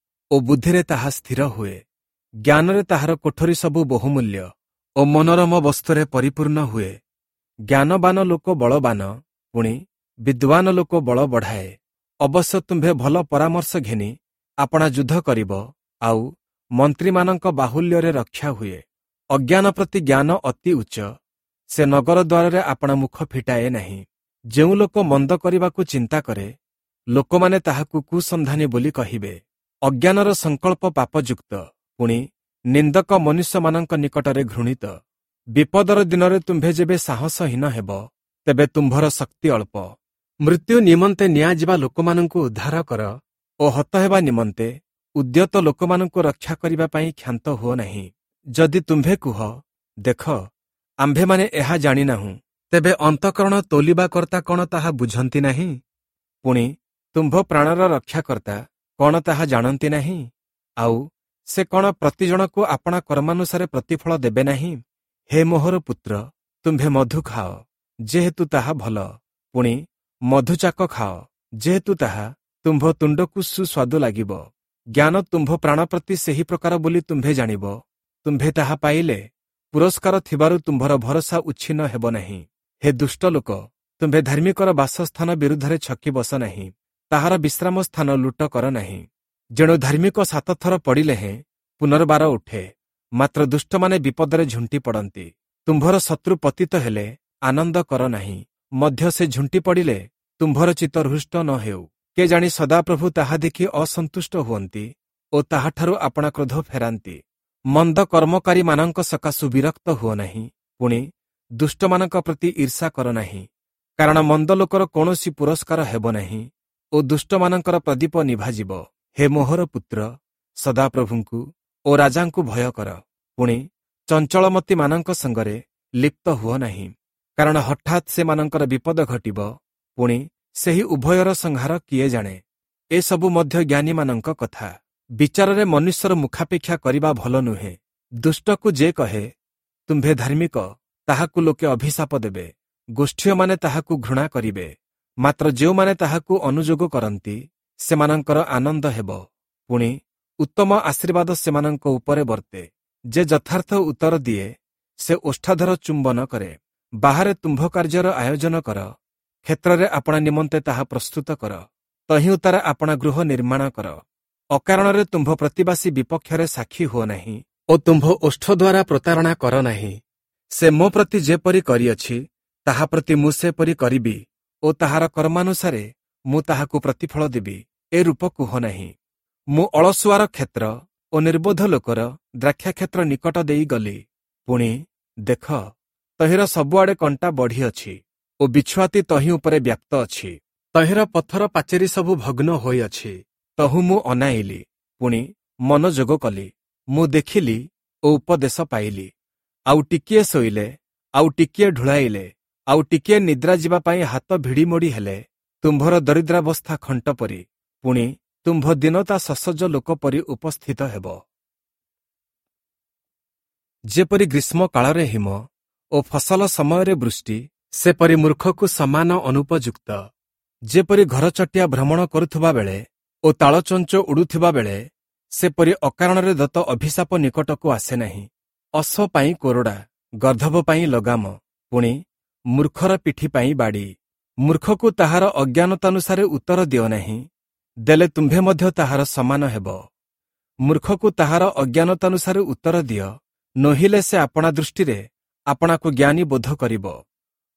ଓ ବୁଦ୍ଧିରେ ତାହା ସ୍ଥିର ହୁଏ। ଜ୍ଞାନରେ ତାହାର କୋଠରୀ ସବୁ ବହୁମୂଲ୍ୟ ଓ ମନୋରମ ବସ୍ତୁରେ ପରିପୂର୍ଣ୍ଣ ହୁଏ। ଜ୍ଞାନବାନ ଲୋକ ବଳବାନ, ପୁଣି ବିଦ୍ୱାନ ଲୋକ ବଳ ବଢ଼ାଏ। ଅବଶ୍ୟ ତୁମ୍ଭେ ଭଲ ପରାମର୍ଶ ଘେନି ଆପଣା ଯୁଦ୍ଧ କରିବ, ଆଉ ମନ୍ତ୍ରୀମାନଙ୍କ ବାହୁଲ୍ୟରେ ରକ୍ଷା ହୁଏ। ଅଜ୍ଞାନ ପ୍ରତି ଜ୍ଞାନ ଅତି ଉଚ୍ଚ, ସେ ନଗର ଦ୍ୱାରରେ ଆପଣା ମୁଖ ଫିଟାଏ ନାହିଁ। ଯେଉଁ ଲୋକ ମନ୍ଦ କରିବାକୁ ଚିନ୍ତା କରେ, ଲୋକମାନେ ତାହାକୁ କୁସନ୍ଧାନୀ ବୋଲି କହିବେ। ଅଜ୍ଞାନର ସଂକଳ୍ପ ପାପଯୁକ୍ତ, ପୁଣି ନିନ୍ଦକ ମନୁଷ୍ୟମାନଙ୍କ ନିକଟରେ ଘୃଣିତ। ବିପଦର ଦିନରେ ତୁମ୍ଭେ ଯେବେ ସାହସହୀନ ହେବ, ତେବେ ତୁମ୍ଭର ଶକ୍ତି ଅଳ୍ପ। ମୃତ୍ୟୁ ନିମନ୍ତେ ନିଆଯିବା ଲୋକମାନଙ୍କୁ ଉଦ୍ଧାର କର ଓ ହତ ହେବା ନିମନ୍ତେ ଉଦ୍ୟତ ଲୋକମାନଙ୍କୁ ରକ୍ଷା କରିବା ପାଇଁ କ୍ଷାନ୍ତ ହୁଅ ନାହିଁ। ଯଦି ତୁମ୍ଭେ କୁହ, ଦେଖ, ଆମ୍ଭେମାନେ ଏହା ଜାଣିନାହୁଁ, ତେବେ ଅନ୍ତଃକରଣ ତୋଲିବା କର୍ତ୍ତା କ'ଣ ତାହା ବୁଝନ୍ତି ନାହିଁ? ପୁଣି ତୁମ୍ଭ ପ୍ରାଣର ରକ୍ଷାକର୍ତ୍ତା କ'ଣ ତାହା ଜାଣନ୍ତି ନାହିଁ? ଆଉ ସେ କ'ଣ ପ୍ରତିଜଣକୁ ଆପଣା କର୍ମାନୁସାରେ ପ୍ରତିଫଳ ଦେବେ ନାହିଁ? ହେ ମୋହର ପୁତ୍ର, ତୁମ୍ଭେ ମଧୁ ଖାଅ, ଯେହେତୁ ତାହା ଭଲ, ପୁଣି ମଧୁଚାକ ଖାଅ, ଯେହେତୁ ତାହା ତୁମ୍ଭ ତୁଣ୍ଡକୁ ସୁସ୍ୱାଦୁ ଲାଗିବ। ଜ୍ଞାନ ତୁମ୍ଭ ପ୍ରାଣ ପ୍ରତି ସେହି ପ୍ରକାର ବୋଲି ତୁମ୍ଭେ ଜାଣିବ। ତୁମ୍ଭେ ତାହା ପାଇଲେ ପୁରସ୍କାର ଥିବାରୁ ତୁମ୍ଭର ଭରସା ଉଚ୍ଛିନ୍ନ ହେବ ନାହିଁ। ହେ ଦୁଷ୍ଟ ଲୋକ, ତୁମ୍ଭେ ଧାର୍ମିକର ବାସସ୍ଥାନ ବିରୁଦ୍ଧରେ ଛକି ବସ ନାହିଁ, ତାହାର ବିଶ୍ରାମ ସ୍ଥାନ ଲୁଟ କର ନାହିଁ। ଯେଣୁ ଧାର୍ମିକ 7 ଥର ପଡ଼ିଲେ ହେଁ ପୁନର୍ବାର ଉଠେ, ମାତ୍ର ଦୁଷ୍ଟମାନେ ବିପଦରେ ଝୁଣ୍ଟି ପଡ଼ନ୍ତି। ତୁମ୍ଭର ଶତ୍ରୁ ପତିତ ହେଲେ ଆନନ୍ଦ କର ନାହିଁ, ମଧ୍ୟ ସେ ଝୁଣ୍ଟି ପଡ଼ିଲେ ତୁମ୍ଭର ଚିତ୍ତ ହୃଷ୍ଟ ନ ହେଉ। କେ ଜାଣି ସଦାପ୍ରଭୁ ତାହା ଦେଖି ଅସନ୍ତୁଷ୍ଟ ହୁଅନ୍ତି ଓ ତାହାଠାରୁ ଆପଣା କ୍ରୋଧ ଫେରାନ୍ତି। ମନ୍ଦ କର୍ମକାରୀମାନଙ୍କ ସକାଶୁ ବିରକ୍ତ ହୁଅ ନାହିଁ, ପୁଣି ଦୁଷ୍ଟମାନଙ୍କ ପ୍ରତି ଈର୍ଷା କର ନାହିଁ। କାରଣ ମନ୍ଦ ଲୋକର କୌଣସି ପୁରସ୍କାର ହେବ ନାହିଁ ଓ ଦୁଷ୍ଟମାନଙ୍କର ପ୍ରଦୀପ ନିଭାଯିବ। ହେ ମୋହର ପୁତ୍ର, ସଦାପ୍ରଭୁଙ୍କୁ ଓ ରାଜାଙ୍କୁ ଭୟ କର, ପୁଣି ଚଞ୍ଚଳମତିମାନଙ୍କ ସଙ୍ଗରେ ଲିପ୍ତ ହୁଅ ନାହିଁ, କାରଣ ହଠାତ୍ ସେମାନଙ୍କର ବିପଦ ଘଟିବ, ପୁଣି ସେହି ଉଭୟର ସଂହାର କିଏ ଜାଣେ? ଏସବୁ ମଧ୍ୟ ଜ୍ଞାନୀମାନଙ୍କ କଥା। ବିଚାରରେ ମନୁଷ୍ୟର ମୁଖାପେକ୍ଷା କରିବା ଭଲ ନୁହେଁ। ଦୁଷ୍ଟକୁ ଯେ କହେ, ତୁମ୍ଭେ ଧାର୍ମିକ, ତାହାକୁ ଲୋକେ ଅଭିଶାପ ଦେବେ, ଗୋଷ୍ଠୀୟମାନେ ତାହାକୁ ଘୃଣା କରିବେ। ମାତ୍ର ଯେଉଁମାନେ ତାହାକୁ ଅନୁଯୋଗ କରନ୍ତି, ସେମାନଙ୍କର ଆନନ୍ଦ ହେବ, ପୁଣି ଉତ୍ତମ ଆଶୀର୍ବାଦ ସେମାନଙ୍କ ଉପରେ ବର୍ତ୍ତେ। ଯେ ଯଥାର୍ଥ ଉତ୍ତର ଦିଏ, ସେ ଓଷ୍ଠାଧର ଚୁମ୍ବନ କରେ। ବାହାରେ ତୁମ୍ଭ କାର୍ଯ୍ୟର ଆୟୋଜନ କର, କ୍ଷେତ୍ରରେ ଆପଣା ନିମନ୍ତେ ତାହା ପ୍ରସ୍ତୁତ କର, ତହିଁ ଉତ୍ତାରେ ଆପଣା ଗୃହ ନିର୍ମାଣ କର। ଅକାରଣରେ ତୁମ୍ଭ ପ୍ରତିବାସୀ ବିପକ୍ଷରେ ସାକ୍ଷୀ ହୁଅ ନାହିଁ ଓ ତୁମ୍ଭ ଓଷ୍ଠ ଦ୍ୱାରା ପ୍ରତାରଣା କର ନାହିଁ। ସେ ମୋ ପ୍ରତି ଯେପରି କରିଅଛି, ତାହା ପ୍ରତି ମୁଁ ସେପରି କରିବି ଓ ତାହାର କର୍ମାନୁସାରେ ମୁଁ ତାହାକୁ ପ୍ରତିଫଳ ଦେବି, ଏ ରୂପ କୁହ ନାହିଁ। ମୁଁ ଅଳସୁଆର କ୍ଷେତ୍ର ଓ ନିର୍ବୋଧ ଲୋକର ଦ୍ରାକ୍ଷାକ୍ଷେତ୍ର ନିକଟ ଦେଇ ଗଲି, ପୁଣି ଦେଖ, ତହିଁର ସବୁଆଡ଼େ କଣ୍ଟା ବଢ଼ିଅଛି ଓ ବିଛୁଆତି ତହିଁ ଉପରେ ବ୍ୟାପ୍ତ ଅଛି, ତହିଁର ପଥର ପାଚେରୀ ସବୁ ଭଗ୍ନ ହୋଇଅଛି। ତହୁଁ ମୁଁ ଅନାଇଲି, ପୁଣି ମନୋଯୋଗ କଲି, ମୁଁ ଦେଖିଲି ଓ ଉପଦେଶ ପାଇଲି। ଆଉ ଟିକିଏ ଶୋଇଲେ, ଆଉ ଟିକିଏ ଢୁଳାଇଲେ, ଆଉ ଟିକିଏ ନିଦ୍ରା ଯିବା ପାଇଁ ହାତ ଭିଡ଼ିମୋଡ଼ି ହେଲେ ତୁମ୍ଭର ଦରିଦ୍ରାବସ୍ଥା ଖଣ୍ଟ ପରି, ପୁଣି ତୁମ୍ଭ ଦୀନତା ସସଜ୍ଜ ଲୋକ ପରି ଉପସ୍ଥିତ ହେବ। ଯେପରି ଗ୍ରୀଷ୍ମ କାଳରେ ହିମ ଓ ଫସଲ ସମୟରେ ବୃଷ୍ଟି, ସେପରି ମୂର୍ଖକୁ ସମାନ ଅନୁପଯୁକ୍ତ। ଯେପରି ଘରଚଟିଆ ଭ୍ରମଣ କରୁଥିବା ବେଳେ ଓ ତାଳଚଞ୍ଚ ଉଡ଼ୁଥିବା ବେଳେ, ସେପରି ଅକାରଣରେ ଦତ୍ତ ଅଭିଶାପ ନିକଟକୁ ଆସେ ନାହିଁ। ଅଶ୍ୱ ପାଇଁ କୋରଡ଼ା, ଗର୍ଦ୍ଧବ ପାଇଁ ଲଗାମ, ପୁଣି ମୂର୍ଖର ପିଠି ପାଇଁ ବାଡ଼ି। ମୂର୍ଖକୁ ତାହାର ଅଜ୍ଞାନତାନୁସାରେ ଉତ୍ତର ଦିଅ ନାହିଁ, ଦେଲେ ତୁମ୍ଭେ ମଧ୍ୟ ତାହାର ସମାନ ହେବ। ମୂର୍ଖକୁ ତାହାର ଅଜ୍ଞାନତାନୁସାରେ ଉତ୍ତର ଦିଅ, ନୋହିଲେ ସେ ଆପଣା ଦୃଷ୍ଟିରେ ଆପଣାକୁ ଜ୍ଞାନୀ ବୋଧ କରିବ।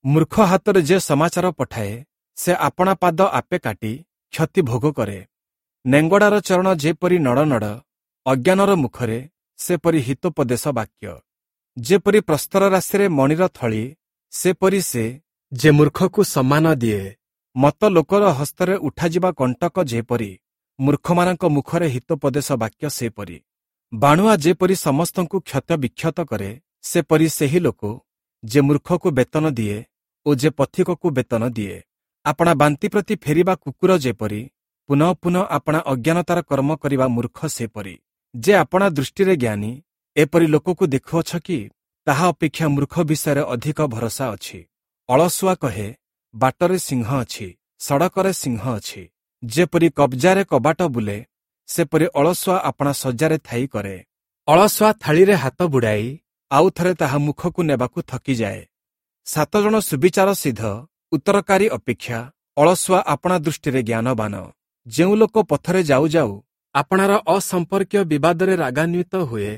ମୂର୍ଖ ହାତରେ ଯେ ସମାଚାର ପଠାଏ, ସେ ଆପଣା ପାଦ ଆପେ କାଟି କ୍ଷତି ଭୋଗ କରେ। ନେଙ୍ଗଡ଼ାର ଚରଣ ଯେପରି ନଡ଼ନଡ଼, ଅଜ୍ଞାନର ମୁଖରେ ସେପରି ହିତୋପଦେଶ ବାକ୍ୟ। ଯେପରି ପ୍ରସ୍ତର ରାଶିରେ ମଣିର ଥଳି, ସେପରି ସେ ଯେ ମୂର୍ଖକୁ ସମ୍ମାନ ଦିଏ। ମତ ଲୋକର ହସ୍ତରେ ଉଠାଯିବା କଣ୍ଟକ ଯେପରି, ମୂର୍ଖମାନଙ୍କ ମୁଖରେ ହିତୋପଦେଶ ବାକ୍ୟ ସେପରି। ବାଣୁଆ ଯେପରି ସମସ୍ତଙ୍କୁ କ୍ଷତ ବିକ୍ଷତ କରେ, ସେପରି ସେହି ଲୋକ ଯେ ମୂର୍ଖକୁ ବେତନ ଦିଏ ଓ ଯେ ପଥିକକୁ ବେତନ ଦିଏ। ଆପଣା ବାନ୍ତି ପ୍ରତି ଫେରିବା କୁକୁର ଯେପରି, ପୁନଃ ପୁନଃ ଆପଣା ଅଜ୍ଞାନତାର କର୍ମ କରିବା ମୂର୍ଖ ସେପରି। ଯେ ଆପଣା ଦୃଷ୍ଟିରେ ଜ୍ଞାନୀ, ଏପରି ଲୋକକୁ ଦେଖୁଅଛ କି? ତାହା ଅପେକ୍ଷା ମୂର୍ଖ ବିଷୟରେ ଅଧିକ ଭରସା ଅଛି। ଅଳସୁଆ କହେ, ବାଟରେ ସିଂହ ଅଛି, ସଡ଼କରେ ସିଂହ ଅଛି। ଯେପରି କବ୍ଜାରେ କବାଟ ବୁଲେ, ସେପରି ଅଳସୁଆ ଆପଣା ଶଯ୍ୟାରେ ଥାଇ କରେ। ଅଳସୁଆ ଥାଳିରେ ହାତ ବୁଡ଼ାଇ ଆଉ ଥରେ ତାହା ମୁଖକୁ ନେବାକୁ ଥକିଯାଏ। 7 ଜଣ ସୁବିଚାର ସିଦ୍ଧ ଉତ୍ତରକାରୀ ଅପେକ୍ଷା ଅଳସୁଆ ଆପଣା ଦୃଷ୍ଟିରେ ଜ୍ଞାନବାନ। ଯେଉଁ ଲୋକ ପଥରେ ଯାଉ ଯାଉ ଆପଣାର ଅସମ୍ପର୍କୀୟ ବିବାଦରେ ରାଗାନ୍ୱିତ ହୁଏ,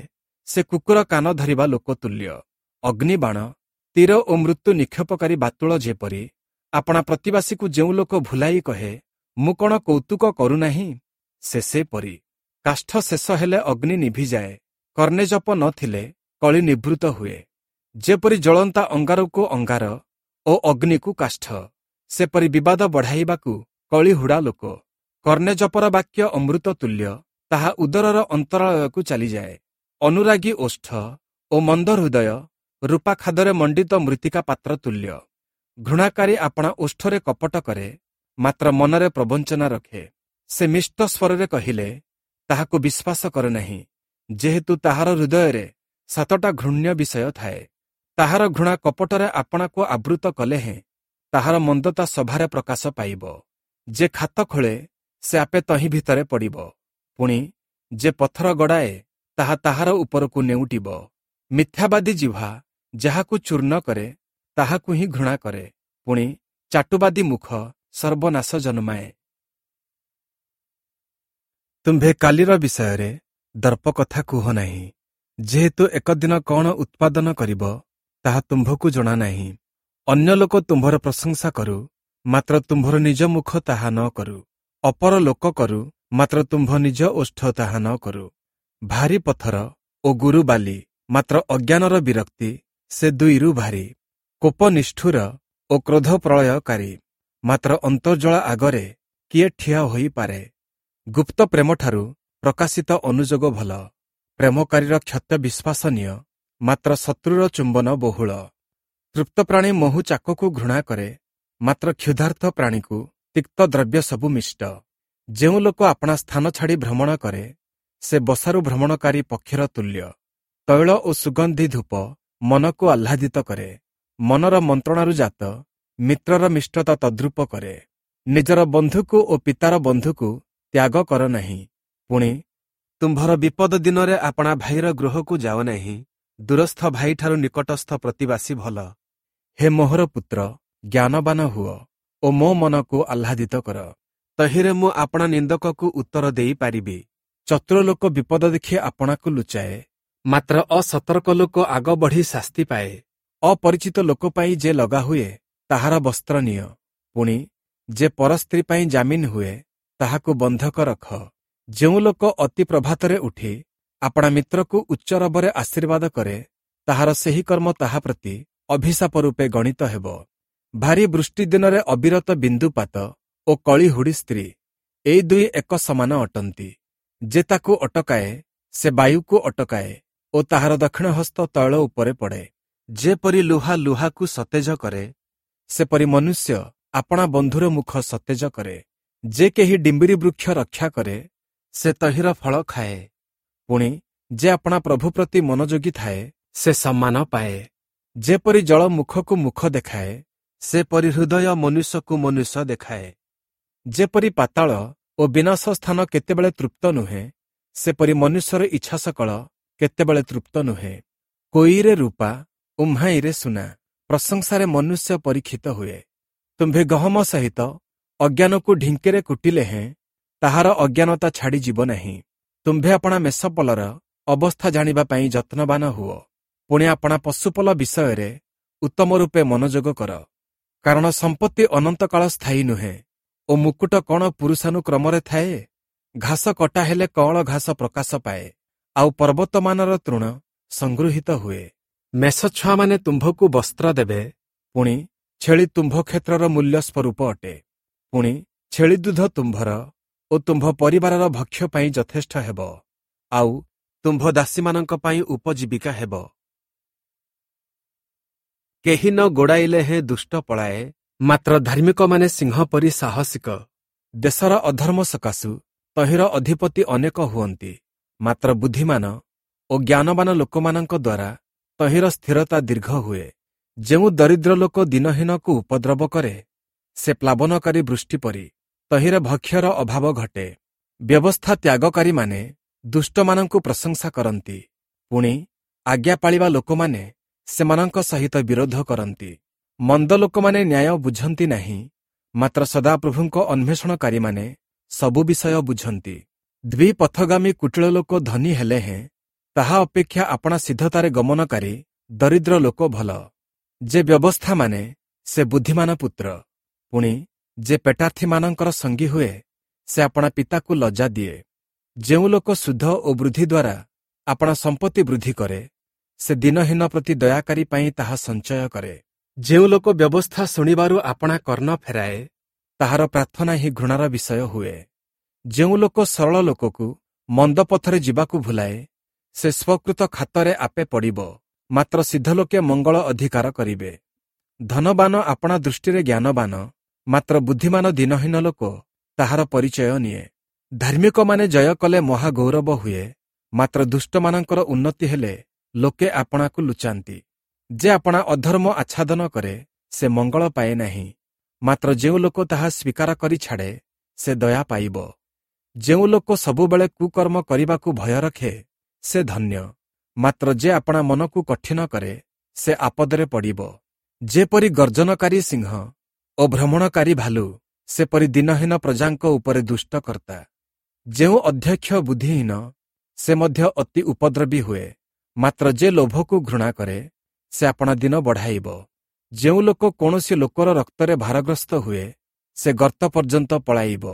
ସେ କୁକୁର କାନ ଧରିବା ଲୋକ ତୁଲ୍ୟ। ଅଗ୍ନିବାଣ, ତୀର ଓ ମୃତ୍ୟୁ ନିକ୍ଷେପକାରୀ ବାତୁଳ ଯେପରି, ଆପଣା ପ୍ରତିବାସୀକୁ ଯେଉଁ ଲୋକ ଭୁଲାଇ କହେ, ମୁଁ କ'ଣ କୌତୁକ କରୁନାହିଁ, ସେ ସେପରି। କାଷ୍ଠ ଶେଷ ହେଲେ ଅଗ୍ନି ନିଭିଯାଏ, କର୍ଣ୍ଣେଜପ ନଥିଲେ କଳି ନିବୃତ୍ତ ହୁଏ। ଯେପରି ଜ୍ୱଳନ୍ତା ଅଙ୍ଗାରକୁ ଅଙ୍ଗାର ଓ ଅଗ୍ନିକୁ କାଷ୍ଠ, ସେପରି ବିବାଦ ବଢ଼ାଇବାକୁ କଳିହୁଡ଼ା ଲୋକ। କର୍ଣ୍ଣେଜପର ବାକ୍ୟ ଅମୃତ ତୁଲ୍ୟ, ତାହା ଉଦରର ଅନ୍ତରାଳୟକୁ ଚାଲିଯାଏ। ଅନୁରାଗୀ ଓଷ୍ଠ ଓ ମନ୍ଦ ହୃଦୟ ରୂପା ଖାଦରେ ମଣ୍ଡିତ ମୃତ୍ତିକା ପାତ୍ର ତୁଲ୍ୟ। ଘୃଣାକାରୀ ଆପଣା ଓଷ୍ଠରେ କପଟ କରେ, ମାତ୍ର ମନରେ ପ୍ରବଞ୍ଚନା ରଖେ। ସେ ମିଷ୍ଟ ସ୍ୱରରେ କହିଲେ ତାହାକୁ ବିଶ୍ୱାସ କରେ ନାହିଁ, ଯେହେତୁ ତାହାର ହୃଦୟରେ 7ଟା ଘୃଣ୍ୟ ବିଷୟ ଥାଏ। ତାହାର ଘୃଣା କପଟରେ ଆପଣାକୁ ଆବୃତ କଲେ ହେଁ ତାହାର ମନ୍ଦତା ସଭାରେ ପ୍ରକାଶ ପାଇବ। ଯେ ଖାତ ଖୋଳେ ସେ ଆପେ ତହିଁ ଭିତରେ ପଡ଼ିବ, ପୁଣି ଯେ ପଥର ଗଡ଼ାଏ ତାହା ତାହାର ଉପରକୁ ନେଉଟିବ। ମିଥ୍ୟାବାଦୀ ଜିହ୍ବା ଯାହାକୁ ଚୂର୍ଣ୍ଣ କରେ ତାହାକୁ ହିଁ ଘୃଣା କରେ, ପୁଣି ଚାଟୁବାଦୀ ମୁଖ ସର୍ବନାଶ ଜନ୍ମାଏ। ତୁମ୍ଭେ କାଲିର ବିଷୟରେ ଦର୍ପ କଥା କୁହ ନାହିଁ, ଯେହେତୁ ଏକ ଦିନ କ'ଣ ଉତ୍ପାଦନ କରିବ ତାହା ତୁମ୍ଭକୁ ଜଣା ନାହିଁ। ଅନ୍ୟ ଲୋକ ତୁମ୍ଭର ପ୍ରଶଂସା କରୁ, ମାତ୍ର ତୁମ୍ଭର ନିଜ ମୁଖ ତାହା ନ କରୁ। ଅପର ଲୋକ କରୁ, ମାତ୍ର ତୁମ୍ଭ ନିଜ ଓଷ୍ଠ ତାହା ନ କରୁ। ଭାରି ପଥର ଓ ଗୁରୁ ବାଲି, ମାତ୍ର ଅଜ୍ଞାନର ବିରକ୍ତି ସେ ଦୁଇରୁ ଭାରି। କୋପ ନିଷ୍ଠୁର ଓ କ୍ରୋଧ ପ୍ରଳୟକାରୀ, ମାତ୍ର ଅନ୍ତର୍ଜଳା ଆଗରେ କିଏ ଠିଆ ହୋଇପାରେ? ଗୁପ୍ତ ପ୍ରେମଠାରୁ ପ୍ରକାଶିତ ଅନୁଯୋଗ ଭଲ। ପ୍ରେମକାରୀର କ୍ଷତ ବିଶ୍ୱାସନୀୟ, ମାତ୍ର ଶତ୍ରୁର ଚୁମ୍ବନ ବହୁଳ। ତୃପ୍ତ ପ୍ରାଣୀ ମହୁ ଚାକକୁ ଘୃଣା କରେ, ମାତ୍ର କ୍ଷୁଧାର୍ତ ପ୍ରାଣୀକୁ ତିକ୍ତ ଦ୍ରବ୍ୟ ସବୁ ମିଷ୍ଟ। ଯେଉଁ ଲୋକ ଆପଣା ସ୍ଥାନ ଛାଡ଼ି ଭ୍ରମଣ କରେ, ସେ ବସାରୁ ଭ୍ରମଣକାରୀ ପକ୍ଷୀର ତୁଲ୍ୟ। ତୈଳ ଓ ସୁଗନ୍ଧି ଧୂପ ମନକୁ ଆହ୍ଲାଦିତ କରେ, ମନର ମନ୍ତ୍ରଣାରୁ ଜାତ ମିତ୍ରର ମିଷ୍ଟତା ତଦ୍ରୂପ କରେ। ନିଜର ବନ୍ଧୁକୁ ଓ ପିତାର ବନ୍ଧୁକୁ ତ୍ୟାଗ କର ନାହିଁ, ପୁଣି ତୁମ୍ଭର ବିପଦ ଦିନରେ ଆପଣା ଭାଇର ଗୃହକୁ ଯାଅ ନାହିଁ। ଦୂରସ୍ଥ ଭାଇଠାରୁ ନିକଟସ୍ଥ ପ୍ରତିବାସୀ ଭଲ। ହେ ମୋହର ପୁତ୍ର, ଜ୍ଞାନବାନ ହୁଅ ଓ ମୋ ମନକୁ ଆହ୍ଲାଦିତ କର, ତହିଁରେ ମୁଁ ଆପଣା ନିନ୍ଦକକୁ ଉତ୍ତର ଦେଇପାରିବି। ଚତୁର ଲୋକ ବିପଦ ଦେଖି ଆପଣାକୁ ଲୁଚାଏ, ମାତ୍ର ଅସତର୍କ ଲୋକ ଆଗ ବଢ଼ି ଶାସ୍ତି ପାଏ। ଅପରିଚିତ ଲୋକ ପାଇଁ ଯେ ଲଗା ହୁଏ, ତାହାର ବସ୍ତ୍ର ନିଅ, ପୁଣି ଯେ ପରସ୍ତ୍ରୀ ପାଇଁ ଜାମିନ ହୁଏ, ତାହାକୁ ବନ୍ଧକ ରଖ। ଯେଉଁ ଲୋକ ଅତି ପ୍ରଭାତରେ ଉଠି ଆପଣା ମିତ୍ରକୁ ଉଚ୍ଚ ରବରେ ଆଶୀର୍ବାଦ କରେ, ତାହାର ସେହି କର୍ମ ତାହା ପ୍ରତି ଅଭିଶାପ ରୂପେ ଗଣିତ ହେବ। ଭାରୀ ବୃଷ୍ଟି ଦିନରେ ଅବିରତ ବିନ୍ଦୁପାତ ଓ କଳିହୁଡ଼ି ସ୍ତ୍ରୀ, ଏଇ ଦୁଇ ଏକ ସମାନ ଅଟନ୍ତି। ଯେ ତାକୁ ଅଟକାଏ, ସେ ବାୟୁକୁ ଅଟକାଏ ଓ ତାହାର ଦକ୍ଷିଣ ହସ୍ତ ତୈଳ ଉପରେ ପଡ଼େ। ଯେପରି ଲୁହା ଲୁହାକୁ ସତେଜ କରେ, ସେପରି ମନୁଷ୍ୟ ଆପଣା ବନ୍ଧୁର ମୁଖ ସତେଜ କରେ। ଯେ କେହି ଡିମ୍ବିରି ବୃକ୍ଷ ରକ୍ଷା କରେ, ସେ ତହିଁର ଫଳ ଖାଏ, ପୁଣି ଯେ ଆପଣା ପ୍ରଭୁ ପ୍ରତି ମନୋଯୋଗୀ ଥାଏ, ସେ ସମ୍ମାନ ପାଏ। ଯେପରି ଜଳ ମୁଖକୁ ମୁଖ ଦେଖାଏ, ସେପରି ହୃଦୟ ମନୁଷ୍ୟକୁ ମନୁଷ୍ୟ ଦେଖାଏ। ଯେପରି ପାତାଳ ଓ ବିନାଶ ସ୍ଥାନ କେତେବେଳେ ତୃପ୍ତ ନୁହେଁ, ସେପରି ମନୁଷ୍ୟର ଇଚ୍ଛା ସକଳ କେତେବେଳେ ତୃପ୍ତ ନୁହେଁ। କୋଇରେ ରୂପା, ଉହ୍ମାଇରେ ସୁନା, ପ୍ରଶଂସାରେ ମନୁଷ୍ୟ ପରୀକ୍ଷିତ ହୁଏ। ତୁମ୍ଭେ ଗହମ ସହିତ ଅଜ୍ଞାନକୁ ଢିଙ୍କିରେ କୁଟିଲେ ହେଁ ତାହାର ଅଜ୍ଞାନତା ଛାଡ଼ିଯିବ ନାହିଁ। ତୁମ୍ଭେ ଆପଣା ମେଷପଲର ଅବସ୍ଥା ଜାଣିବା ପାଇଁ ଯତ୍ନବାନ ହୁଅ, ପୁଣି ଆପଣା ପଶୁପଲ ବିଷୟରେ ଉତ୍ତମ ରୂପେ ମନୋଯୋଗ କର। କାରଣ ସମ୍ପତ୍ତି ଅନନ୍ତକାଳ ସ୍ଥାୟୀ ନୁହେଁ, ଓ ମୁକୁଟ କ'ଣ ପୁରୁଷାନୁକ୍ରମରେ ଥାଏ? ଘାସ କଟା ହେଲେ କଅଁଳ ଘାସ ପ୍ରକାଶ ପାଏ, ଆଉ ପର୍ବତମାନର ତୃଣ ସଂଗୃହୀତ ହୁଏ। ମେଷ ଛୁଆମାନେ ତୁମ୍ଭକୁ ବସ୍ତ୍ର ଦେବେ, ପୁଣି ଛେଳି ତୁମ୍ଭ କ୍ଷେତ୍ରର ମୂଲ୍ୟ ସ୍ୱରୂପ ଅଟେ। ପୁଣି ଛେଳି ଦୁଧ ତୁମ୍ଭର ଓ ତୁମ୍ଭ ପରିବାରର ଭକ୍ଷ୍ୟ ପାଇଁ ଯଥେଷ୍ଟ ହେବ, ଆଉ ତୁମ୍ଭ ଦାସୀମାନଙ୍କ ପାଇଁ ଉପଜୀବିକା ହେବ। କେହି ନ ଗୋଡ଼ାଇଲେ ହେଁ ଦୁଷ୍ଟ ପଳାଏ, ମାତ୍ର ଧାର୍ମିକମାନେ ସିଂହ ପରି ସାହସିକ। ଦେଶର ଅଧର୍ମ ସକାଶୁ ତହିଁର ଅଧିପତି ଅନେକ ହୁଅନ୍ତି, ମାତ୍ର ବୁଦ୍ଧିମାନ ଓ ଜ୍ଞାନବାନ ଲୋକମାନଙ୍କ ଦ୍ୱାରା ତହିଁର ସ୍ଥିରତା ଦୀର୍ଘ ହୁଏ। ଯେଉଁ ଦରିଦ୍ର ଲୋକ ଦିନହୀନକୁ ଉପଦ୍ରବ କରେ, ସେ ପ୍ଲାବନକାରୀ ବୃଷ୍ଟି ପରି, ତହିଁରେ ଭକ୍ଷ୍ୟର ଅଭାବ ଘଟେ। ବ୍ୟବସ୍ଥା ତ୍ୟାଗକାରୀମାନେ ଦୁଷ୍ଟମାନଙ୍କୁ ପ୍ରଶଂସା କରନ୍ତି, ପୁଣି ଆଜ୍ଞା ପାଳିବା ଲୋକମାନେ ସେମାନଙ୍କ ସହିତ ବିରୋଧ କରନ୍ତି। ମନ୍ଦ ଲୋକମାନେ ନ୍ୟାୟ ବୁଝନ୍ତି ନାହିଁ, ମାତ୍ର ସଦାପ୍ରଭୁଙ୍କ ଅନ୍ୱେଷଣକାରୀମାନେ ସବୁ ବିଷୟ ବୁଝନ୍ତି। ଦ୍ୱିପଥଗାମୀ କୁଟିଳ ଲୋକ ଧନୀ ହେଲେ ହେଁ ତାହା ଅପେକ୍ଷା ଆପଣା ସିଦ୍ଧତାରେ ଗମନକାରୀ ଦରିଦ୍ର ଲୋକ ଭଲ। ଯେ ବ୍ୟବସ୍ଥା ମାନେ, ସେ ବୁଦ୍ଧିମାନ ପୁତ୍ର, ପୁଣି ଯେ ପେଟାର୍ଥୀମାନଙ୍କର ସଙ୍ଗୀ ହୁଏ, ସେ ଆପଣା ପିତାକୁ ଲଜ୍ଜା ଦିଏ। ଯେଉଁ ଲୋକ ଶୁଦ୍ଧ ଓ ବୃଦ୍ଧି ଦ୍ୱାରା ଆପଣା ସମ୍ପତ୍ତି ବୃଦ୍ଧି କରେ, ସେ ଦିନହୀନ ପ୍ରତି ଦୟାକାରୀ ପାଇଁ ତାହା ସଞ୍ଚୟ କରେ। ଯେଉଁ ଲୋକ ବ୍ୟବସ୍ଥା ଶୁଣିବାରୁ ଆପଣା କର୍ଣ୍ଣ ଫେରାଏ, ତାହାର ପ୍ରାର୍ଥନା ହିଁ ଘୃଣାର ବିଷୟ ହୁଏ। ଯେଉଁ ଲୋକ ସରଳ ଲୋକକୁ ମନ୍ଦ ପଥରେ ଯିବାକୁ ଭୁଲାଏ, ସେ ସ୍ୱକୃତ ଖାତରେ ଆପେ ପଡ଼ିବ, ମାତ୍ର ସିଦ୍ଧ ଲୋକେ ମଙ୍ଗଳ ଅଧିକାର କରିବେ। ଧନବାନ ଆପଣା ଦୃଷ୍ଟିରେ ଜ୍ଞାନବାନ, ମାତ୍ର ବୁଦ୍ଧିମାନ ଦିନହୀନ ଲୋକ ତାହାର ପରିଚୟ ନିଏ। ଧାର୍ମିକମାନେ ଜୟ କଲେ ମହାଗୌରବ ହୁଏ, ମାତ୍ର ଦୁଷ୍ଟମାନଙ୍କର ଉନ୍ନତି ହେଲେ ଲୋକେ ଆପଣାକୁ ଲୁଚାନ୍ତି। ଯେ ଆପଣା ଅଧର୍ମ ଆଚ୍ଛାଦନ କରେ, ସେ ମଙ୍ଗଳ ପାଏ ନାହିଁ, ମାତ୍ର ଯେଉଁ ଲୋକ ତାହା ସ୍ୱୀକାର କରି ଛାଡ଼େ, ସେ ଦୟା ପାଇବ। ଯେଉଁ ଲୋକ ସବୁବେଳେ କୁକର୍ମ କରିବାକୁ ଭୟ ରଖେ, ସେ ଧନ୍ୟ, ମାତ୍ର ଯେ ଆପଣା ମନକୁ କଠିନ କରେ, ସେ ଆପଦରେ ପଡ଼ିବ। ଯେପରି ଗର୍ଜନକାରୀ ସିଂହ ଓ ଭ୍ରମଣକାରୀ ଭାଲୁ, ସେପରି ଦିନହୀନ ପ୍ରଜାଙ୍କ ଉପରେ ଦୁଷ୍ଟକର୍ତ୍ତା। ଯେଉଁ ଅଧ୍ୟକ୍ଷ ବୁଦ୍ଧିହୀନ, ସେ ମଧ୍ୟ ଅତି ଉପଦ୍ରବୀ ହୁଏ, ମାତ୍ର ଯେ ଲୋଭକୁ ଘୃଣା କରେ, ସେ ଆପଣା ଦିନ ବଢ଼ାଇବ। ଯେଉଁ ଲୋକ କୌଣସି ଲୋକର ରକ୍ତରେ ଭାରଗ୍ରସ୍ତ ହୁଏ, ସେ ଗର୍ତ୍ତ ପର୍ଯ୍ୟନ୍ତ ପଳାଇବ,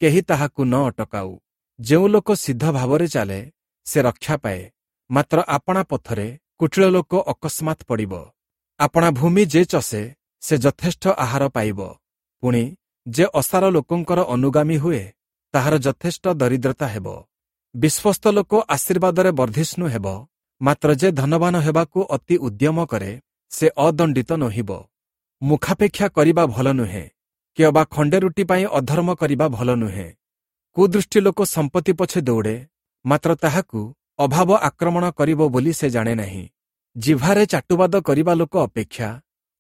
କେହି ତାହାକୁ ନ ଅଟକାଉ। ଯେଉଁ ଲୋକ ସିଦ୍ଧ ଭାବରେ ଚାଲେ, ସେ ରକ୍ଷା ପାଏ, ମାତ୍ର ଆପଣା ପଥରେ କୁଟିଳ ଲୋକ ଅକସ୍ମାତ୍ ପଡ଼ିବ। ଆପଣା ଭୂମି ଯେ ଚଷେ, ସେ ଯଥେଷ୍ଟ ଆହାର ପାଇବ, ପୁଣି ଯେ ଅସାର ଲୋକଙ୍କର ଅନୁଗାମୀ ହୁଏ, ତାହାର ଯଥେଷ୍ଟ ଦରିଦ୍ରତା ହେବ। ବିଶ୍ୱସ୍ତ ଲୋକ ଆଶୀର୍ବାଦରେ ବର୍ଦ୍ଧିଷ୍ଣୁ ହେବ, ମାତ୍ର ଯେ ଧନବାନ ହେବାକୁ ଅତି ଉଦ୍ୟମ କରେ, ସେ ଅଦଣ୍ଡିତ ନୋହିବ। ମୁଖାପେକ୍ଷା କରିବା ଭଲ ନୁହେଁ, କି ଅବା ଖଣ୍ଡେ ରୁଟି ପାଇଁ ଅଧର୍ମ କରିବା ଭଲ ନୁହେଁ। କୁଦୃଷ୍ଟି ଲୋକ ସମ୍ପତ୍ତି ପଛେ ଦୌଡ଼େ, ମାତ୍ର ତାହାକୁ ଅଭାବ ଆକ୍ରମଣ କରିବ ବୋଲି ସେ ଜାଣେ ନାହିଁ। ଜିହ୍ୱାରେ ଚାଟୁବାଦ କରିବା ଲୋକ ଅପେକ୍ଷା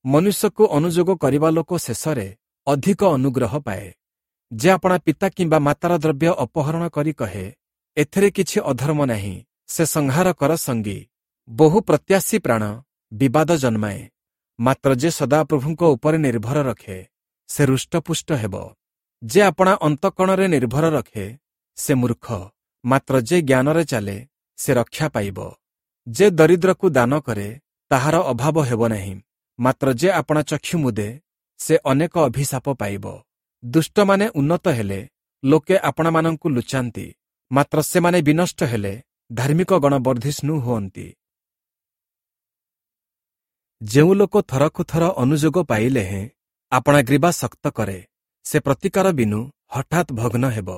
ମନୁଷ୍ୟକୁ ଅନୁଯୋଗ କରିବା ଲୋକ ଶେଷରେ ଅଧିକ ଅନୁଗ୍ରହ ପାଏ। ଯେ ଆପଣା ପିତା କିମ୍ବା ମାତାର ଦ୍ରବ୍ୟ ଅପହରଣ କରି କହେ, ଏଥିରେ କିଛି ଅଧର୍ମ ନାହିଁ, ସେ ସଂହାରକର ସଙ୍ଗୀ। ବହୁ ପ୍ରତ୍ୟାଶୀ ପ୍ରାଣ ବିବାଦ ଜନ୍ମାଏ, ମାତ୍ର ଯେ ସଦାପ୍ରଭୁଙ୍କ ଉପରେ ନିର୍ଭର ରଖେ, ସେ ହୃଷ୍ଟପୁଷ୍ଟ ହେବ। ଯେ ଆପଣା ଅନ୍ତଃକରଣରେ ନିର୍ଭର ରଖେ, ସେ ମୂର୍ଖ, ମାତ୍ର ଯେ ଜ୍ଞାନରେ ଚାଲେ, ସେ ରକ୍ଷା ପାଇବ। ଯେ ଦରିଦ୍ରକୁ ଦାନ କରେ, ତାହାର ଅଭାବ ହେବ ନାହିଁ, ମାତ୍ର ଯେ ଆପଣା ଚକ୍ଷୁ ମୁଦେ, ସେ ଅନେକ ଅଭିଶାପ ପାଇବ। ଦୁଷ୍ଟମାନେ ଉନ୍ନତ ହେଲେ ଲୋକେ ଆପଣାମାନଙ୍କୁ ଲୁଚାନ୍ତି, ମାତ୍ର ସେମାନେ ବିନଷ୍ଟ ହେଲେ ଧାର୍ମିକଗଣ ବର୍ଦ୍ଧିଷ୍ଣୁ ହୁଅନ୍ତି। ଯେଉଁ ଲୋକ ଥରକୁ ଥର ଅନୁଯୋଗ ପାଇଲେ ହେଁ ଆପଣା ଗ୍ରୀବା ଶକ୍ତ କରେ, ସେ ପ୍ରତିକାର ବିନୁ ହଠାତ୍ ଭଗ୍ନ ହେବ।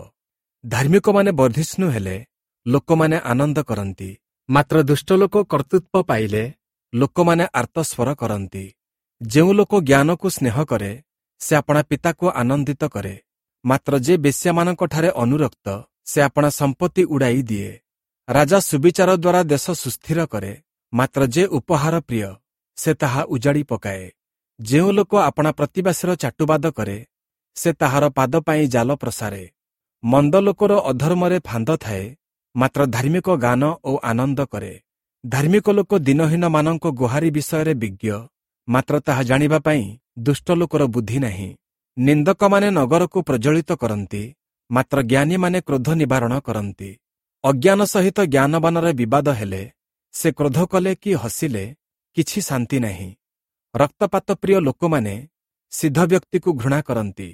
ଧାର୍ମିକମାନେ ବର୍ଦ୍ଧିଷ୍ଣୁ ହେଲେ ଲୋକମାନେ ଆନନ୍ଦ କରନ୍ତି, ମାତ୍ର ଦୁଷ୍ଟ ଲୋକ କର୍ତ୍ତୃତ୍ୱ ପାଇଲେ ଲୋକମାନେ ଆର୍ତ୍ତସ୍ୱର କରନ୍ତି। ଯେଉଁ ଲୋକ ଜ୍ଞାନକୁ ସ୍ନେହ କରେ, ସେ ଆପଣା ପିତାକୁ ଆନନ୍ଦିତ କରେ, ମାତ୍ର ଯେ ବେଶ୍ୟାମାନଙ୍କଠାରେ ଅନୁରକ୍ତ, ସେ ଆପଣା ସମ୍ପତ୍ତି ଉଡ଼ାଇ ଦିଏ। ରାଜା ସୁବିଚାର ଦ୍ୱାରା ଦେଶ ସୁସ୍ଥିର କରେ, ମାତ୍ର ଯେ ଉପହାର ପ୍ରିୟ, ସେ ତାହା ଉଜାଡ଼ି ପକାଏ। ଯେଉଁ ଲୋକ ଆପଣା ପ୍ରତିବାସୀର ଚାଟୁବାଦ କରେ, ସେ ତାହାର ପାଦ ପାଇଁ ଜାଲ ପ୍ରସାରେ। ମନ୍ଦ ଲୋକର ଅଧର୍ମରେ ଫାନ୍ଦ ଥାଏ, ମାତ୍ର ଧାର୍ମିକ ଗାନ ଓ ଆନନ୍ଦ କରେ। ଧାର୍ମିକ ଲୋକ ଦିନହୀନମାନଙ୍କ ଗୁହାରି ବିଷୟରେ ବିଜ୍ଞ, ମାତ୍ର ତାହା ଜାଣିବା ପାଇଁ ଦୁଷ୍ଟ ଲୋକର ବୁଦ୍ଧି ନାହିଁ। ନିନ୍ଦକମାନେ ନଗରକୁ ପ୍ରଜ୍ୱଳିତ କରନ୍ତି, ମାତ୍ର ଜ୍ଞାନୀମାନେ କ୍ରୋଧ ନିବାରଣ କରନ୍ତି। ଅଜ୍ଞାନ ସହିତ ଜ୍ଞାନବାନର ବିବାଦ ହେଲେ, ସେ କ୍ରୋଧ କଲେ କି ହସିଲେ କିଛି ଶାନ୍ତି ନାହିଁ। ରକ୍ତପାତ ପ୍ରିୟ ଲୋକମାନେ ସିଦ୍ଧ ବ୍ୟକ୍ତିକୁ ଘୃଣା କରନ୍ତି,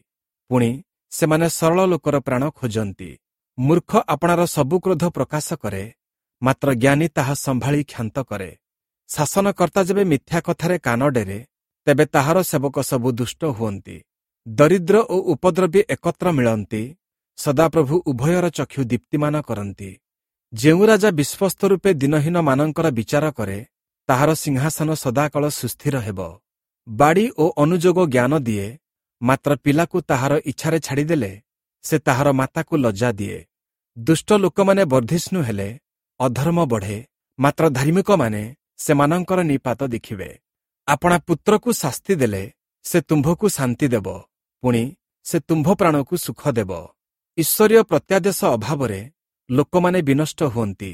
ପୁଣି ସେମାନେ ସରଳ ଲୋକର ପ୍ରାଣ ଖୋଜନ୍ତି। ମୂର୍ଖ ଆପଣାର ସବୁ କ୍ରୋଧ ପ୍ରକାଶ କରେ, ମାତ୍ର ଜ୍ଞାନୀ ତାହା ସମ୍ଭାଳି କ୍ଷାନ୍ତ କରେ। ଶାସନକର୍ତ୍ତା ଯେବେ ମିଥ୍ୟା କଥାରେ କାନ ଡେରେ, ତେବେ ତାହାର ସେବକ ସବୁ ଦୁଷ୍ଟ ହୁଅନ୍ତି। ଦରିଦ୍ର ଓ ଉପଦ୍ରବୀ ଏକତ୍ର ମିଳନ୍ତି, ସଦାପ୍ରଭୁ ଉଭୟର ଚକ୍ଷୁ ଦୀପ୍ତିମାନ କରନ୍ତି। ଯେଉଁ ରାଜା ବିଶ୍ୱସ୍ତ ରୂପେ ଦିନହୀନମାନଙ୍କର ବିଚାର କରେ, ତାହାର ସିଂହାସନ ସଦାକାଳ ସୁସ୍ଥିର ହେବ। ବାଡ଼ି ଓ ଅନୁଯୋଗ ଜ୍ଞାନ ଦିଏ, ମାତ୍ର ପିଲାକୁ ତାହାର ଇଚ୍ଛାରେ ଛାଡ଼ିଦେଲେ ସେ ତାହାର ମାତାକୁ ଲଜ୍ଜା ଦିଏ। ଦୁଷ୍ଟ ଲୋକମାନେ ବର୍ଦ୍ଧିଷ୍ଣୁ ହେଲେ ଅଧର୍ମ ବଢ଼େ, ମାତ୍ର ଧାର୍ମିକମାନେ ସେମାନଙ୍କର ନିପାତ ଦେଖିବେ। ଆପଣା ପୁତ୍ରକୁ ଶାସ୍ତି ଦେଲେ ସେ ତୁମ୍ଭକୁ ଶାନ୍ତି ଦେବ, ପୁଣି ସେ ତୁମ୍ଭ ପ୍ରାଣକୁ ସୁଖ ଦେବ। ଈଶ୍ୱରୀୟ ପ୍ରତ୍ୟାଦେଶ ଅଭାବରେ ଲୋକମାନେ ବିନଷ୍ଟ ହୁଅନ୍ତି,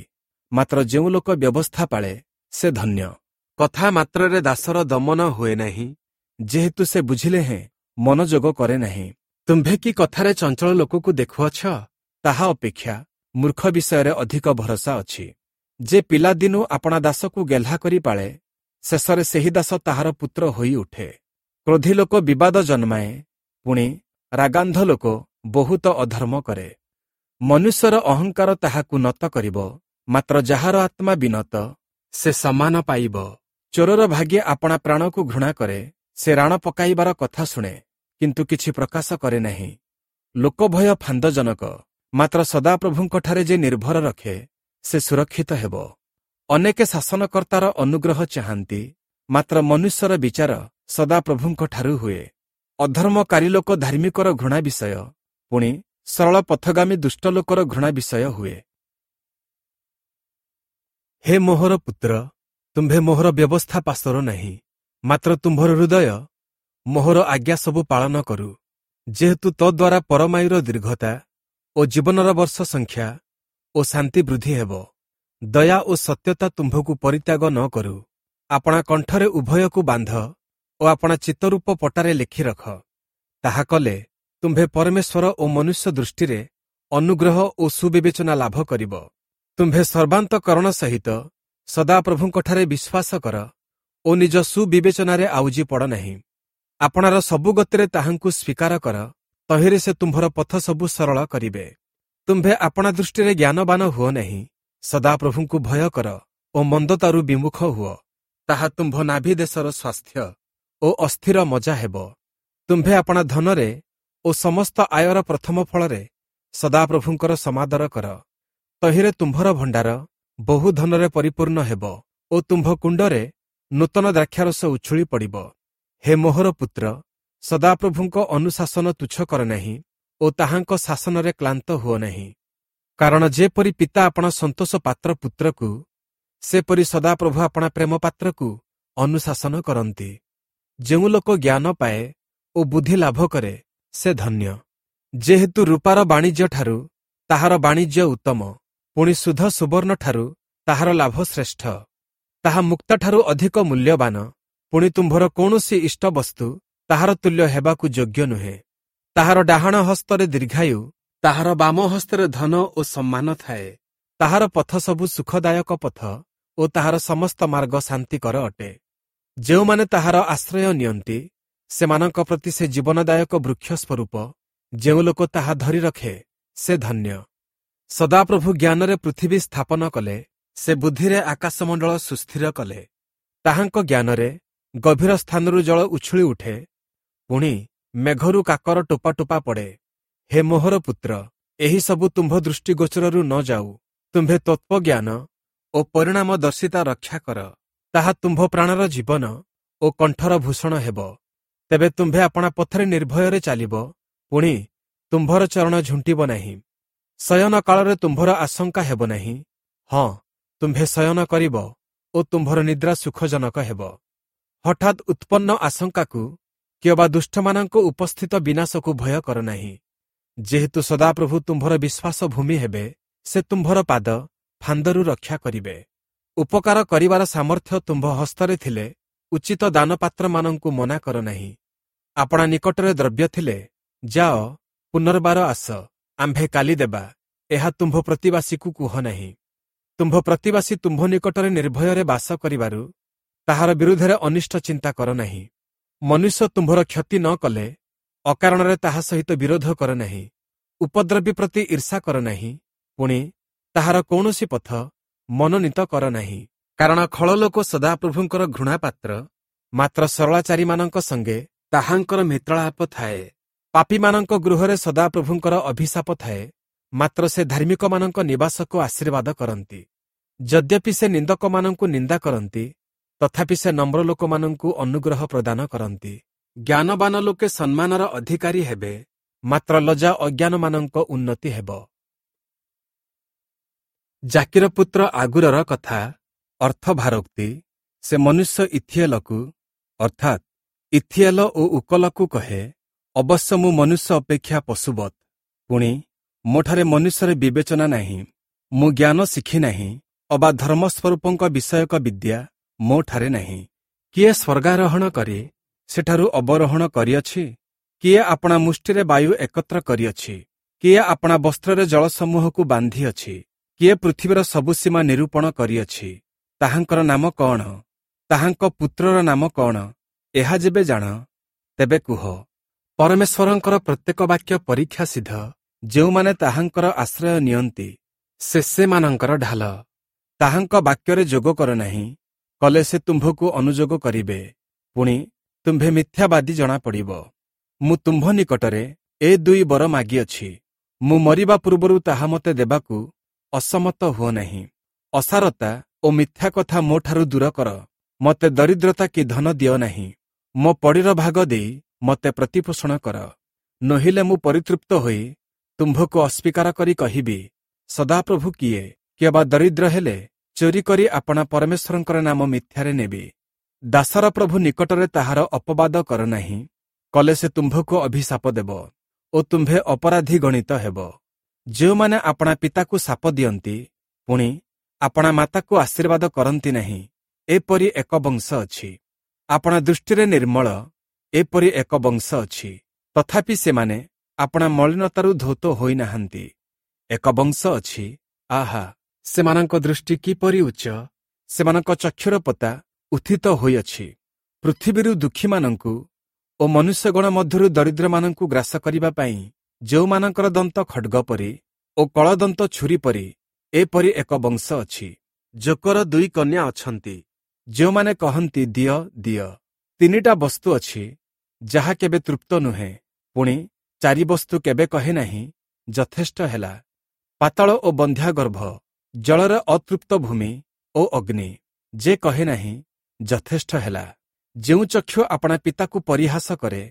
ମାତ୍ର ଯେଉଁ ଲୋକ ବ୍ୟବସ୍ଥା ପାଳେ ସେ ଧନ୍ୟ। କଥା ମାତ୍ରରେ ଦାସର ଦମନ ହୁଏ ନାହିଁ, ଯେହେତୁ ସେ ବୁଝିଲେ ହେଁ ମନୋଯୋଗ କରେ ନାହିଁ। ତୁମ୍ଭେ କି କଥାରେ ଚଞ୍ଚଳ ଲୋକକୁ ଦେଖୁଅଛ? ତାହା ଅପେକ୍ଷା ମୂର୍ଖ ବିଷୟରେ ଅଧିକ ଭରସା ଅଛି। ଯେ ପିଲାଦିନୁ ଆପଣା ଦାସକୁ ଗେହ୍ଲା କରି ପାଳେ, ଶେଷରେ ସେହି ଦାସ ତାହାର ପୁତ୍ର ହୋଇ ଉଠେ। କ୍ରୋଧୀ ଲୋକ ବିବାଦ ଜନ୍ମାଏ, ପୁଣି ରାଗାନ୍ଧ ଲୋକ ବହୁତ ଅଧର୍ମ କରେ। ମନୁଷ୍ୟର ଅହଙ୍କାର ତାହାକୁ ନତ କରିବ, ମାତ୍ର ଯାହାର ଆତ୍ମା ବିନତ ସେ ସମ୍ମାନ ପାଇବ। ଚୋରର ଭାଗ୍ୟ ଆପଣା ପ୍ରାଣକୁ ଘୃଣା କରେ, ସେ ରାଣ ପକାଇବାର କଥା ଶୁଣେ, କିନ୍ତୁ କିଛି ପ୍ରକାଶ କରେ ନାହିଁ। ଲୋକଭୟ ଫାନ୍ଦଜନକ, ମାତ୍ର ସଦାପ୍ରଭୁଙ୍କଠାରେ ଯେ ନିର୍ଭର ରଖେ ସେ ସୁରକ୍ଷିତ ହେବ। ଅନେକେ ଶାସନକର୍ତ୍ତାର ଅନୁଗ୍ରହ ଚାହାନ୍ତି, ମାତ୍ର ମନୁଷ୍ୟର ବିଚାର ସଦାପ୍ରଭୁଙ୍କଠାରୁ ହୁଏ। ଅଧର୍ମକାରୀ ଲୋକ ଧାର୍ମିକର ଘୃଣା ବିଷୟ, ପୁଣି ସରଳ ପଥଗାମୀ ଦୁଷ୍ଟ ଲୋକର ଘୃଣା ବିଷୟ ହୁଏ। ହେ ମୋହର ପୁତ୍ର, ତୁମ୍ଭେ ମୋହର ବ୍ୟବସ୍ଥା ପାସୋର ନାହିଁ, ମାତ୍ର ତୁମ୍ଭର ହୃଦୟ ମୋହର ଆଜ୍ଞା ସବୁ ପାଳନ କରୁ। ଯେହେତୁ ତଦ୍ୱାରା ପରମାୟୁର ଦୀର୍ଘତା ଓ ଜୀବନର ବର୍ଷ ସଂଖ୍ୟା ଓ ଶାନ୍ତି ବୃଦ୍ଧି ହେବ। ଦୟା ଓ ସତ୍ୟତା ତୁମ୍ଭକୁ ପରିତ୍ୟାଗ ନ କରୁ। ଆପଣା କଣ୍ଠରେ ଉଭୟକୁ ବାନ୍ଧ ଓ ଆପଣା ଚିତ୍ତରୂପ ପଟାରେ ଲେଖି ରଖ। ତାହା କଲେ ତୁମ୍ଭେ ପରମେଶ୍ୱର ଓ ମନୁଷ୍ୟ ଦୃଷ୍ଟିରେ ଅନୁଗ୍ରହ ଓ ସୁବିବେଚନା ଲାଭ କରିବ। ତୁମ୍ଭେ ସର୍ବାନ୍ତକରଣ ସହିତ ସଦାପ୍ରଭୁଙ୍କଠାରେ ବିଶ୍ୱାସ କର ଓ ନିଜ ସୁବିବେଚନାରେ ଆଉଜି ପଡ଼ ନାହିଁ। ଆପଣାର ସବୁ ଗତିରେ ତାହାଙ୍କୁ ସ୍ୱୀକାର କର, ତହିଁରେ ସେ ତୁମ୍ଭର ପଥ ସବୁ ସରଳ କରିବେ। ତୁମ୍ଭେ ଆପଣା ଦୃଷ୍ଟିରେ ଜ୍ଞାନବାନ ହୁଅ ନାହିଁ, ସଦାପ୍ରଭୁଙ୍କୁ ଭୟ କର ଓ ମନ୍ଦତାରୁ ବିମୁଖ ହୁଅ। ତାହା ତୁମ୍ଭ ନାଭି ଦେଶର ସ୍ୱାସ୍ଥ୍ୟ ଓ ଅସ୍ଥିର ମଜା ହେବ। ତୁମ୍ଭେ ଆପଣା ଧନରେ ଓ ସମସ୍ତ ଆୟର ପ୍ରଥମ ଫଳରେ ସଦାପ୍ରଭୁଙ୍କର ସମାଦର କର। ତହିଁରେ ତୁମ୍ଭର ଭଣ୍ଡାର ବହୁ ଧନରେ ପରିପୂର୍ଣ୍ଣ ହେବ ଓ ତୁମ୍ଭ କୁଣ୍ଡରେ ନୂତନ ଦ୍ରାକ୍ଷାରସ ଉଛୁଳି ପଡ଼ିବ। ହେ ମୋହର ପୁତ୍ର, ସଦାପ୍ରଭୁଙ୍କ ଅନୁଶାସନ ତୁଚ୍ଛ କର ନାହିଁ ଓ ତାହାଙ୍କ ଶାସନରେ କ୍ଳାନ୍ତ ହୁଅ ନାହିଁ। କାରଣ ଯେପରି ପିତା ଆପଣା ସନ୍ତୋଷ ପାତ୍ର ପୁତ୍ରକୁ, ସେପରି ସଦାପ୍ରଭୁ ଆପଣା ପ୍ରେମ ପାତ୍ରକୁ ଅନୁଶାସନ କରନ୍ତି। ଯେଉଁ ଲୋକ ଜ୍ଞାନ ପାଏ ଓ ବୁଦ୍ଧି ଲାଭ କରେ, ସେ ଧନ୍ୟ। ଯେହେତୁ ରୂପାର ବାଣିଜ୍ୟଠାରୁ ତାହାର ବାଣିଜ୍ୟ ଉତ୍ତମ, ପୁଣି ଶୁଦ୍ଧ ସୁବର୍ଣ୍ଣଠାରୁ ତାହାର ଲାଭ ଶ୍ରେଷ୍ଠ। ତାହା ମୁକ୍ତାଠାରୁ ଅଧିକ ମୂଲ୍ୟବାନ, ପୁଣି ତୁମ୍ଭର କୌଣସି ଇଷ୍ଟବସ୍ତୁ ତାହାର ତୁଲ୍ୟ ହେବାକୁ ଯୋଗ୍ୟ ନୁହେଁ। ତାହାର ଡାହାଣ ହସ୍ତରେ ଦୀର୍ଘାୟୁ, ତାହାର ବାମ ହସ୍ତରେ ଧନ ଓ ସମ୍ମାନ ଥାଏ। ତାହାର ପଥ ସବୁ ସୁଖଦାୟକ ପଥ ଓ ତାହାର ସମସ୍ତ ମାର୍ଗ ଶାନ୍ତିକର ଅଟେ। ଯେଉଁମାନେ ତାହାର ଆଶ୍ରୟ ନିଅନ୍ତି, ସେମାନଙ୍କ ପ୍ରତି ସେ ଜୀବନଦାୟକ ବୃକ୍ଷ ସ୍ୱରୂପ। ଯେଉଁ ଲୋକ ତାହା ଧରି ରଖେ, ସେ ଧନ୍ୟ। ସଦାପ୍ରଭୁ ଜ୍ଞାନରେ ପୃଥିବୀ ସ୍ଥାପନ କଲେ, ସେ ବୁଦ୍ଧିରେ ଆକାଶମଣ୍ଡଳ ସୁସ୍ଥିର କଲେ। ତାହାଙ୍କ ଜ୍ଞାନରେ ଗଭୀର ସ୍ଥାନରୁ ଜଳ ଉଛୁଳି ଉଠେ, ପୁଣି ମେଘରୁ କାକର ଟୋପା ଟୋପା ପଡ଼େ। ହେ ମୋହର ପୁତ୍ର, ଏହି ସବୁ ତୁମ୍ଭ ଦୃଷ୍ଟିଗୋଚରରୁ ନ ଯାଉ। ତୁମ୍ଭେ ତତ୍ତ୍ୱଜ୍ଞାନ ଓ ପରିଣାମଦର୍ଶିତା ରକ୍ଷା କର। ତାହା ତୁମ୍ଭ ପ୍ରାଣର ଜୀବନ ଓ କଣ୍ଠର ଭୂଷଣ ହେବ। ତେବେ ତୁମ୍ଭେ ଆପଣା ପଥରେ ନିର୍ଭୟରେ ଚାଲିବ, ପୁଣି ତୁମ୍ଭର ଚରଣ ଝୁଣ୍ଟିବ ନାହିଁ। ଶୟନ କାଳରେ ତୁମ୍ଭର ଆଶଙ୍କା ହେବ ନାହିଁ। ହଁ, ତୁମ୍ଭେ ଶୟନ କରିବ ଓ ତୁମ୍ଭର ନିଦ୍ରା ସୁଖଜନକ ହେବ। ହଠାତ୍ ଉତ୍ପନ୍ନ ଆଶଙ୍କାକୁ କିଅବା ଦୁଷ୍ଟମାନଙ୍କ ଉପସ୍ଥିତ ବିନାଶକୁ ଭୟ କର ନାହିଁ। ଯେହେତୁ ସଦାପ୍ରଭୁ ତୁମ୍ଭର ବିଶ୍ୱାସ ଭୂମି ହେବେ, ସେ ତୁମ୍ଭର ପାଦ ଫାନ୍ଦରୁ ରକ୍ଷା କରିବେ। ଉପକାର କରିବାର ସାମର୍ଥ୍ୟ ତୁମ୍ଭ ହସ୍ତରେ ଥିଲେ ଉଚିତ ଦାନପାତ୍ରମାନଙ୍କୁ ମନା କର ନାହିଁ। ଆପଣା ନିକଟରେ ଦ୍ରବ୍ୟ ଥିଲେ ଯାଅ, ପୁନର୍ବାର ଆସ, ଆମ୍ଭେ କାଲି ଦେବା, ଏହା ତୁମ୍ଭ ପ୍ରତିବାସୀକୁ କୁହ ନାହିଁ। ତୁମ୍ଭ ପ୍ରତିବାସୀ ତୁମ୍ଭ ନିକଟରେ ନିର୍ଭୟରେ ବାସ କରିବାରୁ ତାହାର ବିରୁଦ୍ଧରେ ଅନିଷ୍ଟ ଚିନ୍ତା କର ନାହିଁ। ମନୁଷ୍ୟ ତୁମ୍ଭର କ୍ଷତି ନ କଲେ ଅକାରଣରେ ତାହା ସହିତ ବିରୋଧ କର ନାହିଁ। ଉପଦ୍ରବୀ ପ୍ରତି ଈର୍ଷା କର ନାହିଁ, ପୁଣି ତାହାର କୌଣସି ପଥ ମନୋନୀତ କର ନାହିଁ। କାରଣ ଖଳଲୋକ ସଦାପ୍ରଭୁଙ୍କର ଘୃଣାପାତ୍ର, ମାତ୍ର ସରଳାଚାରୀମାନଙ୍କ ସଙ୍ଗେ ତାହାଙ୍କର ମିତ୍ରାଳାପ ଥାଏ। ପାପୀମାନଙ୍କ ଗୃହରେ ସଦାପ୍ରଭୁଙ୍କର ଅଭିଶାପ ଥାଏ, ମାତ୍ର ସେ ଧାର୍ମିକମାନଙ୍କ ନିବାସକୁ ଆଶୀର୍ବାଦ କରନ୍ତି। ଯଦ୍ୟପି ସେ ନିନ୍ଦକମାନଙ୍କୁ ନିନ୍ଦା କରନ୍ତି, ତଥାପି ସେ ନମ୍ର ଲୋକମାନଙ୍କୁ ଅନୁଗ୍ରହ ପ୍ରଦାନ କରନ୍ତି। ଜ୍ଞାନବାନ ଲୋକେ ସମ୍ମାନର ଅଧିକାରୀ ହେବେ, ମାତ୍ର ଲଜ୍ଜା ଅଜ୍ଞାନମାନଙ୍କ ଉନ୍ନତି ହେବ। ଜାକିର ପୁତ୍ର ଆଗୁରର କଥା, ଅର୍ଥ ଭାରୋକ୍ତି। ସେ ମନୁଷ୍ୟ ଇଥିଏଲକୁ, ଅର୍ଥାତ୍ ଇଥିଏଲ ଓ ଉକଲକୁ କହେ, ଅବଶ୍ୟ ମୁଁ ମନୁଷ୍ୟ ଅପେକ୍ଷା ପଶୁବତ୍, ପୁଣି ମୋଠାରେ ମନୁଷ୍ୟରେ ବିବେଚନା ନାହିଁ। ମୁଁ ଜ୍ଞାନ ଶିଖି ନାହିଁ, ଅବା ଧର୍ମସ୍ୱରୂପଙ୍କ ବିଷୟକ ବିଦ୍ୟା ମୋଠାରେ ନାହିଁ। କିଏ ସ୍ୱର୍ଗାରୋହଣ କରି ସେଠାରୁ ଅବରୋହଣ କରିଅଛି? କିଏ ଆପଣା ମୁଷ୍ଟିରେ ବାୟୁ ଏକତ୍ର କରିଅଛି? କିଏ ଆପଣା ବସ୍ତ୍ରରେ ଜଳସମୂହକୁ ବାନ୍ଧିଅଛି? କିଏ ପୃଥିବୀର ସବୁ ସୀମା ନିରୂପଣ କରିଅଛି? ତାହାଙ୍କର ନାମ କଣ? ତାହାଙ୍କ ପୁତ୍ରର ନାମ କଣ? ଏହା ଯେବେ ଜାଣ, ତେବେ କୁହ। ପରମେଶ୍ୱରଙ୍କର ପ୍ରତ୍ୟେକ ବାକ୍ୟ ପରୀକ୍ଷା ସିଦ୍ଧ, ଯେଉଁମାନେ ତାହାଙ୍କର ଆଶ୍ରୟ ନିଅନ୍ତି, ସେ ସେମାନଙ୍କର ଢାଲ। ତାହାଙ୍କ ବାକ୍ୟରେ ଯୋଗ କର ନାହିଁ, କଲେ ସେ ତୁମ୍ଭକୁ ଅନୁଯୋଗ କରିବେ, ପୁଣି ତୁମ୍ଭେ ମିଥ୍ୟାବାଦୀ ଜଣାପଡ଼ିବ। ମୁଁ ତୁମ୍ଭ ନିକଟରେ ଏ ଦୁଇ ବର ମାଗିଅଛି, ମୁଁ ମରିବା ପୂର୍ବରୁ ତାହା ମୋତେ ଦେବାକୁ ଅସମତ ହୁଅ ନାହିଁ। ଅସାରତା ଓ ମିଥ୍ୟା କଥା ମୋଠାରୁ ଦୂର କର, ମୋତେ ଦରିଦ୍ରତା କି ଧନ ଦିଅ ନାହିଁ। ମୋ ପଡ଼ିର ଭାଗ ଦେଇ ମୋତେ ପ୍ରତିପୋଷଣ କର, ନୋହିଲେ ମୁଁ ପରିତୃପ୍ତ ହୋଇ ତୁମ୍ଭକୁ ଅସ୍ୱୀକାର କରି କହିବି, ସଦାପ୍ରଭୁ କିଏ? କିଅବା ଦରିଦ୍ର ହେଲେ ଚୋରି କରି ଆପଣା ପରମେଶ୍ୱରଙ୍କର ନାମ ମିଥ୍ୟାରେ ନେବି। ଦାସର ପ୍ରଭୁ ନିକଟରେ ତାହାର ଅପବାଦ କର ନାହିଁ, କଲେ ସେ ତୁମ୍ଭକୁ ଅଭିଶାପ ଦେବ ଓ ତୁମ୍ଭେ ଅପରାଧୀ ଗଣିତ ହେବ। ଯେଉଁମାନେ ଆପଣା ପିତାକୁ ଶାପ ଦିଅନ୍ତି, ପୁଣି ଆପଣା ମାତାକୁ ଆଶୀର୍ବାଦ କରନ୍ତି ନାହିଁ, ଏପରି ଏକ ବଂଶ ଅଛି। ଆପଣା ଦୃଷ୍ଟିରେ ନିର୍ମଳ, ଏପରି ଏକ ବଂଶ ଅଛି, ତଥାପି ସେମାନେ ଆପଣା ମଳିନତାରୁ ଧୌତ ହୋଇନାହାନ୍ତି। ଏକ ବଂଶ ଅଛି, ଆହା, ସେମାନଙ୍କ ଦୃଷ୍ଟି କିପରି ଉଚ୍ଚ, ସେମାନଙ୍କ ଚକ୍ଷୁର ପତା ଉତ୍ଥିତ ହୋଇଅଛି। ପୃଥିବୀରୁ ଦୁଃଖୀମାନଙ୍କୁ ଓ ମନୁଷ୍ୟଗଣ ମଧ୍ୟରୁ ଦରିଦ୍ରମାନଙ୍କୁ ଗ୍ରାସ କରିବା ପାଇଁ ଯେଉଁମାନଙ୍କର ଦନ୍ତ ଖଡ଼୍ଗ ପରି ଓ କଳଦନ୍ତ ଛୁରୀ ପରି, ଏପରି ଏକ ବଂଶ ଅଛି। ଯୋକର ଦୁଇ କନ୍ୟା ଅଛନ୍ତି, ଯେଉଁମାନେ କହନ୍ତି, ଦିଅ ଦିଅ। ତିନିଟା ବସ୍ତୁ ଅଛି ଯାହା କେବେ ତୃପ୍ତ ନୁହେଁ, ପୁଣି ଚାରି ବସ୍ତୁ କେବେ କହେ ନାହିଁ, ଯଥେଷ୍ଟ ହେଲା। ପାତାଳ ଓ ବନ୍ଧ୍ୟାଗର୍ଭ, ଜଳରେ ଅତୃପ୍ତ ଭୂମି ଓ ଅଗ୍ନି, ଯେ କହେ ନାହିଁ, ଯଥେଷ୍ଟ ହେଲା। ଯେଉଁ ଚକ୍ଷୁ ଆପଣା ପିତାକୁ ପରିହାସ କରେ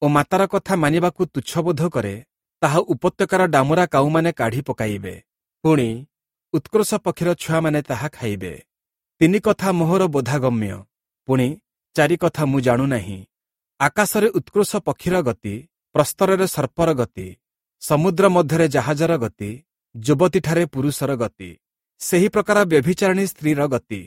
ଓ ମାତାର କଥା ମାନିବାକୁ ତୁଚ୍ଛବୋଧ କରେ, ତାହା ଉପତ୍ୟକାର ଡାମୁରା କାଉମାନେ କାଢ଼ି ପକାଇବେ, ପୁଣି ଉତ୍କ୍ରୋଶ ପକ୍ଷୀର ଛୁଆମାନେ ତାହା ଖାଇବେ। ତିନି କଥା ମୋହର ବୋଧାଗମ୍ୟ, ପୁଣି ଚାରି କଥା ମୁଁ ଜାଣୁନାହିଁ। ଆକାଶରେ ଉତ୍କ୍ରୋଶ ପକ୍ଷୀର ଗତି, ପ୍ରସ୍ତରରେ ସର୍ପର ଗତି, ସମୁଦ୍ର ମଧ୍ୟରେ ଜାହାଜର ଗତି, ଯୁବତୀଠାରେ ପୁରୁଷର ଗତି, ସେହି ପ୍ରକାର ବ୍ୟଭିଚାରିଣୀ ସ୍ତ୍ରୀର ଗତି।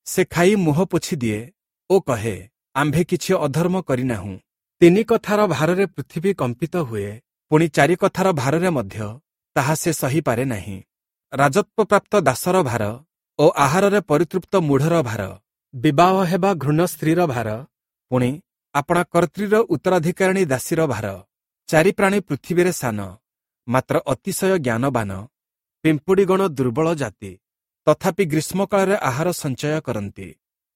ସେ ଖାଇ ମୁହଁ ପୋଛି ଦିଏ ଓ କହେ, ଆମ୍ଭେ କିଛି ଅଧର୍ମ କରିନାହୁଁ। ତିନି କଥାର ଭାରରେ ପୃଥିବୀ କମ୍ପିତ ହୁଏ, ପୁଣି ଚାରି କଥାର ଭାରରେ ମଧ୍ୟ ତାହା ସେ ସହିପାରେ ନାହିଁ। ରାଜତ୍ୱପ୍ରାପ୍ତ ଦାସର ଭାର ଓ ଆହାରରେ ପରିତୃପ୍ତ ମୂଢ଼ର ଭାର, ବିବାହ ହେବା ଘୃଣ୍ୟ ସ୍ତ୍ରୀର ଭାର, ପୁଣି ଆପଣା କର୍ତ୍ରୀର ଉତ୍ତରାଧିକାରିଣୀ ଦାସୀର ଭାର। ଚାରି ପ୍ରାଣୀ ପୃଥିବୀରେ ସାନ, ମାତ୍ର ଅତିଶୟ ଜ୍ଞାନବାନ। ପିମ୍ପୁଡ଼ିଗଣ ଦୁର୍ବଳ ଜାତି, ତଥାପି ଗ୍ରୀଷ୍ମକାଳରେ ଆହାର ସଞ୍ଚୟ କରନ୍ତି।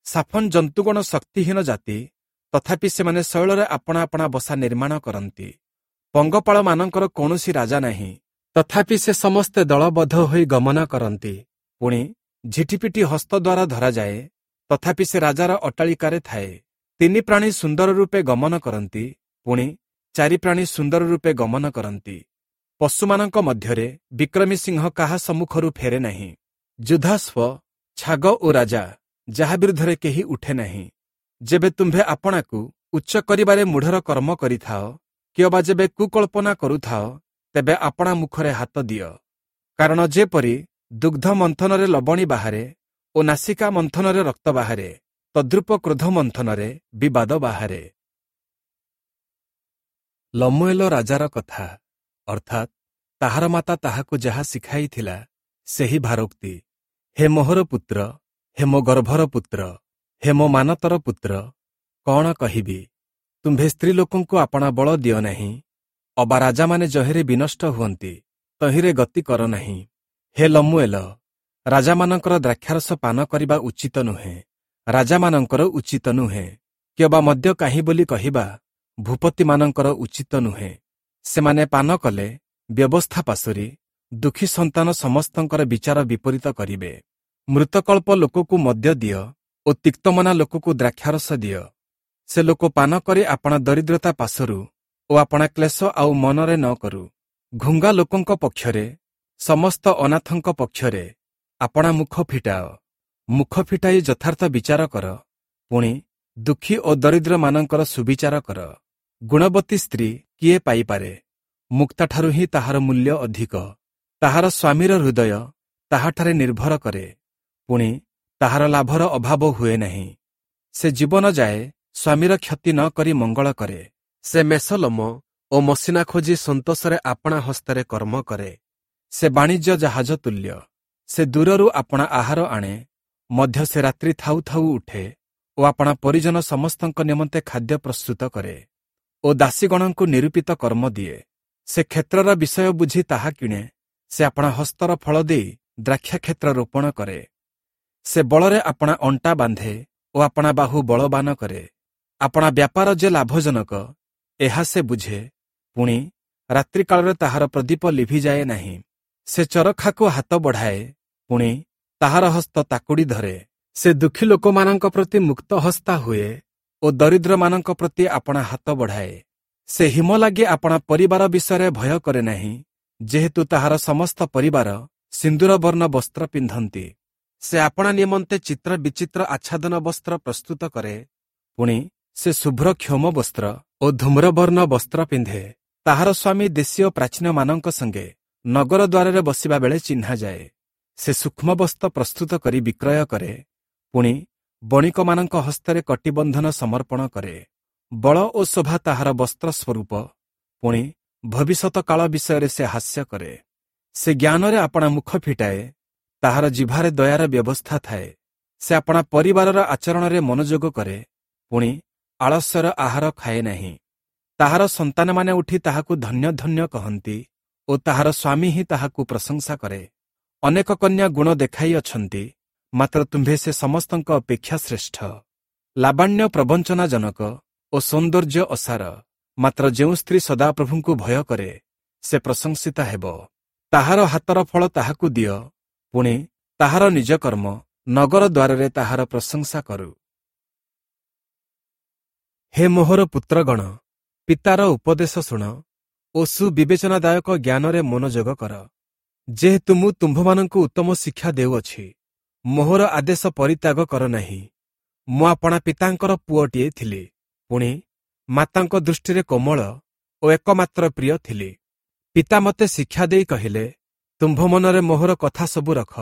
ସାଫନ ଜନ୍ତୁଗଣ ଶକ୍ତିହୀନ ଜାତି, ତଥାପି ସେମାନେ ଶୈଳରେ ଆପଣା ଆପଣା ବସା ନିର୍ମାଣ କରନ୍ତି। ପଙ୍ଗପାଳମାନଙ୍କର କୌଣସି ରାଜା ନାହିଁ, ତଥାପି ସେ ସମସ୍ତେ ଦଳବଦ୍ଧ ହୋଇ ଗମନ କରନ୍ତି। ପୁଣି ଝିଟିପିଟି ହସ୍ତ ଦ୍ୱାରା ଧରାଯାଏ, ତଥାପି ସେ ରାଜାର ଅଟ୍ଟାଳିକାରେ ଥାଏ। ତିନି ପ୍ରାଣୀ ସୁନ୍ଦର ରୂପେ ଗମନ କରନ୍ତି, ପୁଣି ଚାରି ପ୍ରାଣୀ ସୁନ୍ଦର ରୂପେ ଗମନ କରନ୍ତି। ପଶୁମାନଙ୍କ ମଧ୍ୟରେ ବିକ୍ରମୀ ସିଂହ କାହା ସମ୍ମୁଖରୁ ଫେରେ ନାହିଁ। ଯୁଦ୍ଧାଶ୍ବ, ଛାଗ ଓ ରାଜା, ଯାହା ବିରୁଦ୍ଧରେ କେହି ଉଠେ ନାହିଁ। ଯେବେ ତୁମ୍ଭେ ଆପଣାକୁ ଉଚ୍ଚ କରିବାରେ ମୂଢ଼ର କର୍ମ କରିଥାଅ, କିଅବା ଯେବେ କୁକଳ୍ପନା କରୁଥାଅ, ତେବେ ଆପଣା ମୁଖରେ ହାତ ଦିଅ। କାରଣ ଯେପରି ଦୁଗ୍ଧ ମନ୍ଥନରେ ଲବଣୀ ବାହାରେ ଓ ନାସିକା ମନ୍ଥନରେ ରକ୍ତ ବାହାରେ, ତଦ୍ରୂପ କ୍ରୋଧ ମନ୍ଥନରେ ବିବାଦ ବାହାରେ। ଲମୁଏଲ ରାଜାର କଥା, ଅର୍ଥାତ୍ ତାହାର ମାତା ତାହାକୁ ଯାହା ଶିଖାଇଥିଲା, ସେହି ଭାରୋକ୍ତି। ହେ ମୋହର ପୁତ୍ର, ହେ ମୋ ଗର୍ଭର ପୁତ୍ର, ହେ ମୋ ମାନତର ପୁତ୍ର, କଣ କହିବି? ତୁମ୍ଭେ ସ୍ତ୍ରୀ ଲୋକଙ୍କୁ ଆପଣା ବଳ ଦିଅ ନାହିଁ, ଅବା ରାଜାମାନେ ଯହିଁରେ ବିନଷ୍ଟ ହୁଅନ୍ତି ତହିଁରେ ଗତି କର ନାହିଁ। ହେ ଲମୁଏଲ, ରାଜାମାନଙ୍କର ଦ୍ରାକ୍ଷାରସ ପାନ କରିବା ଉଚିତ ନୁହେଁ, ରାଜାମାନଙ୍କର ଉଚିତ ନୁହେଁ, କିଅବା ମଦ୍ୟ କାହିଁ ବୋଲି କହିବା ଭୂପତିମାନଙ୍କର ଉଚିତ ନୁହେଁ। ସେମାନେ ପାନ କଲେ ବ୍ୟବସ୍ଥା ପାଶୋରି ଦୁଃଖୀ ସନ୍ତାନ ସମସ୍ତଙ୍କର ବିଚାର ବିପରୀତ କରିବେ। ମୃତକଳ୍ପ ଲୋକକୁ ମଦ୍ୟ ଦିଅ ଓ ତିକ୍ତମନା ଲୋକକୁ ଦ୍ରାକ୍ଷାରସ ଦିଅ। ସେ ଲୋକ ପାନ କରି ଆପଣା ଦରିଦ୍ରତା ପାଶରୁ ଓ ଆପଣା କ୍ଲେଶ ଆଉ ମନରେ ନ କରୁ। ଘୁଙ୍ଗା ଲୋକଙ୍କ ପକ୍ଷରେ, ସମସ୍ତ ଅନାଥଙ୍କ ପକ୍ଷରେ ଆପଣା ମୁଖ ଫିଟାଅ। ମୁଖ ଫିଟାଇ ଯଥାର୍ଥ ବିଚାର କର, ପୁଣି ଦୁଃଖୀ ଓ ଦରିଦ୍ରମାନଙ୍କର ସୁବିଚାର କର। ଗୁଣବତୀ ସ୍ତ୍ରୀ କିଏ ପାଇପାରେ? ମୁକ୍ତାଠାରୁ ହିଁ ତାହାର ମୂଲ୍ୟ ଅଧିକ। ତାହାର ସ୍ୱାମୀର ହୃଦୟ ତାହାଠାରେ ନିର୍ଭର କରେ, ପୁଣି ତାହାର ଲାଭର ଅଭାବ ହୁଏ ନାହିଁ। ସେ ଜୀବନ ଯାଏ ସ୍ୱାମୀର କ୍ଷତି ନ କରି ମଙ୍ଗଳ କରେ। ସେ ମେଷଲୋମ ଓ ମସିନା ଖୋଜି ସନ୍ତୋଷରେ ଆପଣା ହସ୍ତରେ କର୍ମ କରେ। ସେ ବାଣିଜ୍ୟ ଜାହାଜ ତୁଲ୍ୟ। ସେ ଦୂରରୁ ଆପଣା ଆହାର ଆଣେ, ମଧ୍ୟ ସେ ରାତ୍ରି ଥାଉ ଥାଉ ଉଠେ ଓ ଆପଣା ପରିଜନ ସମସ୍ତଙ୍କ ନିମନ୍ତେ ଖାଦ୍ୟ ପ୍ରସ୍ତୁତ କରେ ଓ ଦାସୀଗଣଙ୍କୁ ନିରୂପିତ କର୍ମ ଦିଏ। ସେ କ୍ଷେତ୍ରର ବିଷୟ ବୁଝି ତାହା କିଣେ। ସେ ଆପଣା ହସ୍ତର ଫଳ ଦେଇ ଦ୍ରାକ୍ଷାକ୍ଷେତ୍ର ରୋପଣ କରେ। ସେ ବଳରେ ଆପଣା ଅଣ୍ଟା ବାନ୍ଧେ ଓ ଆପଣା ବାହୁ ବଳବାନ କରେ। ଆପଣା ବ୍ୟାପାର ଯେ ଲାଭଜନକ, ଏହା ସେ ବୁଝେ, ପୁଣି ରାତ୍ରିକାଳରେ ତାହାର ପ୍ରଦୀପ ଲିଭିଯାଏ ନାହିଁ। ସେ ଚରଖାକୁ ହାତ ବଢ଼ାଏ, ପୁଣି ତାହାର ହସ୍ତ ତାକୁଡ଼ି ଧରେ। ସେ ଦୁଃଖୀ ଲୋକମାନଙ୍କ ପ୍ରତି ମୁକ୍ତ ହସ୍ତା ହୁଏ ଓ ଦରିଦ୍ରମାନଙ୍କ ପ୍ରତି ଆପଣା ହାତ ବଢ଼ାଏ। ସେ ହିମ ଲାଗି ଆପଣା ପରିବାର ବିଷୟରେ ଭୟ କରେ ନାହିଁ, ଯେହେତୁ ତାହାର ସମସ୍ତ ପରିବାର ସିନ୍ଦୁରବର୍ଣ୍ଣ ବସ୍ତ୍ର ପିନ୍ଧନ୍ତି। ସେ ଆପଣା ନିମନ୍ତେ ଚିତ୍ର ବିଚିତ୍ର ଆଚ୍ଛାଦନ ବସ୍ତ୍ର ପ୍ରସ୍ତୁତ କରେ, ପୁଣି ସେ ଶୁଭ୍ର କ୍ଷୋମ ବସ୍ତ୍ର ଓ ଧୂମ୍ରବର୍ଣ୍ଣ ବସ୍ତ୍ର ପିନ୍ଧେ। ତାହାର ସ୍ୱାମୀ ଦେଶୀୟ ପ୍ରାଚୀନମାନଙ୍କ ସଙ୍ଗେ ନଗର ଦ୍ୱାରରେ ବସିବା ବେଳେ ଚିହ୍ନାଯାଏ। ସେ ସୂକ୍ଷ୍ମ ବସ୍ତ୍ର ପ୍ରସ୍ତୁତ କରି ବିକ୍ରୟ କରେ, ପୁଣି ବଣିକମାନଙ୍କ ହସ୍ତରେ କଟିବନ୍ଧନ ସମର୍ପଣ କରେ। ବଳ ଓ ଶୋଭା ତାହାର ବସ୍ତ୍ର ସ୍ୱରୂପ, ପୁଣି ଭବିଷ୍ୟତ କାଳ ବିଷୟରେ ସେ ହାସ୍ୟ କରେ। ସେ ଜ୍ଞାନରେ ଆପଣା ମୁଖ ଫିଟାଏ, ତାହାର ଜିଭାରେ ଦୟାର ବ୍ୟବସ୍ଥା ଥାଏ। ସେ ଆପଣା ପରିବାରର ଆଚରଣରେ ମନୋଯୋଗ କରେ, ପୁଣି ଆଳସ୍ୟର ଆହାର ଖାଏ ନାହିଁ। ତାହାର ସନ୍ତାନମାନେ ଉଠି ତାହାକୁ ଧନ୍ୟ ଧନ୍ୟ କହନ୍ତି ଓ ତାହାର ସ୍ୱାମୀ ହିଁ ତାହାକୁ ପ୍ରଶଂସା କରେ। ଅନେକ କନ୍ୟା ଗୁଣ ଦେଖାଇଅଛନ୍ତି, ମାତ୍ର ତୁମ୍ଭେ ସେ ସମସ୍ତଙ୍କ ଅପେକ୍ଷା ଶ୍ରେଷ୍ଠ। ଲାବଣ୍ୟ ପ୍ରବଞ୍ଚନାଜନକ ଓ ସୌନ୍ଦର୍ଯ୍ୟ ଅସାର, ମାତ୍ର ଯେଉଁ ସ୍ତ୍ରୀ ସଦାପ୍ରଭୁଙ୍କୁ ଭୟ କରେ ସେ ପ୍ରଶଂସିତା ହେବ। ତାହାର ହାତର ଫଳ ତାହାକୁ ଦିଅ, ପୁଣି ତାହାର ନିଜ କର୍ମ ନଗର ଦ୍ୱାରରେ ତାହାର ପ୍ରଶଂସା କରୁ। ହେ ମୋହର ପୁତ୍ରଗଣ, ପିତାର ଉପଦେଶ ଶୁଣ ଓ ସୁବିବେଚନାଦାୟକ ଜ୍ଞାନରେ ମନୋଯୋଗ କର। ଯେହେତୁ ମୁଁ ତୁମ୍ଭମାନଙ୍କୁ ଉତ୍ତମ ଶିକ୍ଷା ଦେଉଅଛି, ମୋହର ଆଦେଶ ପରିତ୍ୟାଗ କର ନାହିଁ। ମୁଁ ଆପଣା ପିତାଙ୍କର ପୁଅଟିଏ ଥିଲି, ପୁଣି ମାତାଙ୍କ ଦୃଷ୍ଟିରେ କୋମଳ ଓ ଏକମାତ୍ର ପ୍ରିୟ ଥିଲି। ପିତା ମୋତେ ଶିକ୍ଷା ଦେଇ କହିଲେ, ତୁମ୍ଭ ମନରେ ମୋହର କଥା ସବୁ ରଖ,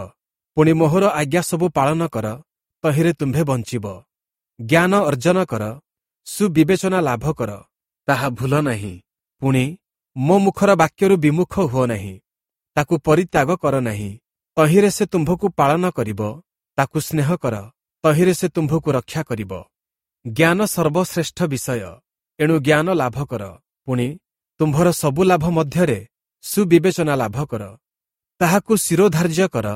ପୁଣି ମୋହର ଆଜ୍ଞା ସବୁ ପାଳନ କର, ତହିଁରେ ତୁମ୍ଭେ ବଞ୍ଚିବ। ଜ୍ଞାନ ଅର୍ଜନ କର, ସୁବିବେଚନା ଲାଭ କର, ତାହା ଭୁଲ ନାହିଁ। ପୁଣି ମୋ ମୁଖର ବାକ୍ୟରୁ ବିମୁଖ ହୁଅ ନାହିଁ, ତାକୁ ପରିତ୍ୟାଗ କର ନାହିଁ। ତହିଁରେ ସେ ତୁମ୍ଭକୁ ପାଳନ କରିବ, ତାକୁ ସ୍ନେହ କର, ତହିଁରେ ସେ ତୁମ୍ଭକୁ ରକ୍ଷା କରିବ। ଜ୍ଞାନ ସର୍ବଶ୍ରେଷ୍ଠ ବିଷୟ, ଏଣୁ ଜ୍ଞାନ ଲାଭ କର। ପୁଣି ତୁମ୍ଭର ସବୁ ଲାଭ ମଧ୍ୟରେ ସୁବିବେଚନା ଲାଭ କର। ତାହାକୁ ଶିରୋଧାର୍ଯ୍ୟ କର,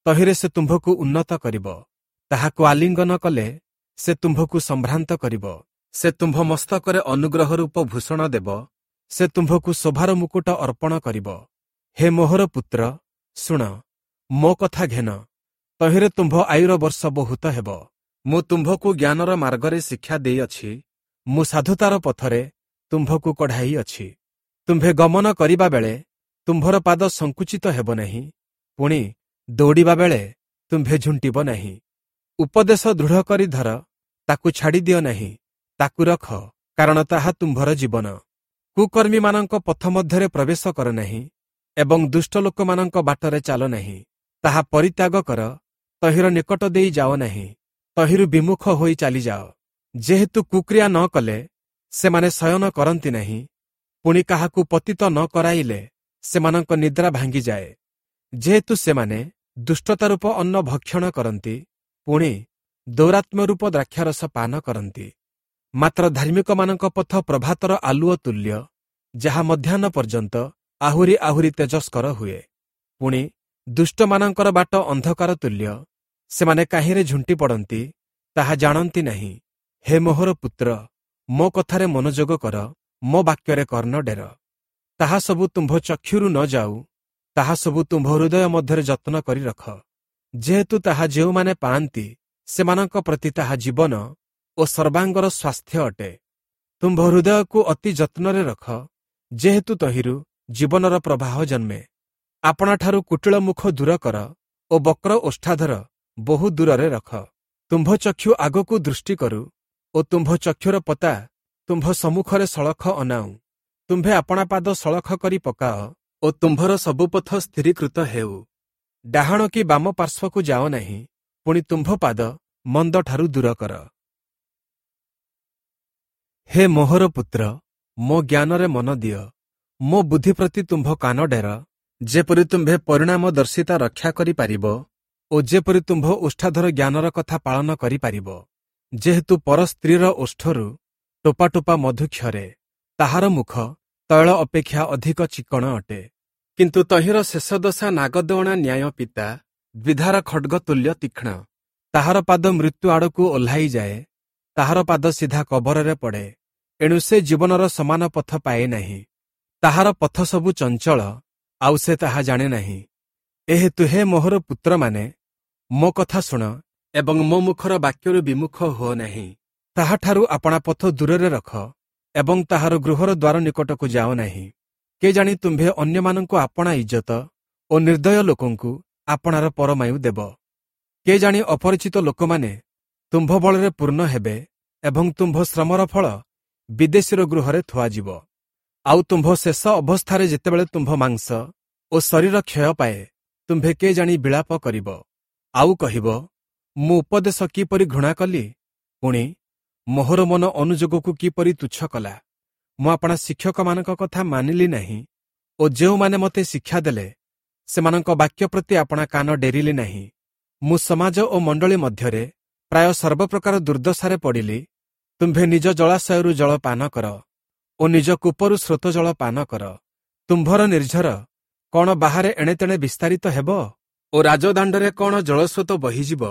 ତହିଁରେ ସେ ତୁମ୍ଭକୁ ଉନ୍ନତ କରିବ। ତାହାକୁ ଆଲିଙ୍ଗନ କଲେ ସେ ତୁମ୍ଭକୁ ସମ୍ଭ୍ରାନ୍ତ କରିବ। ସେ ତୁମ୍ଭ ମସ୍ତକରେ ଅନୁଗ୍ରହ ରୂପ ଭୂଷଣ ଦେବ, ସେ ତୁମ୍ଭକୁ ଶୋଭାର ମୁକୁଟ ଅର୍ପଣ କରିବ। ହେ ମୋହର ପୁତ୍ର, ଶୁଣ, ମୋ କଥା ଘେନ, ତହିଁରେ ତୁମ୍ଭ ଆୟୁର ବର୍ଷ ବହୁତ ହେବ। ମୁଁ ତୁମ୍ଭକୁ ଜ୍ଞାନର ମାର୍ଗରେ ଶିକ୍ଷା ଦେଇଅଛି, ମୁଁ ସାଧୁତାର ପଥରେ ତୁମ୍ଭକୁ କଢ଼ାଇଅଛି। ତୁମ୍ଭେ ଗମନ କରିବା ବେଳେ ତୁମ୍ଭର ପାଦ ସଙ୍କୁଚିତ ହେବ ନାହିଁ, ପୁଣି ଦୌଡ଼ିବା ବେଳେ ତୁମ୍ଭେ ଝୁଣ୍ଟିବ ନାହିଁ। ଉପଦେଶ ଦୃଢ଼ କରି ଧର, ତାକୁ ଛାଡ଼ିଦିଅ ନାହିଁ, ତାକୁ ରଖ, କାରଣ ତାହା ତୁମ୍ଭର ଜୀବନ। କୁକର୍ମୀମାନଙ୍କ ପଥ ମଧ୍ୟରେ ପ୍ରବେଶ କର ନାହିଁ ଏବଂ ଦୁଷ୍ଟ ଲୋକମାନଙ୍କ ବାଟରେ ଚାଲ ନାହିଁ। ତାହା ପରିତ୍ୟାଗ କର, ତହିଁର ନିକଟ ଦେଇ ଯାଅ ନାହିଁ, ତହିଁରୁ ବିମୁଖ ହୋଇ ଚାଲିଯାଅ। ଯେହେତୁ କୁକ୍ରିୟା ନ କଲେ ସେମାନେ ଶୟନ କରନ୍ତି ନାହିଁ, ପୁଣି କାହାକୁ ପତିତ ନ କରାଇଲେ ସେମାନଙ୍କ ନିଦ୍ରା ଭାଙ୍ଗିଯାଏ। ଯେହେତୁ ସେମାନେ ଦୁଷ୍ଟତା ରୂପ ଅନ୍ନ ଭକ୍ଷଣ କରନ୍ତି, ପୁଣି ଦୌରାତ୍ମ୍ୟ ରୂପ ଦ୍ରାକ୍ଷାରସ ପାନ କରନ୍ତି। ମାତ୍ର ଧାର୍ମିକମାନଙ୍କ ପଥ ପ୍ରଭାତର ଆଲୁଅ ତୁଲ୍ୟ, ଯାହା ମଧ୍ୟାହ୍ନ ପର୍ଯ୍ୟନ୍ତ ଆହୁରି ଆହୁରି ତେଜସ୍କର ହୁଏ। ପୁଣି ଦୁଷ୍ଟମାନଙ୍କର ବାଟ ଅନ୍ଧକାର ତୁଲ୍ୟ, ସେମାନେ କାହିଁରେ ଝୁଣ୍ଟି ପଡ଼ନ୍ତି ତାହା ଜାଣନ୍ତି ନାହିଁ। ହେ ମୋହର ପୁତ୍ର, ମୋ କଥାରେ ମନୋଯୋଗ କର, ମୋ ବାକ୍ୟରେ କର୍ଣ୍ଣ ଡେର। ତାହା ସବୁ ତୁମ୍ଭ ଚକ୍ଷୁରୁ ନ ଯାଉ, ତାହା ସବୁ ତୁମ୍ଭ ହୃଦୟ ମଧ୍ୟରେ ଯତ୍ନ କରି ରଖ। ଯେହେତୁ ତାହା ଯେଉଁମାନେ ପାଆନ୍ତି ସେମାନଙ୍କ ପ୍ରତି ତାହା ଜୀବନ ଓ ସର୍ବାଙ୍ଗର ସ୍ୱାସ୍ଥ୍ୟ ଅଟେ। ତୁମ୍ଭ ହୃଦୟକୁ ଅତି ଯତ୍ନରେ ରଖ, ଯେହେତୁ ତହିଁରୁ ଜୀବନର ପ୍ରବାହ ଜନ୍ମେ। ଆପଣାଠାରୁ କୁଟିଳ ମୁଖ ଦୂର କର ଓ ବକ୍ର ଓଷ୍ଠାଧର ବହୁ ଦୂରରେ ରଖ। ତୁମ୍ଭ ଚକ୍ଷୁ ଆଗକୁ ଦୃଷ୍ଟି କରୁ ଓ ତୁମ୍ଭ ଚକ୍ଷୁର ପତା ତୁମ୍ଭ ସମ୍ମୁଖରେ ସଳଖ ଅନାଉ। ତୁମ୍ଭେ ଆପଣା ପାଦ ସଳଖ କରି ପକାଅ ଓ ତୁମ୍ଭର ସବୁ ପଥ ସ୍ଥିରୀକୃତ ହେଉ। ଡାହାଣ କି ବାମ ପାର୍ଶ୍ୱକୁ ଯାଅ ନାହିଁ, ପୁଣି ତୁମ୍ଭ ପାଦ ମନ୍ଦଠାରୁ ଦୂର କର। ହେ ମୋହର ପୁତ୍ର, ମୋ ଜ୍ଞାନରେ ମନ ଦିଅ, ମୋ ବୁଦ୍ଧି ପ୍ରତି ତୁମ୍ଭ କାନ ଡେର, ଯେପରି ତୁମ୍ଭେ ପରିଣାମଦର୍ଶିତା ରକ୍ଷା କରିପାରିବ ଓ ଯେପରି ତୁମ୍ଭ ଓଷ୍ଠାଧର ଜ୍ଞାନର କଥା ପାଳନ କରିପାରିବ। ଯେହେତୁ ପର ସ୍ତ୍ରୀର ଓଷ୍ଠରୁ ଟୋପା ଟୋପା ମଧୁ କ୍ଷରେ, ତାହାର ମୁଖ ତୈଳ ଅପେକ୍ଷା ଅଧିକ ଚିକ୍କଣ ଅଟେ। କିନ୍ତୁ ତହିଁର ଶେଷ ଦଶା ନାଗଦଅଣା ନ୍ୟାୟ ପିତା, ଦ୍ୱିଧାର ଖଡ୍ଗ ତୁଲ୍ୟ ତୀକ୍ଷ୍ଣ। ତାହାର ପାଦ ମୃତ୍ୟୁ ଆଡ଼କୁ ଓହ୍ଲାଇଯାଏ, ତାହାର ପାଦ ସିଧା କବରରେ ପଡ଼େ, ଏଣୁ ସେ ଜୀବନର ସମାନ ପଥ ପାଏ ନାହିଁ। ତାହାର ପଥ ସବୁ ଚଞ୍ଚଳ, ଆଉ ସେ ତାହା ଜାଣେ ନାହିଁ। ଏହେତୁ ହେ ମୋହର ପୁତ୍ରମାନେ, ମୋ କଥା ଶୁଣ ଏବଂ ମୋ ମୁଖର ବାକ୍ୟରୁ ବିମୁଖ ହୁଅ ନାହିଁ। ତାହାଠାରୁ ଆପଣା ପଥ ଦୂରରେ ରଖ ଏବଂ ତାହାର ଗୃହର ଦ୍ୱାର ନିକଟକୁ ଯାଅ ନାହିଁ। କେଜାଣି ତୁମ୍ଭେ ଅନ୍ୟମାନଙ୍କୁ ଆପଣା ଇଜ୍ଜତ ଓ ନିର୍ଦ୍ଦୟ ଲୋକଙ୍କୁ ଆପଣାର ପରମାୟୁ ଦେବ। କେଜାଣି ଅପରିଚିତ ଲୋକମାନେ ତୁମ୍ଭ ବଳରେ ପୂର୍ଣ୍ଣ ହେବେ ଏବଂ ତୁମ୍ଭ ଶ୍ରମର ଫଳ ବିଦେଶୀର ଗୃହରେ ଥୁଆଯିବ। ଆଉ ତୁମ୍ଭ ଶେଷ ଅବସ୍ଥାରେ ଯେତେବେଳେ ତୁମ୍ଭ ମାଂସ ଓ ଶରୀର କ୍ଷୟ ପାଏ, ତୁମ୍ଭେ କେଜାଣି ବିଳାପ କରିବ ଆଉ କହିବ, ମୁଁ ଉପଦେଶ କିପରି ଘୃଣା କଲି, ପୁଣି ମୋହର ମନ ଅନୁଯୋଗକୁ କିପରି ତୁଚ୍ଛ କଲା। ମୁଁ ଆପଣା ଶିକ୍ଷକମାନଙ୍କ କଥା ମାନିଲି ନାହିଁ ଓ ଯେଉଁମାନେ ମୋତେ ଶିକ୍ଷା ଦେଲେ ସେମାନଙ୍କ ବାକ୍ୟ ପ୍ରତି ଆପଣା କାନ ଡେରିଲି ନାହିଁ। ମୁଁ ସମାଜ ଓ ମଣ୍ଡଳୀ ମଧ୍ୟରେ ପ୍ରାୟ ସର୍ବପ୍ରକାର ଦୁର୍ଦ୍ଦଶାରେ ପଡ଼ିଲି। ତୁମ୍ଭେ ନିଜ ଜଳାଶୟରୁ ଜଳ ପାନ କର ଓ ନିଜ କୂପରୁ ସ୍ରୋତ ଜଳ ପାନ କର। ତୁମ୍ଭର ନିର୍ଝର କ'ଣ ବାହାରେ ଏଣେତେଣେ ବିସ୍ତାରିତ ହେବ ଓ ରାଜଦାଣ୍ଡରେ କ'ଣ ଜଳସ୍ରୋତ ବହିଯିବ?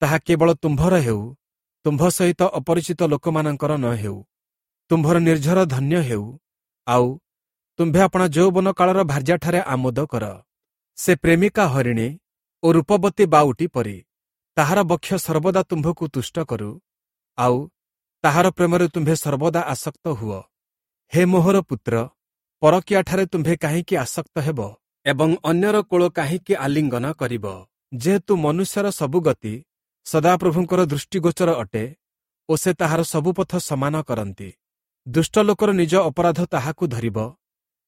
ତାହା କେବଳ ତୁମ୍ଭର ହେଉ, ତୁମ୍ଭ ସହିତ ଅପରିଚିତ ଲୋକମାନଙ୍କର ନ ହେଉ। ତୁମ୍ଭର ନିର୍ଝର ଧନ୍ୟ ହେଉ, ଆଉ ତୁମ୍ଭେ ଆପଣା ଯୌବନ କାଳର ଭାର୍ଯ୍ୟାଠାରେ ଆମୋଦ କର। ସେ ପ୍ରେମିକା ହରିଣୀ ଓ ରୂପବତୀ ବାଉଟି ପରି, ତାହାର ବକ୍ଷ ସର୍ବଦା ତୁମ୍ଭକୁ ତୁଷ୍ଟ କରୁ, ଆଉ ତାହାର ପ୍ରେମରେ ତୁମ୍ଭେ ସର୍ବଦା ଆସକ୍ତ ହୁଅ। ହେ ମୋହର ପୁତ୍ର, ପରକୀୟାଠାରେ ତୁମ୍ଭେ କାହିଁକି ଆସକ୍ତ ହେବ ଏବଂ ଅନ୍ୟର କୋଳ କାହିଁକି ଆଲିଙ୍ଗନ କରିବ? ଯେହେତୁ ମନୁଷ୍ୟର ସବୁ ଗତି ସଦାପ୍ରଭୁଙ୍କର ଦୃଷ୍ଟିଗୋଚର ଅଟେ ଓ ସେ ତାହାର ସବୁ ପଥ ସମାନ କରନ୍ତି। ଦୁଷ୍ଟ ଲୋକର ନିଜ ଅପରାଧ ତାହାକୁ ଧରିବ,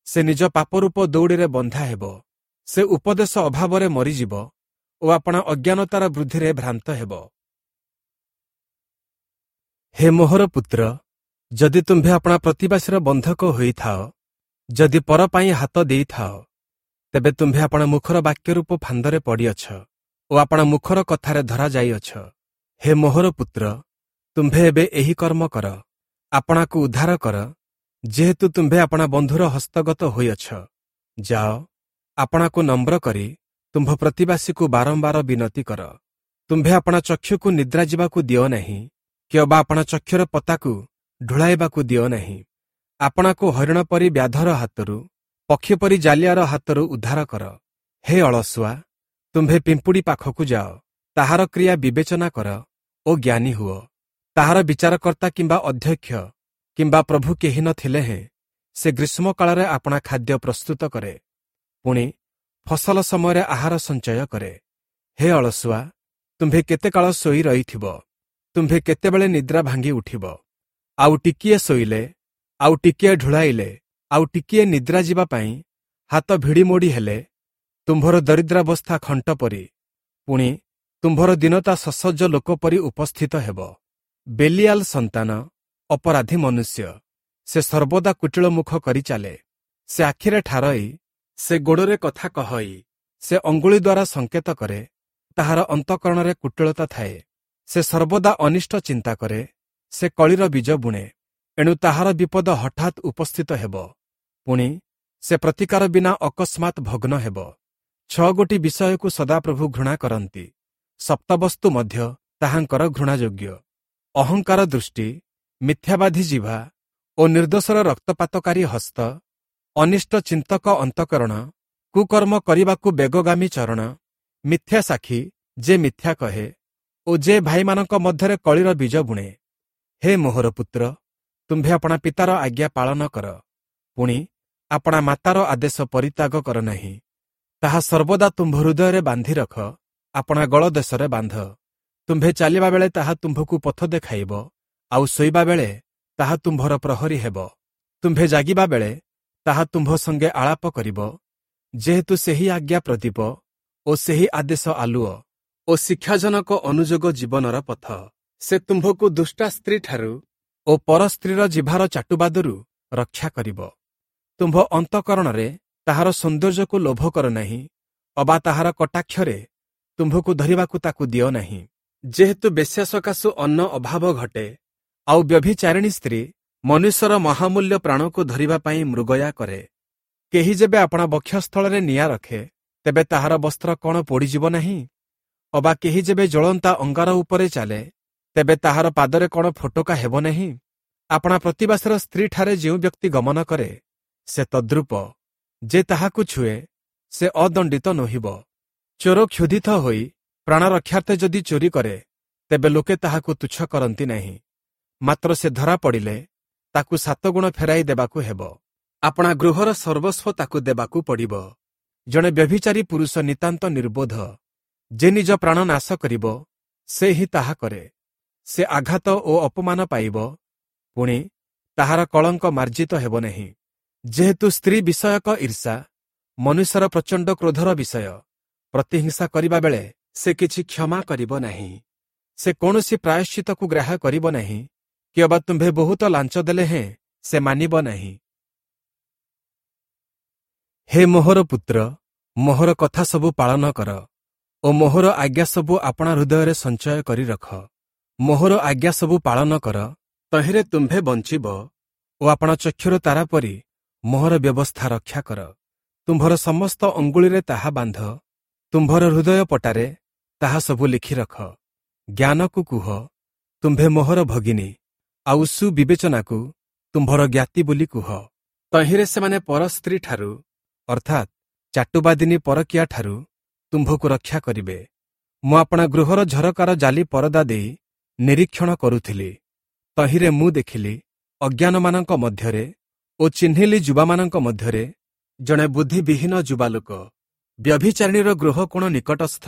ସେ ନିଜ ପାପରୂପ ଦଉଡ଼ିରେ ବନ୍ଧା ହେବ। ସେ ଉପଦେଶ ଅଭାବରେ ମରିଯିବ ଓ ଆପଣା ଅଜ୍ଞାନତାର ବୃଦ୍ଧିରେ ଭ୍ରାନ୍ତ ହେବ। ହେ ମୋହର ପୁତ୍ର, ଯଦି ତୁମ୍ଭେ ଆପଣା ପ୍ରତିବାସୀର ବନ୍ଧକ ହୋଇଥାଅ, ଯଦି ପର ପାଇଁ ହାତ ଦେଇଥାଅ, ତେବେ ତୁମ୍ଭେ ଆପଣା ମୁଖର ବାକ୍ୟରୂପ ଫାନ୍ଦରେ ପଡ଼ିଅଛ ଓ ଆପଣା ମୁଖର କଥାରେ ଧରାଯାଇଅଛ। ହେ ମୋହର ପୁତ୍ର, ତୁମ୍ଭେ ଏବେ ଏହି କର୍ମ କର, ଆପଣାକୁ ଉଦ୍ଧାର କର, ଯେହେତୁ ତୁମ୍ଭେ ଆପଣା ବନ୍ଧୁର ହସ୍ତଗତ ହୋଇଅଛ। ଯାଅ, ଆପଣାକୁ ନମ୍ର କରି ତୁମ୍ଭ ପ୍ରତିବାସୀକୁ ବାରମ୍ବାର ବିନତି କର। ତୁମ୍ଭେ ଆପଣା ଚକ୍ଷୁକୁ ନିଦ୍ରା ଯିବାକୁ ଦିଅ ନାହିଁ, କିଅବା ଆପଣା ଚକ୍ଷୁର ପତାକୁ ଢୁଳାଇବାକୁ ଦିଅ ନାହିଁ। ଆପଣାକୁ ହରିଣ ପରି ବ୍ୟାଧର ହାତରୁ, ପକ୍ଷୀ ପରି ଜାଲିଆର ହାତରୁ ଉଦ୍ଧାର କର। ହେ ଅଳସୁଆ, ତୁମ୍ଭେ ପିମ୍ପୁଡ଼ି ପାଖକୁ ଯାଅ, ତାହାର କ୍ରିୟା ବିବେଚନା କର ଓ ଜ୍ଞାନୀ ହୁଅ। ତାହାର ବିଚାରକର୍ତ୍ତା କିମ୍ବା ଅଧ୍ୟକ୍ଷ କିମ୍ବା ପ୍ରଭୁ କେହି ନଥିଲେ ହେଁ ସେ ଗ୍ରୀଷ୍ମକାଳରେ ଆପଣା ଖାଦ୍ୟ ପ୍ରସ୍ତୁତ କରେ, ପୁଣି ଫସଲ ସମୟରେ ଆହାର ସଞ୍ଚୟ କରେ। ହେ ଅଳସୁଆ, ତୁମ୍ଭେ କେତେ କାଳ ଶୋଇ ରହିଥିବ? ତୁମ୍ଭେ କେତେବେଳେ ନିଦ୍ରା ଭାଙ୍ଗି ଉଠିବ? ଆଉ ଟିକିଏ ଶୋଇଲେ, ଆଉ ଟିକିଏ ଢୁଳାଇଲେ, ଆଉ ଟିକିଏ ନିଦ୍ରା ଯିବା ପାଇଁ ହାତ ଭିଡ଼ିମୋଡ଼ି ହେଲେ ତୁମ୍ଭର ଦରିଦ୍ରାବସ୍ଥା ଖଣ୍ଟ ପରି, ପୁଣି ତୁମ୍ଭର ଦୀନତା ସସଜ୍ଜ ଲୋକ ପରି ଉପସ୍ଥିତ ହେବ। ବେଲିଆଲ ସନ୍ତାନ ଅପରାଧୀ ମନୁଷ୍ୟ, ସେ ସର୍ବଦା କୁଟିଳ ମୁଖ କରି ଚାଲେ। ସେ ଆଖିରେ ଠାରଇ, ସେ ଗୋଡ଼ରେ କଥା କହଇ, ସେ ଅଙ୍ଗୁଳି ଦ୍ୱାରା ସଂକେତ କରେ, ତାହାର ଅନ୍ତଃକରଣରେ କୁଟିଳତା ଥାଏ। ସେ ସର୍ବଦା ଅନିଷ୍ଟ ଚିନ୍ତା କରେ, ସେ କଳିର ବୀଜ ବୁଣେ, ଏଣୁ ତାହାର ବିପଦ ହଠାତ୍ ଉପସ୍ଥିତ ହେବ, ପୁଣି ସେ ପ୍ରତିକାର ବିନା ଅକସ୍ମାତ୍ ଭଗ୍ନ ହେବ। 6 ଗୋଟି ବିଷୟକୁ ସଦାପ୍ରଭୁ ଘୃଣା କରନ୍ତି, ସପ୍ତବସ୍ତୁ ମଧ୍ୟ ତାହାଙ୍କର ଘୃଣାଯୋଗ୍ୟ: ଅହଙ୍କାର ଦୃଷ୍ଟି, ମିଥ୍ୟାବାଦୀ ଜିଭା ଓ ନିର୍ଦ୍ଦୋଷର ରକ୍ତପାତକାରୀ ହସ୍ତ, ଅନିଷ୍ଟ ଚିନ୍ତକ ଅନ୍ତଃକରଣ, କୁକର୍ମ କରିବାକୁ ବେଗଗାମୀ ଚରଣ, ମିଥ୍ୟା ସାକ୍ଷୀ ଯେ ମିଥ୍ୟା କହେ ଓ ଯେ ଭାଇମାନଙ୍କ ମଧ୍ୟରେ କଳିର ବୀଜ ବୁଣେ। ହେ ମୋହର ପୁତ୍ର, ତୁମ୍ଭେ ଆପଣା ପିତାର ଆଜ୍ଞା ପାଳନ କର, ପୁଣି ଆପଣା ମାତାର ଆଦେଶ ପରିତ୍ୟାଗ କର ନାହିଁ। ତାହା ସର୍ବଦା ତୁମ୍ଭ ହୃଦୟରେ ବାନ୍ଧି ରଖ, ଆପଣା ଗଳ ଦେଶରେ ବାନ୍ଧ। ତୁମ୍ଭେ ଚାଲିବା ବେଳେ ତାହା ତୁମ୍ଭକୁ ପଥ ଦେଖାଇବ, ଆଉ ଶୋଇବା ବେଳେ ତାହା ତୁମ୍ଭର ପ୍ରହରୀ ହେବ। ତୁମ୍ଭେ ଜାଗିବା ବେଳେ ତାହା ତୁମ୍ଭ ସଙ୍ଗେ ଆଳାପ କରିବ, ଯେହେତୁ ସେହି ଆଜ୍ଞା ପ୍ରଦୀପ ଓ ସେହି ଆଦେଶ ଆଲୁଅ ଓ ଶିକ୍ଷାଜନକ ଅନୁଯୋଗ ଜୀବନର ପଥ। ସେ ତୁମ୍ଭକୁ ଦୁଷ୍ଟା ସ୍ତ୍ରୀଠାରୁ ଓ ପର ସ୍ତ୍ରୀର ଜିଭାର ଚାଟୁବାଦରୁ ରକ୍ଷା କରିବ। ତୁମ୍ଭ ଅନ୍ତଃକରଣରେ ତାହାର ସୌନ୍ଦର୍ଯ୍ୟକୁ ଲୋଭ କର ନାହିଁ, ଅବା ତାହାର କଟାକ୍ଷରେ ତୁମ୍ଭକୁ ଧରିବାକୁ ତାକୁ ଦିଅ ନାହିଁ। ଯେହେତୁ ବେଶ୍ୟା ସକାଶୁ ଅନ୍ନ ଅଭାବ ଘଟେ, ଆଉ ବ୍ୟଭିଚାରିଣୀ ସ୍ତ୍ରୀ ମନୁଷ୍ୟର ମହାମୂଲ୍ୟ ପ୍ରାଣକୁ ଧରିବା ପାଇଁ ମୃଗୟା କରେ। କେହି ଯେବେ ଆପଣା ବକ୍ଷସ୍ଥଳରେ ନିଆଁ ରଖେ, ତେବେ ତାହାର ବସ୍ତ୍ର କ'ଣ ପୋଡ଼ିଯିବ ନାହିଁ? ଅବା କେହି ଯେବେ ଜ୍ୱଳନ୍ତା ଅଙ୍ଗାର ଉପରେ ଚାଲେ, ତେବେ ତାହାର ପାଦରେ କ'ଣ ଫୋଟକା ହେବ ନାହିଁ? ଆପଣା ପ୍ରତିବାସୀର ସ୍ତ୍ରୀଠାରେ ଯେଉଁ ବ୍ୟକ୍ତି ଗମନ କରେ, ସେ ତଦ୍ରୂପ, ଯେ ତାହାକୁ ଛୁଏଁ ସେ ଅଦଣ୍ଡିତ ନୋହିବ। ଚୋର କ୍ଷୁଧିତ ହୋଇ ପ୍ରାଣ ରକ୍ଷାର୍ଥେ ଯଦି ଚୋରି କରେ, ତେବେ ଲୋକେ ତାହାକୁ ତୁଚ୍ଛ କରନ୍ତି ନାହିଁ, ମାତ୍ର ସେ ଧରା ପଡ଼ିଲେ ତାକୁ 7 ଗୁଣ ଫେରାଇ ଦେବାକୁ ହେବ। ଆପଣା ଗୃହର ସର୍ବସ୍ୱ ତାକୁ ଦେବାକୁ ପଡ଼ିବ। ଜଣେ ବ୍ୟଭିଚାରୀ ପୁରୁଷ ନିତାନ୍ତ ନିର୍ବୋଧ, ଯେ ନିଜ ପ୍ରାଣ ନାଶ କରିବ ସେ ହିଁ ତାହା କରେ। ସେ ଆଘାତ ଓ ଅପମାନ ପାଇବ, ପୁଣି ତାହାର କଳଙ୍କ ମାର୍ଜିତ ହେବ ନାହିଁ। ଯେହେତୁ ସ୍ତ୍ରୀ ବିଷୟକ ଈର୍ଷା ମନୁଷ୍ୟର ପ୍ରଚଣ୍ଡ କ୍ରୋଧର ବିଷୟ, ପ୍ରତିହିଂସା କରିବା ବେଳେ ସେ କିଛି କ୍ଷମା କରିବ ନାହିଁ। ସେ କୌଣସି ପ୍ରାୟଶ୍ଚିତକୁ ଗ୍ରାହ୍ୟ କରିବ ନାହିଁ, କିଅବା ତୁମ୍ଭେ ବହୁତ ଲାଞ୍ଚ ଦେଲେ ହେଁ ସେ ମାନିବ ନାହିଁ। ହେ ମୋହର ପୁତ୍ର, ମୋହର କଥା ସବୁ ପାଳନ କର ଓ ମୋହର ଆଜ୍ଞା ସବୁ ଆପଣା ହୃଦୟରେ ସଞ୍ଚୟ କରି ରଖ। ମୋହର ଆଜ୍ଞା ସବୁ ପାଳନ କର, ତହିଁରେ ତୁମ୍ଭେ ବଞ୍ଚିବ ଓ ଆପଣା ଚକ୍ଷୁର ତାରା ପରି ମୋହର ବ୍ୟବସ୍ଥା ରକ୍ଷା କର। ତୁମ୍ଭର ସମସ୍ତ ଅଙ୍ଗୁଳିରେ ତାହା ବାନ୍ଧ, ତୁମ୍ଭର ହୃଦୟ ପଟାରେ ତାହା ସବୁ ଲେଖି ରଖ। ଜ୍ଞାନକୁ କୁହ, ତୁମ୍ଭେ ମୋହର ଭଗିନୀ, ଆଉ ସୁବିବେଚନାକୁ ତୁମ୍ଭର ଜ୍ଞାତି ବୋଲି କୁହ। ତହିଁରେ ସେମାନେ ପରସ୍ତ୍ରୀଠାରୁ, ଅର୍ଥାତ୍ ଚାଟୁବାଦିନୀ ପରକୀୟାଠାରୁ ତୁମ୍ଭକୁ ରକ୍ଷା କରିବେ। ମୁଁ ଆପଣା ଗୃହର ଝରକାର ଜାଲି ପରଦା ଦେଇ ନିରୀକ୍ଷଣ କରୁଥିଲି। ତହିଁରେ ମୁଁ ଦେଖିଲି ଅଜ୍ଞାନମାନଙ୍କ ମଧ୍ୟରେ ଓ ଚିହ୍ନିଲି ଯୁବାମାନଙ୍କ ମଧ୍ୟରେ ଜଣେ ବୁଦ୍ଧିବିହୀନ ଯୁବାଲୋକ ବ୍ୟଭିଚାରିଣୀର ଗୃହ କୋଣ ନିକଟସ୍ଥ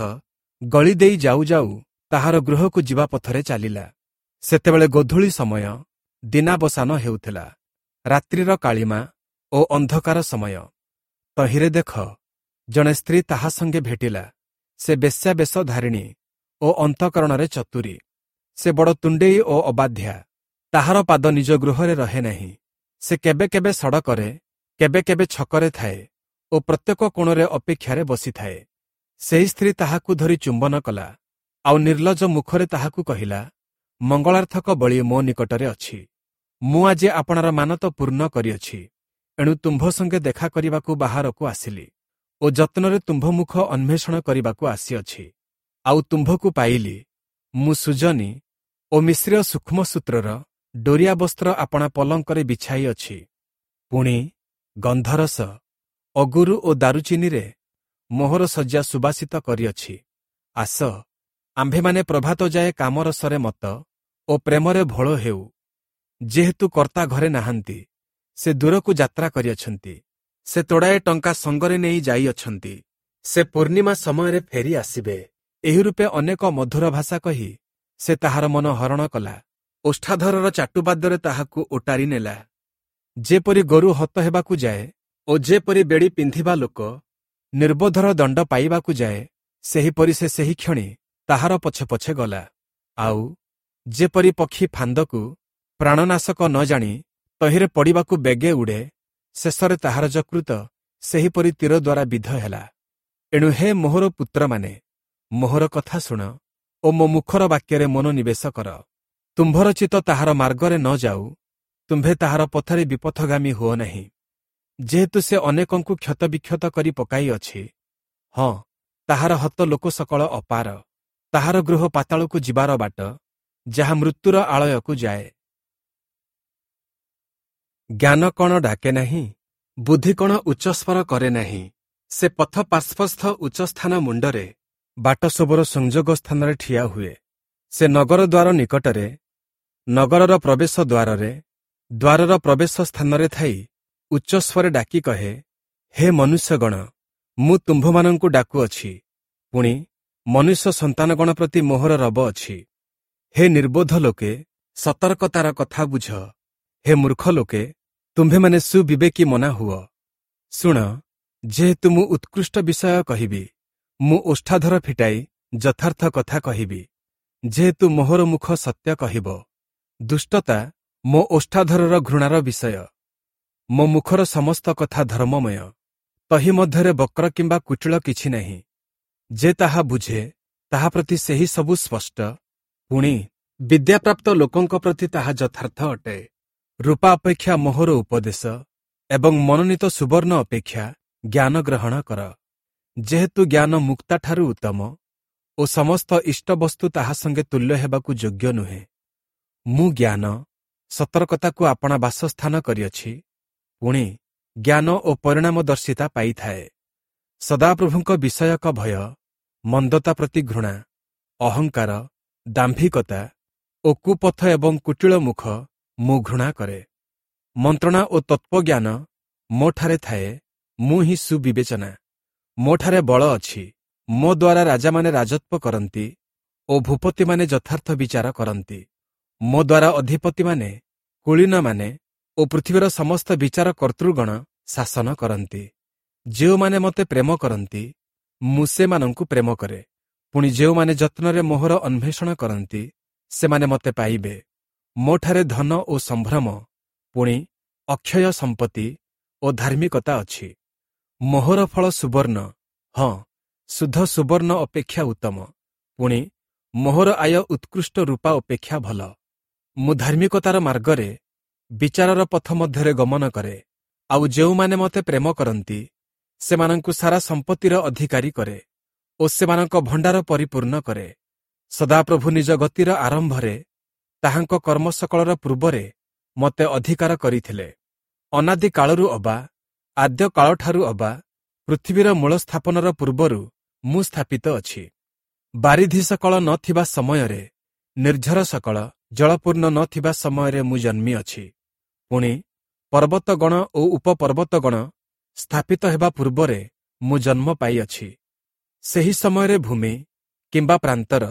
ଗଳି ଦେଇ ଯାଉ ଯାଉ ତାହାର ଗୃହକୁ ଯିବା ପଥରେ ଚାଲିଲା। ସେତେବେଳେ ଗୋଧୂଳି ସମୟ, ଦିନାବସାନ ହେଉଥିଲା, ରାତ୍ରିର କାଳିମା ଓ ଅନ୍ଧକାର ସମୟ। ତହିଁରେ ଦେଖ, ଜଣେ ସ୍ତ୍ରୀ ତାହା ସଙ୍ଗେ ଭେଟିଲା। ସେ ବେଶ୍ୟାବେଶ ଧାରିଣୀ ଓ ଅନ୍ତଃକରଣରେ ଚତୁରୀ। ସେ ବଡ଼ ତୁଣ୍ଡେଇ ଓ ଅବାଧ୍ୟା। ତାହାର ପାଦ ନିଜ ଗୃହରେ ରହେ ନାହିଁ। ସେ କେବେ କେବେ ସଡ଼କରେ, କେବେ କେବେ ଛକରେ ଥାଏ ଓ ପ୍ରତ୍ୟେକ କୋଣରେ ଅପେକ୍ଷାରେ ବସିଥାଏ। ସେହି ସ୍ତ୍ରୀ ତାହାକୁ ଧରି ଚୁମ୍ବନ କଲା, ଆଉ ନିର୍ଲଜ ମୁଖରେ ତାହାକୁ କହିଲା, ମଙ୍ଗଳାର୍ଥକ ବଳି ମୋ ନିକଟରେ ଅଛି। ମୁଁ ଆଜି ଆପଣାର ମାନତ ପୂର୍ଣ୍ଣ କରିଅଛି। ଏଣୁ ତୁମ୍ଭ ସଙ୍ଗେ ଦେଖା କରିବାକୁ ବାହାରକୁ ଆସିଲି ଓ ଯତ୍ନରେ ତୁମ୍ଭ ମୁଖ ଅନ୍ୱେଷଣ କରିବାକୁ ଆସିଅଛି। ଆଉ ତୁମ୍ଭକୁ ପାଇଲି। ମୁଁ ସୁଜନୀ ଓ ମିଶ୍ରୀୟ ସୂକ୍ଷ୍ମ ସୂତ୍ରର ଡୋରିଆ ବସ୍ତ୍ର ଆପଣା ପଲଙ୍କରେ ବିଛାଇଅଛି। ପୁଣି ଗନ୍ଧରସ, ଅଗୁରୁ ଓ ଦାରୁଚିନିରେ ମୋହର ଶଯ୍ୟା ସୁବାସିତ କରିଅଛି। ଆସ, ଆମ୍ଭେମାନେ ପ୍ରଭାତ ଯାଏ କାମରସରେ ମତ ଓ ପ୍ରେମରେ ଭୋଳ ହେଉ। ଯେହେତୁ କର୍ତ୍ତା ଘରେ ନାହାନ୍ତି, ସେ ଦୂରକୁ ଯାତ୍ରା କରିଅଛନ୍ତି। ସେ ତୋଡ଼ାଏ ଟଙ୍କା ସଙ୍ଗରେ ନେଇ ଯାଇଅଛନ୍ତି। ସେ ପୂର୍ଣ୍ଣିମା ସମୟରେ ଫେରି ଆସିବେ। ଏହି ରୂପେ ଅନେକ ମଧୁର ଭାଷା କହି ସେ ତାହାର ମନ ହରଣ କଲା। ଓଷ୍ଠାଧରର ଚାଟୁବାଦ୍ୟରେ ତାହାକୁ ଓଟାରି ନେଲା। ଯେପରି ଗୋରୁ ହତ ହେବାକୁ ଯାଏ ଓ ଯେପରି ବେଡ଼ି ପିନ୍ଧିବା ଲୋକ ନିର୍ବୋଧର ଦଣ୍ଡ ପାଇବାକୁ ଯାଏ, ସେହିପରି ସେ ସେହି କ୍ଷଣି ତାହାର ପଛେ ପଛେ ଗଲା। ଆଉ ଯେପରି ପକ୍ଷୀ ଫାନ୍ଦକୁ ପ୍ରାଣନାଶକ ନ ଜାଣି ତହିଁରେ ପଡ଼ିବାକୁ ବେଗେ ଉଡ଼େ, ଶେଷରେ ତାହାର ଯକୃତ ସେହିପରି ତୀର ଦ୍ୱାରା ବିଦ୍ଧ ହେଲା। ଏଣୁ ହେ ମୋହର ପୁତ୍ରମାନେ, ମୋହର କଥା ଶୁଣ ଓ ମୋ ମୁଖର ବାକ୍ୟରେ ମନୋନିବେଶ କର। ତୁମ୍ଭର ଚିତ୍ତ ତାହାର ମାର୍ଗରେ ନ ଯାଉ, ତୁମ୍ଭେ ତାହାର ପଥରେ ବିପଥଗାମୀ ହୁଅ ନାହିଁ। ଯେହେତୁ ସେ ଅନେକଙ୍କୁ କ୍ଷତବିକ୍ଷତ କରି ପକାଇଅଛି, ହଁ, ତାହାର ହତ ଲୋକ ସକଳ ଅପାର। ତାହାର ଗୃହ ପାତାଳକୁ ଯିବାର ବାଟ, ଯାହା ମୃତ୍ୟୁର ଆଳୟକୁ ଯାଏ। ଜ୍ଞାନ କଣ ଡାକେ ନାହିଁ? ବୁଦ୍ଧି କଣ ଉଚ୍ଚସ୍ୱର କରେ ନାହିଁ? ସେ ପଥ ପାର୍ଶ୍ୱସ୍ଥ ଉଚ୍ଚସ୍ଥାନ ମୁଣ୍ଡରେ ବାଟ ସବୁର ସଂଯୋଗ ସ୍ଥାନରେ ଠିଆ ହୁଏ। ସେ ନଗର ଦ୍ୱାର ନିକଟରେ, ନଗରର ପ୍ରବେଶ ଦ୍ୱାରରେ, ଦ୍ୱାରର ପ୍ରବେଶ ସ୍ଥାନରେ ଥାଇ ଉଚ୍ଚସ୍ୱରେ ଡାକି କହେ, ହେ ମନୁଷ୍ୟଗଣ, ମୁଁ ତୁମ୍ଭମାନଙ୍କୁ ଡାକୁଅଛି, ପୁଣି ମନୁଷ୍ୟ ସନ୍ତାନଗଣ ପ୍ରତି ମୋହର ରବ ଅଛି। ହେ ନିର୍ବୋଧ ଲୋକେ, ସତର୍କତାର କଥା ବୁଝ। ହେ ମୂର୍ଖ ଲୋକେ, ତୁମ୍ଭେମାନେ ସୁବିବେକୀ ମନା ହୁଅ। ଶୁଣ, ଯେହେତୁ ମୁଁ ଉତ୍କୃଷ୍ଟ ବିଷୟ କହିବି, ମୁଁ ଓଷ୍ଠାଧର ଫିଟାଇ ଯଥାର୍ଥ କଥା କହିବି। ଯେହେତୁ ମୋହର ମୁଖ ସତ୍ୟ କହିବ। ଦୁଷ୍ଟତା ମୋ ଓଷ୍ଠାଧରର ଘୃଣାର ବିଷୟ। ମୋ ମୁଖର ସମସ୍ତ କଥା ଧର୍ମମୟ। ତହି ମଧ୍ୟରେ ବକ୍ର କିମ୍ବା କୁଟିଳ କିଛି ନାହିଁ। ଯେ ତାହା ବୁଝେ, ତାହା ପ୍ରତି ସେହି ସବୁ ସ୍ପଷ୍ଟ। ପୁଣି ବିଦ୍ୟାପ୍ରାପ୍ତ ଲୋକଙ୍କ ପ୍ରତି ତାହା ଯଥାର୍ଥ ଅଟେ। ରୂପା ଅପେକ୍ଷା ମୋହର ଉପଦେଶ ଏବଂ ମନୋନୀତ ସୁବର୍ଣ୍ଣ ଅପେକ୍ଷା ଜ୍ଞାନ ଗ୍ରହଣ କର। ଯେହେତୁ ଜ୍ଞାନ ମୁକ୍ତାଠାରୁ ଉତ୍ତମ ଓ ସମସ୍ତ ଇଷ୍ଟବସ୍ତୁ ତାହା ସଙ୍ଗେ ତୁଲ୍ୟ ହେବାକୁ ଯୋଗ୍ୟ ନୁହେଁ। ମୁଁ ଜ୍ଞାନ, ସତର୍କତାକୁ ଆପଣା ବାସସ୍ଥାନ କରିଅଛି, ପୁଣି ଜ୍ଞାନ ଓ ପରିଣାମଦର୍ଶିତା ପାଇଥାଏ। ସଦାପ୍ରଭୁଙ୍କ ବିଷୟକ ଭୟ, ମନ୍ଦତା ପ୍ରତି ଘୃଣା, ଅହଙ୍କାର, ଦାମ୍ଭିକତା ଓ କୁପଥ ଏବଂ କୁଟିଳ ମୁଖ ମୁଁ ଘୃଣା କରେ। ମନ୍ତ୍ରଣା ଓ ତତ୍ତ୍ୱଜ୍ଞାନ ମୋଠାରେ ଥାଏ, ମୁଁ ହିଁ ସୁବିବେଚନା। ମୋଠାରେ ବଳ ଅଛି, ମୋ ଦ୍ୱାରା ରାଜାମାନେ ରାଜତ୍ୱ କରନ୍ତି ଓ ଭୂପତିମାନେ ଯଥାର୍ଥ ବିଚାର କରନ୍ତି। ମୋ ଦ୍ୱାରା ଅଧିପତିମାନେ, କୁଳୀନମାନେ ଓ ପୃଥିବୀର ସମସ୍ତ ବିଚାର କର୍ତ୍ତୃଗଣ ଶାସନ କରନ୍ତି। ଯେଉଁମାନେ ମୋତେ ପ୍ରେମ କରନ୍ତି, ମୁଁ ସେମାନଙ୍କୁ ପ୍ରେମ କରେ। ପୁଣି ଯେଉଁମାନେ ଯତ୍ନରେ ମୋହର ଅନ୍ୱେଷଣ କରନ୍ତି, ସେମାନେ ମୋତେ ପାଇବେ। ମୋଠାରେ ଧନ ଓ ସମ୍ଭ୍ରମ, ପୁଣି ଅକ୍ଷୟ ସମ୍ପତ୍ତି ଓ ଧାର୍ମିକତା ଅଛି। ମୋହର ଫଳ ସୁବର୍ଣ୍ଣ, ହଁ, ଶୁଦ୍ଧ ସୁବର୍ଣ୍ଣ ଅପେକ୍ଷା ଉତ୍ତମ। ପୁଣି ମୋହର ଆୟ ଉତ୍କୃଷ୍ଟ ରୂପା ଅପେକ୍ଷା ଭଲ। ମୁଁ ଧାର୍ମିକତାର ମାର୍ଗରେ ବିଚାରର ପଥ ମଧ୍ୟରେ ଗମନ କରେ। ଆଉ ଯେଉଁମାନେ ମୋତେ ପ୍ରେମ କରନ୍ତି, ସେମାନଙ୍କୁ ସାରା ସମ୍ପତ୍ତିର ଅଧିକାରୀ କରେ ଓ ସେମାନଙ୍କ ଭଣ୍ଡାର ପରିପୂର୍ଣ୍ଣ କରେ। ସଦାପ୍ରଭୁ ନିଜ ଗତିର ଆରମ୍ଭରେ, ତାହାଙ୍କ କର୍ମ ସକଳର ପୂର୍ବରେ ମୋତେ ଅଧିକାର କରିଥିଲେ। ଅନାଦି କାଳରୁ ଅବା ଆଦ୍ୟ କାଳଠାରୁ ଅବା ପୃଥିବୀର ମୂଳ ସ୍ଥାପନର ପୂର୍ବରୁ ମୁଁ ସ୍ଥାପିତ ଅଛି। ବାରିଧି ସକଳ ନ ଥିବା ସମୟରେ, ନିର୍ଝର ସକଳ ଜଳପୂର୍ଣ୍ଣ ନ ଥିବା ସମୟରେ ମୁଁ ଜନ୍ମିଅଛି। ପୁଣି ପର୍ବତଗଣ ଓ ଉପପର୍ବତଗଣ ସ୍ଥାପିତ ହେବା ପୂର୍ବରେ ମୁଁ ଜନ୍ମ ପାଇଅଛି। ସେହି ସମୟରେ ଭୂମି କିମ୍ବା ପ୍ରାନ୍ତର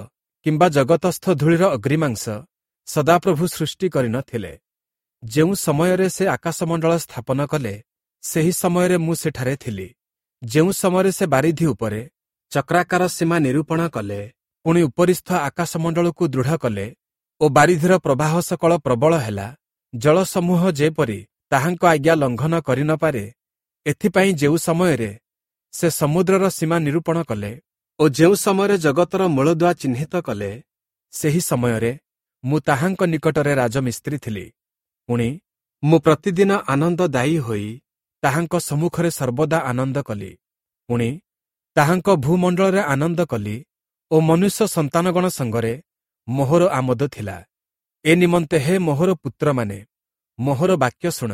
କିମ୍ବା ଜଗତସ୍ଥ ଧୂଳିର ଅଗ୍ରିମାଂସ ସଦାପ୍ରଭୁ ସୃଷ୍ଟି କରିନଥିଲେ। ଯେଉଁ ସମୟରେ ସେ ଆକାଶମଣ୍ଡଳ ସ୍ଥାପନ କଲେ, ସେହି ସମୟରେ ମୁଁ ସେଠାରେ ଥିଲି। ଯେଉଁ ସମୟରେ ସେ ବାରିଧି ଉପରେ ଚକ୍ରାକାର ସୀମା ନିରୂପଣ କଲେ, ପୁଣି ଉପରିସ୍ଥ ଆକାଶମଣ୍ଡଳକୁ ଦୃଢ଼ କଲେ ଓ ବାରିଧିର ପ୍ରବାହ ସକଳ ପ୍ରବଳ ହେଲା, ଜଳସମୂହ ଯେପରି ତାହାଙ୍କ ଆଜ୍ଞା ଲଙ୍ଘନ କରିନପାରେ, ଏଥିପାଇଁ ଯେଉଁ ସମୟରେ ସେ ସମୁଦ୍ରର ସୀମା ନିରୂପଣ କଲେ ଓ ଯେଉଁ ସମୟରେ ଜଗତର ମୂଳଦୁଆ ଚିହ୍ନିତ କଲେ, ସେହି ସମୟରେ ମୁଁ ତାହାଙ୍କ ନିକଟରେ ରାଜମିସ୍ତ୍ରୀ ଥିଲି। ପୁଣି ମୁଁ ପ୍ରତିଦିନ ଆନନ୍ଦଦାୟୀ ହୋଇ ତାହାଙ୍କ ସମ୍ମୁଖରେ ସର୍ବଦା ଆନନ୍ଦ କଲି। ପୁଣି ତାହାଙ୍କ ଭୂମଣ୍ଡଳରେ ଆନନ୍ଦ କଲି ଓ ମନୁଷ୍ୟ ସନ୍ତାନଗଣ ସଙ୍ଗରେ ମୋହର ଆମୋଦ ଥିଲା। ଏ ନିମନ୍ତେ ହେ ମୋହର ପୁତ୍ରମାନେ, ମୋହର ବାକ୍ୟ ଶୁଣ।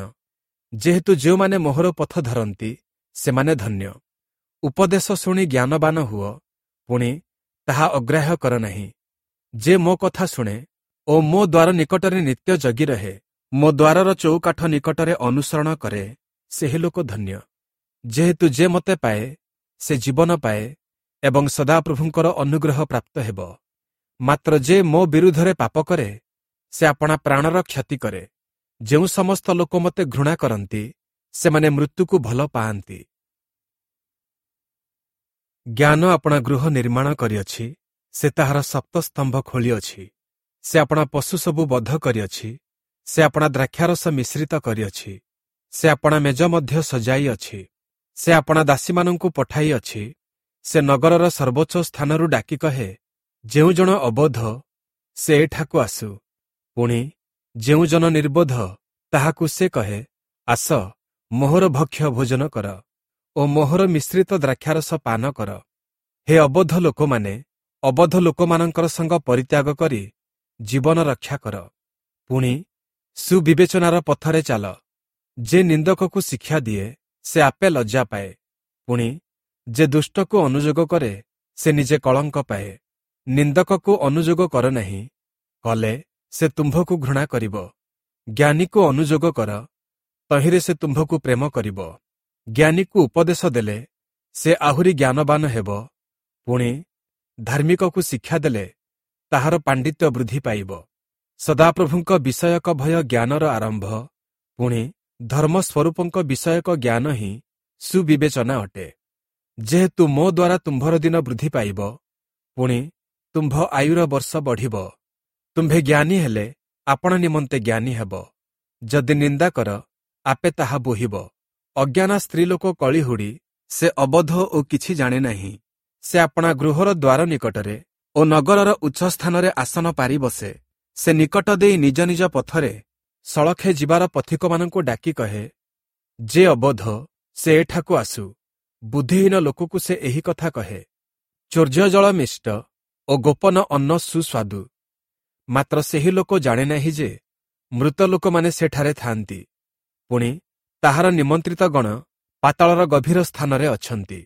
ଯେହେତୁ ଯେଉଁମାନେ ମୋହର ପଥ ଧରନ୍ତି, ସେମାନେ ଧନ୍ୟ। ଉପଦେଶ ଶୁଣି ଜ୍ଞାନବାନ ହୁଅ, ପୁଣି ତାହା ଅଗ୍ରାହ୍ୟ କର ନାହିଁ। ଯେ ମୋ କଥା ଶୁଣେ ଓ ମୋ ଦ୍ୱାର ନିକଟରେ ନିତ୍ୟ ଜଗି ରହେ, ମୋ ଦ୍ୱାରର ଚଉକାଠ ନିକଟରେ ଅନୁସରଣ କରେ, ସେହି ଲୋକ ଧନ୍ୟ। ଯେହେତୁ ଯେ ମୋତେ ପାଏ, ସେ ଜୀବନ ପାଏ ଏବଂ ସଦାପ୍ରଭୁଙ୍କର ଅନୁଗ୍ରହ ପ୍ରାପ୍ତ ହେବ। ମାତ୍ର ଯେ ମୋ ବିରୁଦ୍ଧରେ ପାପ କରେ, ସେ ଆପଣା ପ୍ରାଣର କ୍ଷତି କରେ। ଯେଉଁ ସମସ୍ତ ଲୋକ ମୋତେ ଘୃଣା କରନ୍ତି, ସେମାନେ ମୃତ୍ୟୁକୁ ଭଲ ପାଆନ୍ତି। ଜ୍ଞାନ ଆପଣା ଗୃହ ନିର୍ମାଣ କରିଅଛି, ସେ ତାହାର ସପ୍ତସ୍ତମ୍ଭ ଖୋଳିଅଛି। ସେ ଆପଣା ପଶୁ ସବୁ ବଧ କରିଅଛି, ସେ ଆପଣା ଦ୍ରାକ୍ଷାରସ ମିଶ୍ରିତ କରିଅଛି, ସେ ଆପଣା ମେଜ ମଧ୍ୟ ସଜାଇଅଛି। ସେ ଆପଣା ଦାସୀମାନଙ୍କୁ ପଠାଇଅଛି। ସେ ନଗରର ସର୍ବୋଚ୍ଚ ସ୍ଥାନରୁ ଡାକି କହେ, ଯେଉଁ ଜଣ ଅବୋଧ, ସେ ଏଠାକୁ ଆସୁ। ପୁଣି ଯେଉଁ ଜନ ନିର୍ବୋଧ, ତାହାକୁ ସେ କହେ, ଆସ, ମୋହର ଭକ୍ଷ୍ୟ ଭୋଜନ କର ଓ ମୋହର ମିଶ୍ରିତ ଦ୍ରାକ୍ଷାରସ ପାନ କର। ହେ ଅବୋଧ ଲୋକମାନେ, ଅବୋଧ ଲୋକମାନଙ୍କର ସଙ୍ଗ ପରିତ୍ୟାଗ କରି ଜୀବନ ରକ୍ଷା କର। ପୁଣି ସୁବିବେଚନାର ପଥରେ ଚାଲ। ଯେ ନିନ୍ଦକକୁ ଶିକ୍ଷା ଦିଏ, ସେ ଆପେ ଲଜ୍ଜା ପାଏ। ପୁଣି ଯେ ଦୁଷ୍ଟକୁ ଅନୁଯୋଗ କରେ, ସେ ନିଜେ କଳଙ୍କ ପାଏ। ନିନ୍ଦକକୁ ଅନୁଯୋଗ କର ନାହିଁ, କଲେ ସେ ତୁମ୍ଭକୁ ଘୃଣା କରିବ। ଜ୍ଞାନୀକୁ ଅନୁଯୋଗ କର, ତହିଁରେ ସେ ତୁମ୍ଭକୁ ପ୍ରେମ କରିବ। ଜ୍ଞାନୀକୁ ଉପଦେଶ ଦେଲେ ସେ ଆହୁରି ଜ୍ଞାନବାନ ହେବ। ପୁଣି ଧାର୍ମିକକୁ ଶିକ୍ଷା ଦେଲେ ତାହାର ପାଣ୍ଡିତ୍ୟ ବୃଦ୍ଧି ପାଇବ। ସଦାପ୍ରଭୁଙ୍କ ବିଷୟକ ଭୟ ଜ୍ଞାନର ଆରମ୍ଭ, ପୁଣି ଧର୍ମସ୍ୱରୂପଙ୍କ ବିଷୟକ ଜ୍ଞାନ ହିଁ ସୁବିବେଚନା ଅଟେ। ଯେହେତୁ ମୋ ଦ୍ୱାରା ତୁମ୍ଭର ଦିନ ବୃଦ୍ଧି ପାଇବ, ପୁଣି ତୁମ୍ଭ ଆୟୁର ବର୍ଷ ବଢ଼ିବ। ତୁମ୍ଭେ ଜ୍ଞାନୀ ହେଲେ ଆପଣ ନିମନ୍ତେ ଜ୍ଞାନୀ ହେବ। ଯଦି ନିନ୍ଦା କର, ଆପେ ତାହା ବୋହିବ। ଅଜ୍ଞାନା ସ୍ତ୍ରୀଲୋକ କଳିହୁଡ଼ି, ସେ ଅବୋଧ ଓ କିଛି ଜାଣେ ନାହିଁ। ସେ ଆପଣା ଗୃହର ଦ୍ୱାର ନିକଟରେ ଓ ନଗରର ଉଚ୍ଚ ସ୍ଥାନରେ ଆସନ ପାରି ବସେ। ସେ ନିକଟ ଦେଇ ନିଜ ନିଜ ପଥରେ ସଳଖେ ଯିବାର ପଥିକମାନଙ୍କୁ ଡାକି କହେ, ଯେ ଅବୋଧ, ସେ ଏଠାକୁ ଆସୁ। ବୁଦ୍ଧିହୀନ ଲୋକକୁ ସେ ଏହି କଥା କହେ, ଚୌର୍ଯ୍ୟ ଜଳ ମିଷ୍ଟ ଓ ଗୋପନ ଅନ୍ନ ସୁସ୍ୱାଦୁ। ମାତ୍ର ସେହି ଲୋକ ଜାଣେ ନାହିଁ ଯେ ମୃତ ଲୋକମାନେ ସେଠାରେ ଥାଆନ୍ତି, ପୁଣି ତାହାର ନିମନ୍ତ୍ରିତ ଗଣ ପାତାଳର ଗଭୀର ସ୍ଥାନରେ ଅଛନ୍ତି।